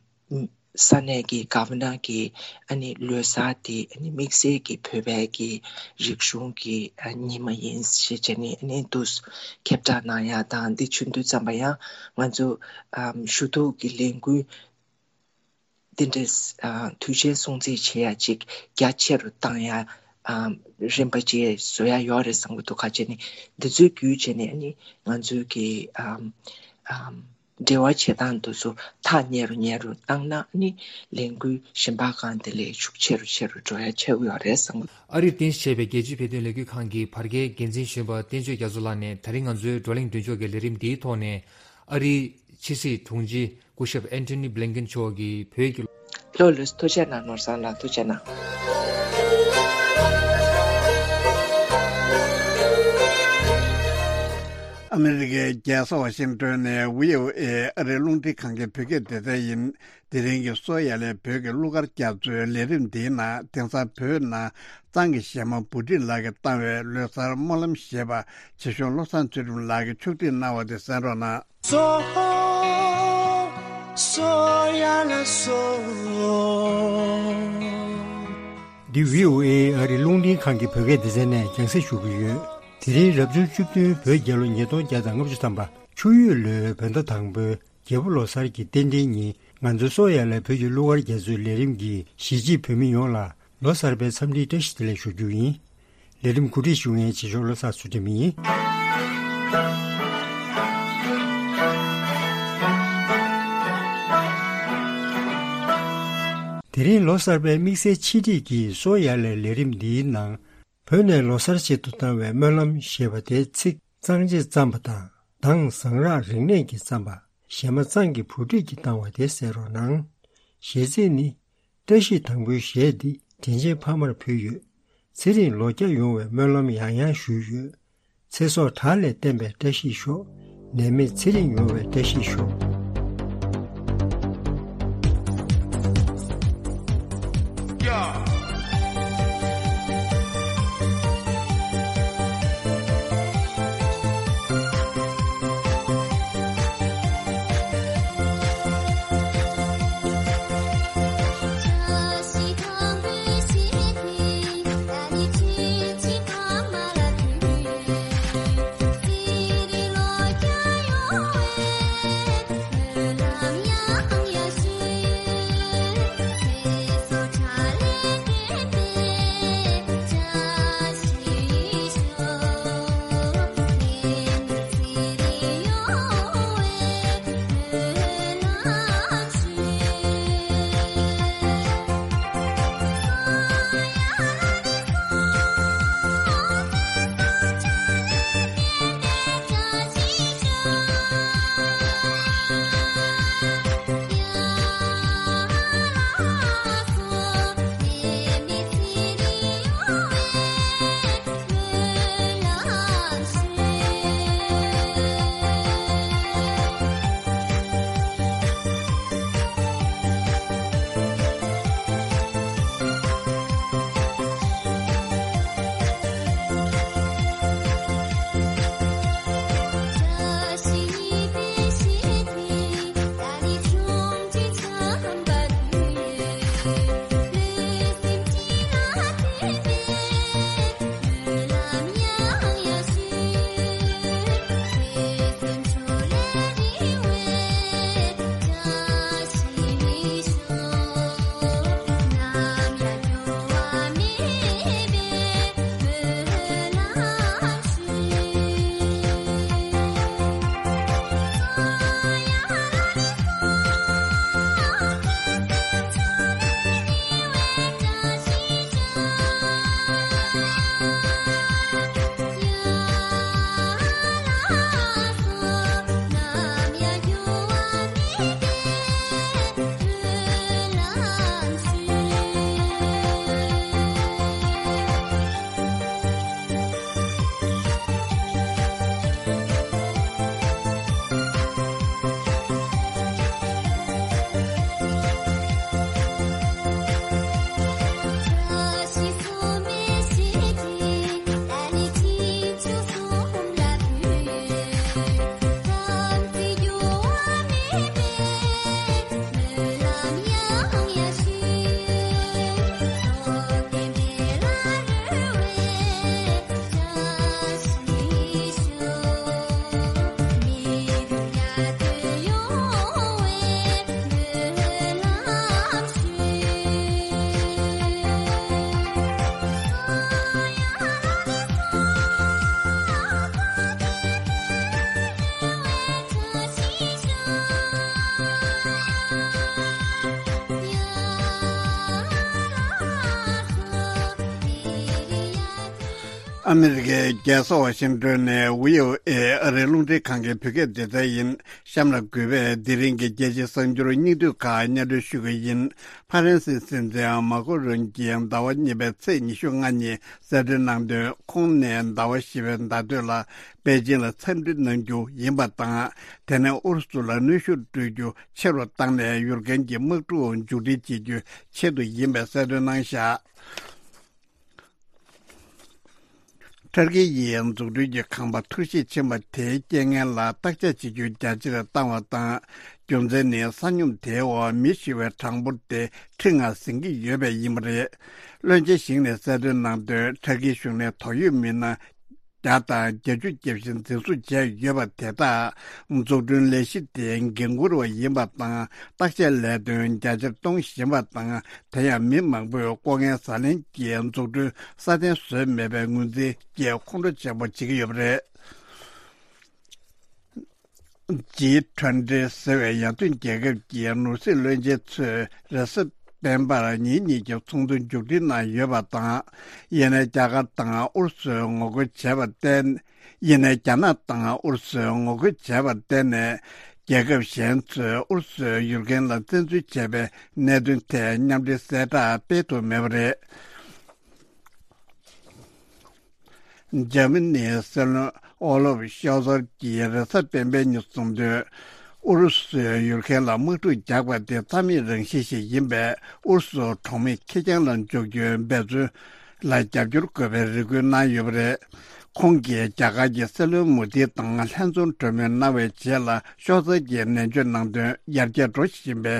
ས་གནས་ཀྱི་གྷ་ཝ་ནར་གྱིས་ཨ་ནི་ལོ་གསར་དེ་ཨ་ནི་དམིགས་བསལ་གྱི་བོད་པའི་གི་རིག་གཞུང་གི་ཨ་ཉི་མ་ཡིན་ཞེས་བྱས་ནས་ཨ་ནི་འདུག་ཁྱབ་བསྒྲགས་གནང་ཡ་དང་འདི་བྱུང་དུས་ཙམ་པ་ཡང་ང་ཚོ་ཨམ་ཞུ་གཏུག་གི་ལས་འགུལ་འདི་འདྲའི་ཨ་དུས་ཆེན་སྲུང་བརྩི་བྱེད་ཡ་ཅིག་རྒྱ་ཆེ་རུ་བཏང་ཡ་ཨམ་རིམ་པ་ཅིག་བཟོ་ཡ་ཡོད་རེད་བསམ་གྱི་འདུག་ག་བྱས་ནས་འདི་ཚོའི་བརྒྱུད་བྱས་ནས་ཨ་ནི་ང་ཚོའི་གི་ཨམ་ཨམ། འབྲེལ་བ་བྱེད་སྟངས་དེ་ཚོ་ཐག་ཉེ་རུ་ཉེ་རུ་བཏང་ན་ནི་ལས་འགུལ་གཞན་པ་གང་དེ་ལས་ཤུགས་ཆེ་རུ་ཆེ་རུ་འགྲོ་ཡ་ཆགས་ཀྱི་ཡོད་རེད་བསམ་གྱི། ཨ་རིར་རྟེན་གཞི་བྱས་པའི་རྒྱལ་སྤྱིའི་བོད་དོན་ལས་འགུལ་ཁང་གི་བར་བརྒལ་འགན་འཛིན་གཞོན་པ་བསྟན་ཆོས་རྒྱ་མཚོ་ལགས་ནས་ད་རིང་ང་ཚོའི་བགྲོ་གླེང་མདུན་ལྕོག་གི་ལས་རིམ་འདིའི་ཐོག་ནས་ཨ་རིའི་ཕྱི་སྲིད་དྲུང་ཆེ་སྐུ་ཞབས་ཨན་ཐོ་ནི་བྷི་ལིན་ཀེན་མཆོག་གིས་བོད་ཀྱི། ལགས་ལགས་ཐུགས་རྗེ་གནང་ནོར་བཟང་ལགས་ཐུགས་རྗེ་གནང་། ཨ་མི་རི་ཀའི་རྒྱལ་ས་ཝ་ཤིང་ཏོན་ནས་བྷི་ཨོ་ཨེ་ཨ་རིའི་རླུང་འཕྲིན་ཁང་གི་བོད་སྐད་སྡེ་ཚན་ཡིན། དེ་རིང་གི་གསོ་ཡ་ལས་བོད་ཀྱི་གླུ་གར་རྒྱ་མཚོའི་ལས་རིམ་འདིའི་ནང་དེང་སང་བོད་ནང་གཙང་གི་གཞས་མ་བུ་ཁྲིད་ལགས་ཀྱིས་བཏང་བའི་ལོ་གསར་སྨོན་ལམ་ཞེས་པ་བྱེད་གཞུང་བློ་བཟང་ཚུལ་ཁྲིམས་ལགས་ཀྱིས་ཕྱོགས་སྒྲིག་གནང་བ་དེ་གསན་རོགས་གནང་། སོ་སོ་ཡ་ལ་སོ། འདི་བྷི་ཨོ་ཨེ་ཨ་རིའི་རླུང་འཕྲིན་ཁང་གི་བོད་སྐད་སྡེ་ཚན་ནས་རྒྱང་སྲིང་ཞུ་གི་ཡོད། དེ་རིང་རབ་བྱུང་བཅུ་བདུན་བོད་རྒྱལ་ལོ་ཉིས་སྟོང་བརྒྱ་དང་ལྔ་བཅུ་ཐམ་པ་ཆུ་ཡོས་ལོའི་བོད་ཟླ་དང་པོའི་རྒྱལ་པོ་ལོ་གསར་གྱི་རྟེན་འབྲེལ་ཉིན་ང་ཚོའི་གསོ་ཡ་ལ་བོད་ཀྱི་གླུ་གར་རྒྱ་མཚོའི་ལས་རིམ་གྱིས་གཞིས་བྱེས་བོད་མི་ཡོངས་ལ་ལོ་གསར་པའི་འཚམས་འདྲིའི་བཀྲ་ཤིས་བདེ་ལེགས་ཞུ་རྒྱུ་ཡིན། ལས་རིམ་གོ་སྒྲིག་ཞུ་མཁན་བྱེད་ཕྱོགས་བློ་བཟང་ཚུལ་ཁྲིམས་ཡིན། དེ་རིང་ལོ་གསར་པའི་དམིགས་བསལ་ཆེད་སྒྲིག་གི་གསོ་ཡ་ལའི་ལས་རིམ་འདིའི་ནང་། བོད་ནས་ལོ་གསར་ཆེད་དུ་བཏང་བའི་སྨོན་ལམ་ཞེས་པ་དེའི་ཚིག་གཙང་བྱེད་བརྩམས་པ་དང་། གདངས་ཟངས་རག་རིག་གནས་ཀྱིས་བརྩམས་པ། གཞས་མ་གཙང་གི་བུ་ཁྲིད་ཀྱིས་བཏང་བ་དེ་གསན་རོགས་གནང་། གཞས་ཚིག་ནི། བཀྲ་ཤིས་དང་པོའི་གཞས་འདི་དྲིན་ཆེན་ཕ་མར་ཕུལ་ཡོད། ཚེ་རིང་ལོ་བརྒྱ་ཡོང་བའི་སྨོན་ལམ་ཡང་ཡང་ཞུས་ཡོད། ཚེ་སྲོག་བྲག་ལས་བརྟན་པའི་བཀྲ་ཤིས་ཤོག། ནད་མེད་ཚེ་རིང་ཡོང་བའི་བཀྲ་ཤིས་ཤོག། ཨ་མི་རི་ཀའི་རྒྱལ་ས་ཝ་ཤིང་ཏོན་ནས་བྷི་ཨོ་ཨེ་ཨ་རིའི་རླུང་འཕྲིན་ཁང་གི་བོད་སྐད་སྡེ་ཚན་ཡིན། གཤམ་ལ་གུས་པས་དེ་རིང་གི་རྒྱལ་སྤྱིའི་གསར་འགྱུར་སྙིང་བསྡུས་ཁག་སྙན་སྒྲོན་ཞུ་གི་ཡིན། ཕ་རན་སིའི་སྲིད་འཛིན་མཱ་ཀོ་རོན་གྱིས་ཟླ་བ་གཉིས་པའི་ཚེས་ཉི་ཤུ་ལྔ་ཉིན་གསལ་སྟོན་གནང་དོན། ཁོང་ནས་ཟླ་བ་བཞི་པའི་ཟླ་སྟོད་ལ་པེ་ཅིང་ལ་འཚམས་འདྲི་གནང་རྒྱུ་ཡིན་པ་དང་། དེ་ནས་ཨུ་རུ་སུ་ལ་གནོན་ཤུགས་སྤྲོད་རྒྱུ་ཆེ་རུ་བཏང་ནས་ཡུལ་མཁན་གྱི་དམག་འཁྲུག་མཇུག་སྒྲིལ་བྱེད་རྒྱུའི་ཆེད་དུ་ཡིན་པའི་གསལ་སྟོན་གནང་བཞག་ཏུར་ཀི་ཡིས་འཛུགས་སྐྲུན་གྱི་ཁང་པ་འཐོར་ཞིག་ཕྱིན་པ་དེའི་རྐྱེན་ངན་ལ་བརྟག་དཔྱད་བྱེད་རྒྱུ་རྒྱ་ཆེར་བཏང་བ་དང་། རྒྱུ་མཚན་ནི་ས་སྙོམས་དེའི་འོག་མི་ཤི་བའི་གྲངས་འབོར་དེ་ཁྲི་ལྔ་ཟིན་གྱི་ཡོད་པས་ཡིན་པ་རེད། བློན་ཆེན་ཞིག་ནས་གསལ་སྟོན་གནང་དོན། ཏུར་ཀི་གཞུང་ནས་དོགས་ཡོད་མི་སྣ་བརྒྱ་དང་བརྒྱད་ཅུ་བརྒྱབ་བཞིན་འཛིན་བཟུང་བྱས་ཡོད་པ་དེ་དག་འཛུགས་སྐྲུན་ལས་གཞི་དེའི་འགན་འཁུར་བ་ཡིན་པ་དང་། བརྟག་དཔྱད་ལས་དོན་རྒྱ་ཆེར་གཏོང་བཞིན་པ་དང་། དེ་ཡང་མི་མང་པོས་ལྐོག་རྔན་ཟ་ལེན་གྱིས་འཛུགས་སྐྲུན་སྲ་བརྟན་བཟོས་མེད་པའི་ངོས་འཛིན་གྱིས་ཁོང་ཁྲོ་ཆེན་པོ་བྱེད་ཀྱི་ཡོད་པ་རེད། ཇི་ཊུ་ཝེན་ཊི་ཟེར་བའི་ཡར་ཐོན་རྒྱལ་ཁབ་ཀྱི་ནོར་སྲིད་བློན་ཆེན་ཚོས་རེས་གཟའ་སྤེན་པར་ཉིན་གཉིས་ཀྱི་ཚོགས་འདུ་མཇུག་སྒྲིལ་གནང་ཡོད་པ་དང་། ཡིན་ནའི་རྒྱ་གར་དང་ཨུ་རུ་སུས་ངོ་རྒོལ་བྱས་པར་བརྟེན། ཡིན་ནའི་རྒྱ་ནག་དང་ཨུ་རུ་སུས་ངོ་རྒོལ་བྱས་པར་བརྟེན་ནས། རྒྱལ་ཁབ་གཞན་ཚོས་ཨུ་རུ་སུའི་ཡུལ་མཁན་ལ་བཙན་འཛུལ་བྱས་པའི་གནད་དོན་ཐད་མཉམ་འབྲེལ་གསལ་བསྒྲགས་སྤེལ་ཐུབ་མེད་པ་རེད། འཇར་མ་ནིའི་སྲིད་བློན་ཨོ་ལོབ་ཤོལ་ཚར་གྱིས་རེས་གཟའ་སྤེན་པའི་ཉིན་གསུངས་དོན། ཨུ་རུ་སུས་ཡུལ་མཁན་ལ་དམག་འཁྲུག་རྒྱག་པ་དེ་རྩ་མེད་རང་བཞིན་ཞིག་ཡིན་པས། ཨུ་རུ་སུ་གྲོགས་མེད་ཁེར་རྐྱང་ལ་འཇོག་རྒྱུའི་འབད་བརྩོན་ལ་རྒྱབ་སྐྱོར་དགོས་པའི་རེ་སྐུལ་གནང་ཡོད་པ་རེད། ཁོང་གིས་རྒྱ་གར་གྱི་སྲིད་བློན་མོ་དི་དང་ལྷན་འཛོམས་གྲོས་མོལ་གནང་བའི་རྗེས་ལ་ཤོལ་ཚར་གྱིས་ནན་བརྗོད་གནང་དོན། ཡར་རྒྱས་འགྲོ་བཞིན་པའི་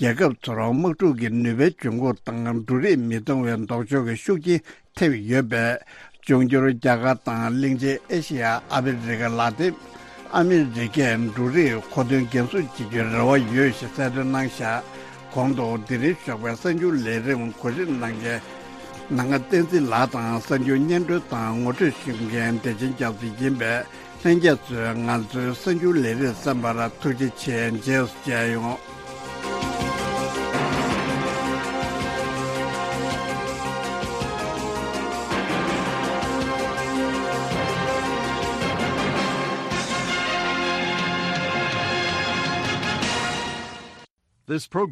རྒྱལ་ཁབ་ཚོར་དམག་འཁྲུག་གི་ནུས་པའི་འབྱུང་ཁུངས་དང་འབྲུ་རིགས་མི་གཏོང་བའི་ལྡོག་ཕྱོགས་ཀྱི་ཤུགས་རྐྱེན་ཐེབས་ཡོད་པས། འབྱུང་འགྱུར་རྒྱ་གར་དང་གླིང་ཆེན་ཨེ་ཤེ་ཡ། ཨ་ཧྥེ་རི་ཁ། ལ་ཏིན་ཨ་མི་རི་ཀས་འབྲུ་རིགས་མཁོ་འདོན་འགན་སྲུང་བྱེད་རྒྱུའི་རེ་བ་ཡོད་ཞེས་གསལ་སྟོན་གནང་བཞག་གོང་དུ་དེ་རིང་ཞོགས་པའི་གསར་འགྱུར་ལས་རིམ་གོ་སྒྲིག་གནང་མཁན་ནང་ཁ་བསྟན་འཛིན་ལགས་དང་། གསར་འགྱུར་སྙན་སྒྲོན་དང་ངོ་སྤྲོད་ཞུ་མཁན་བདེ་ཆེན་རྒྱ་མཚོ་ཡིན་པས། ལྷན་རྒྱས་ཚོས་ང་ཚོའི་གསར་འགྱུར་ལས་རིམ་གསན་པར་ཐུགས་རྗེ་ཆེ། རྗེས་སུ་མཇལ་ཡོང་། This program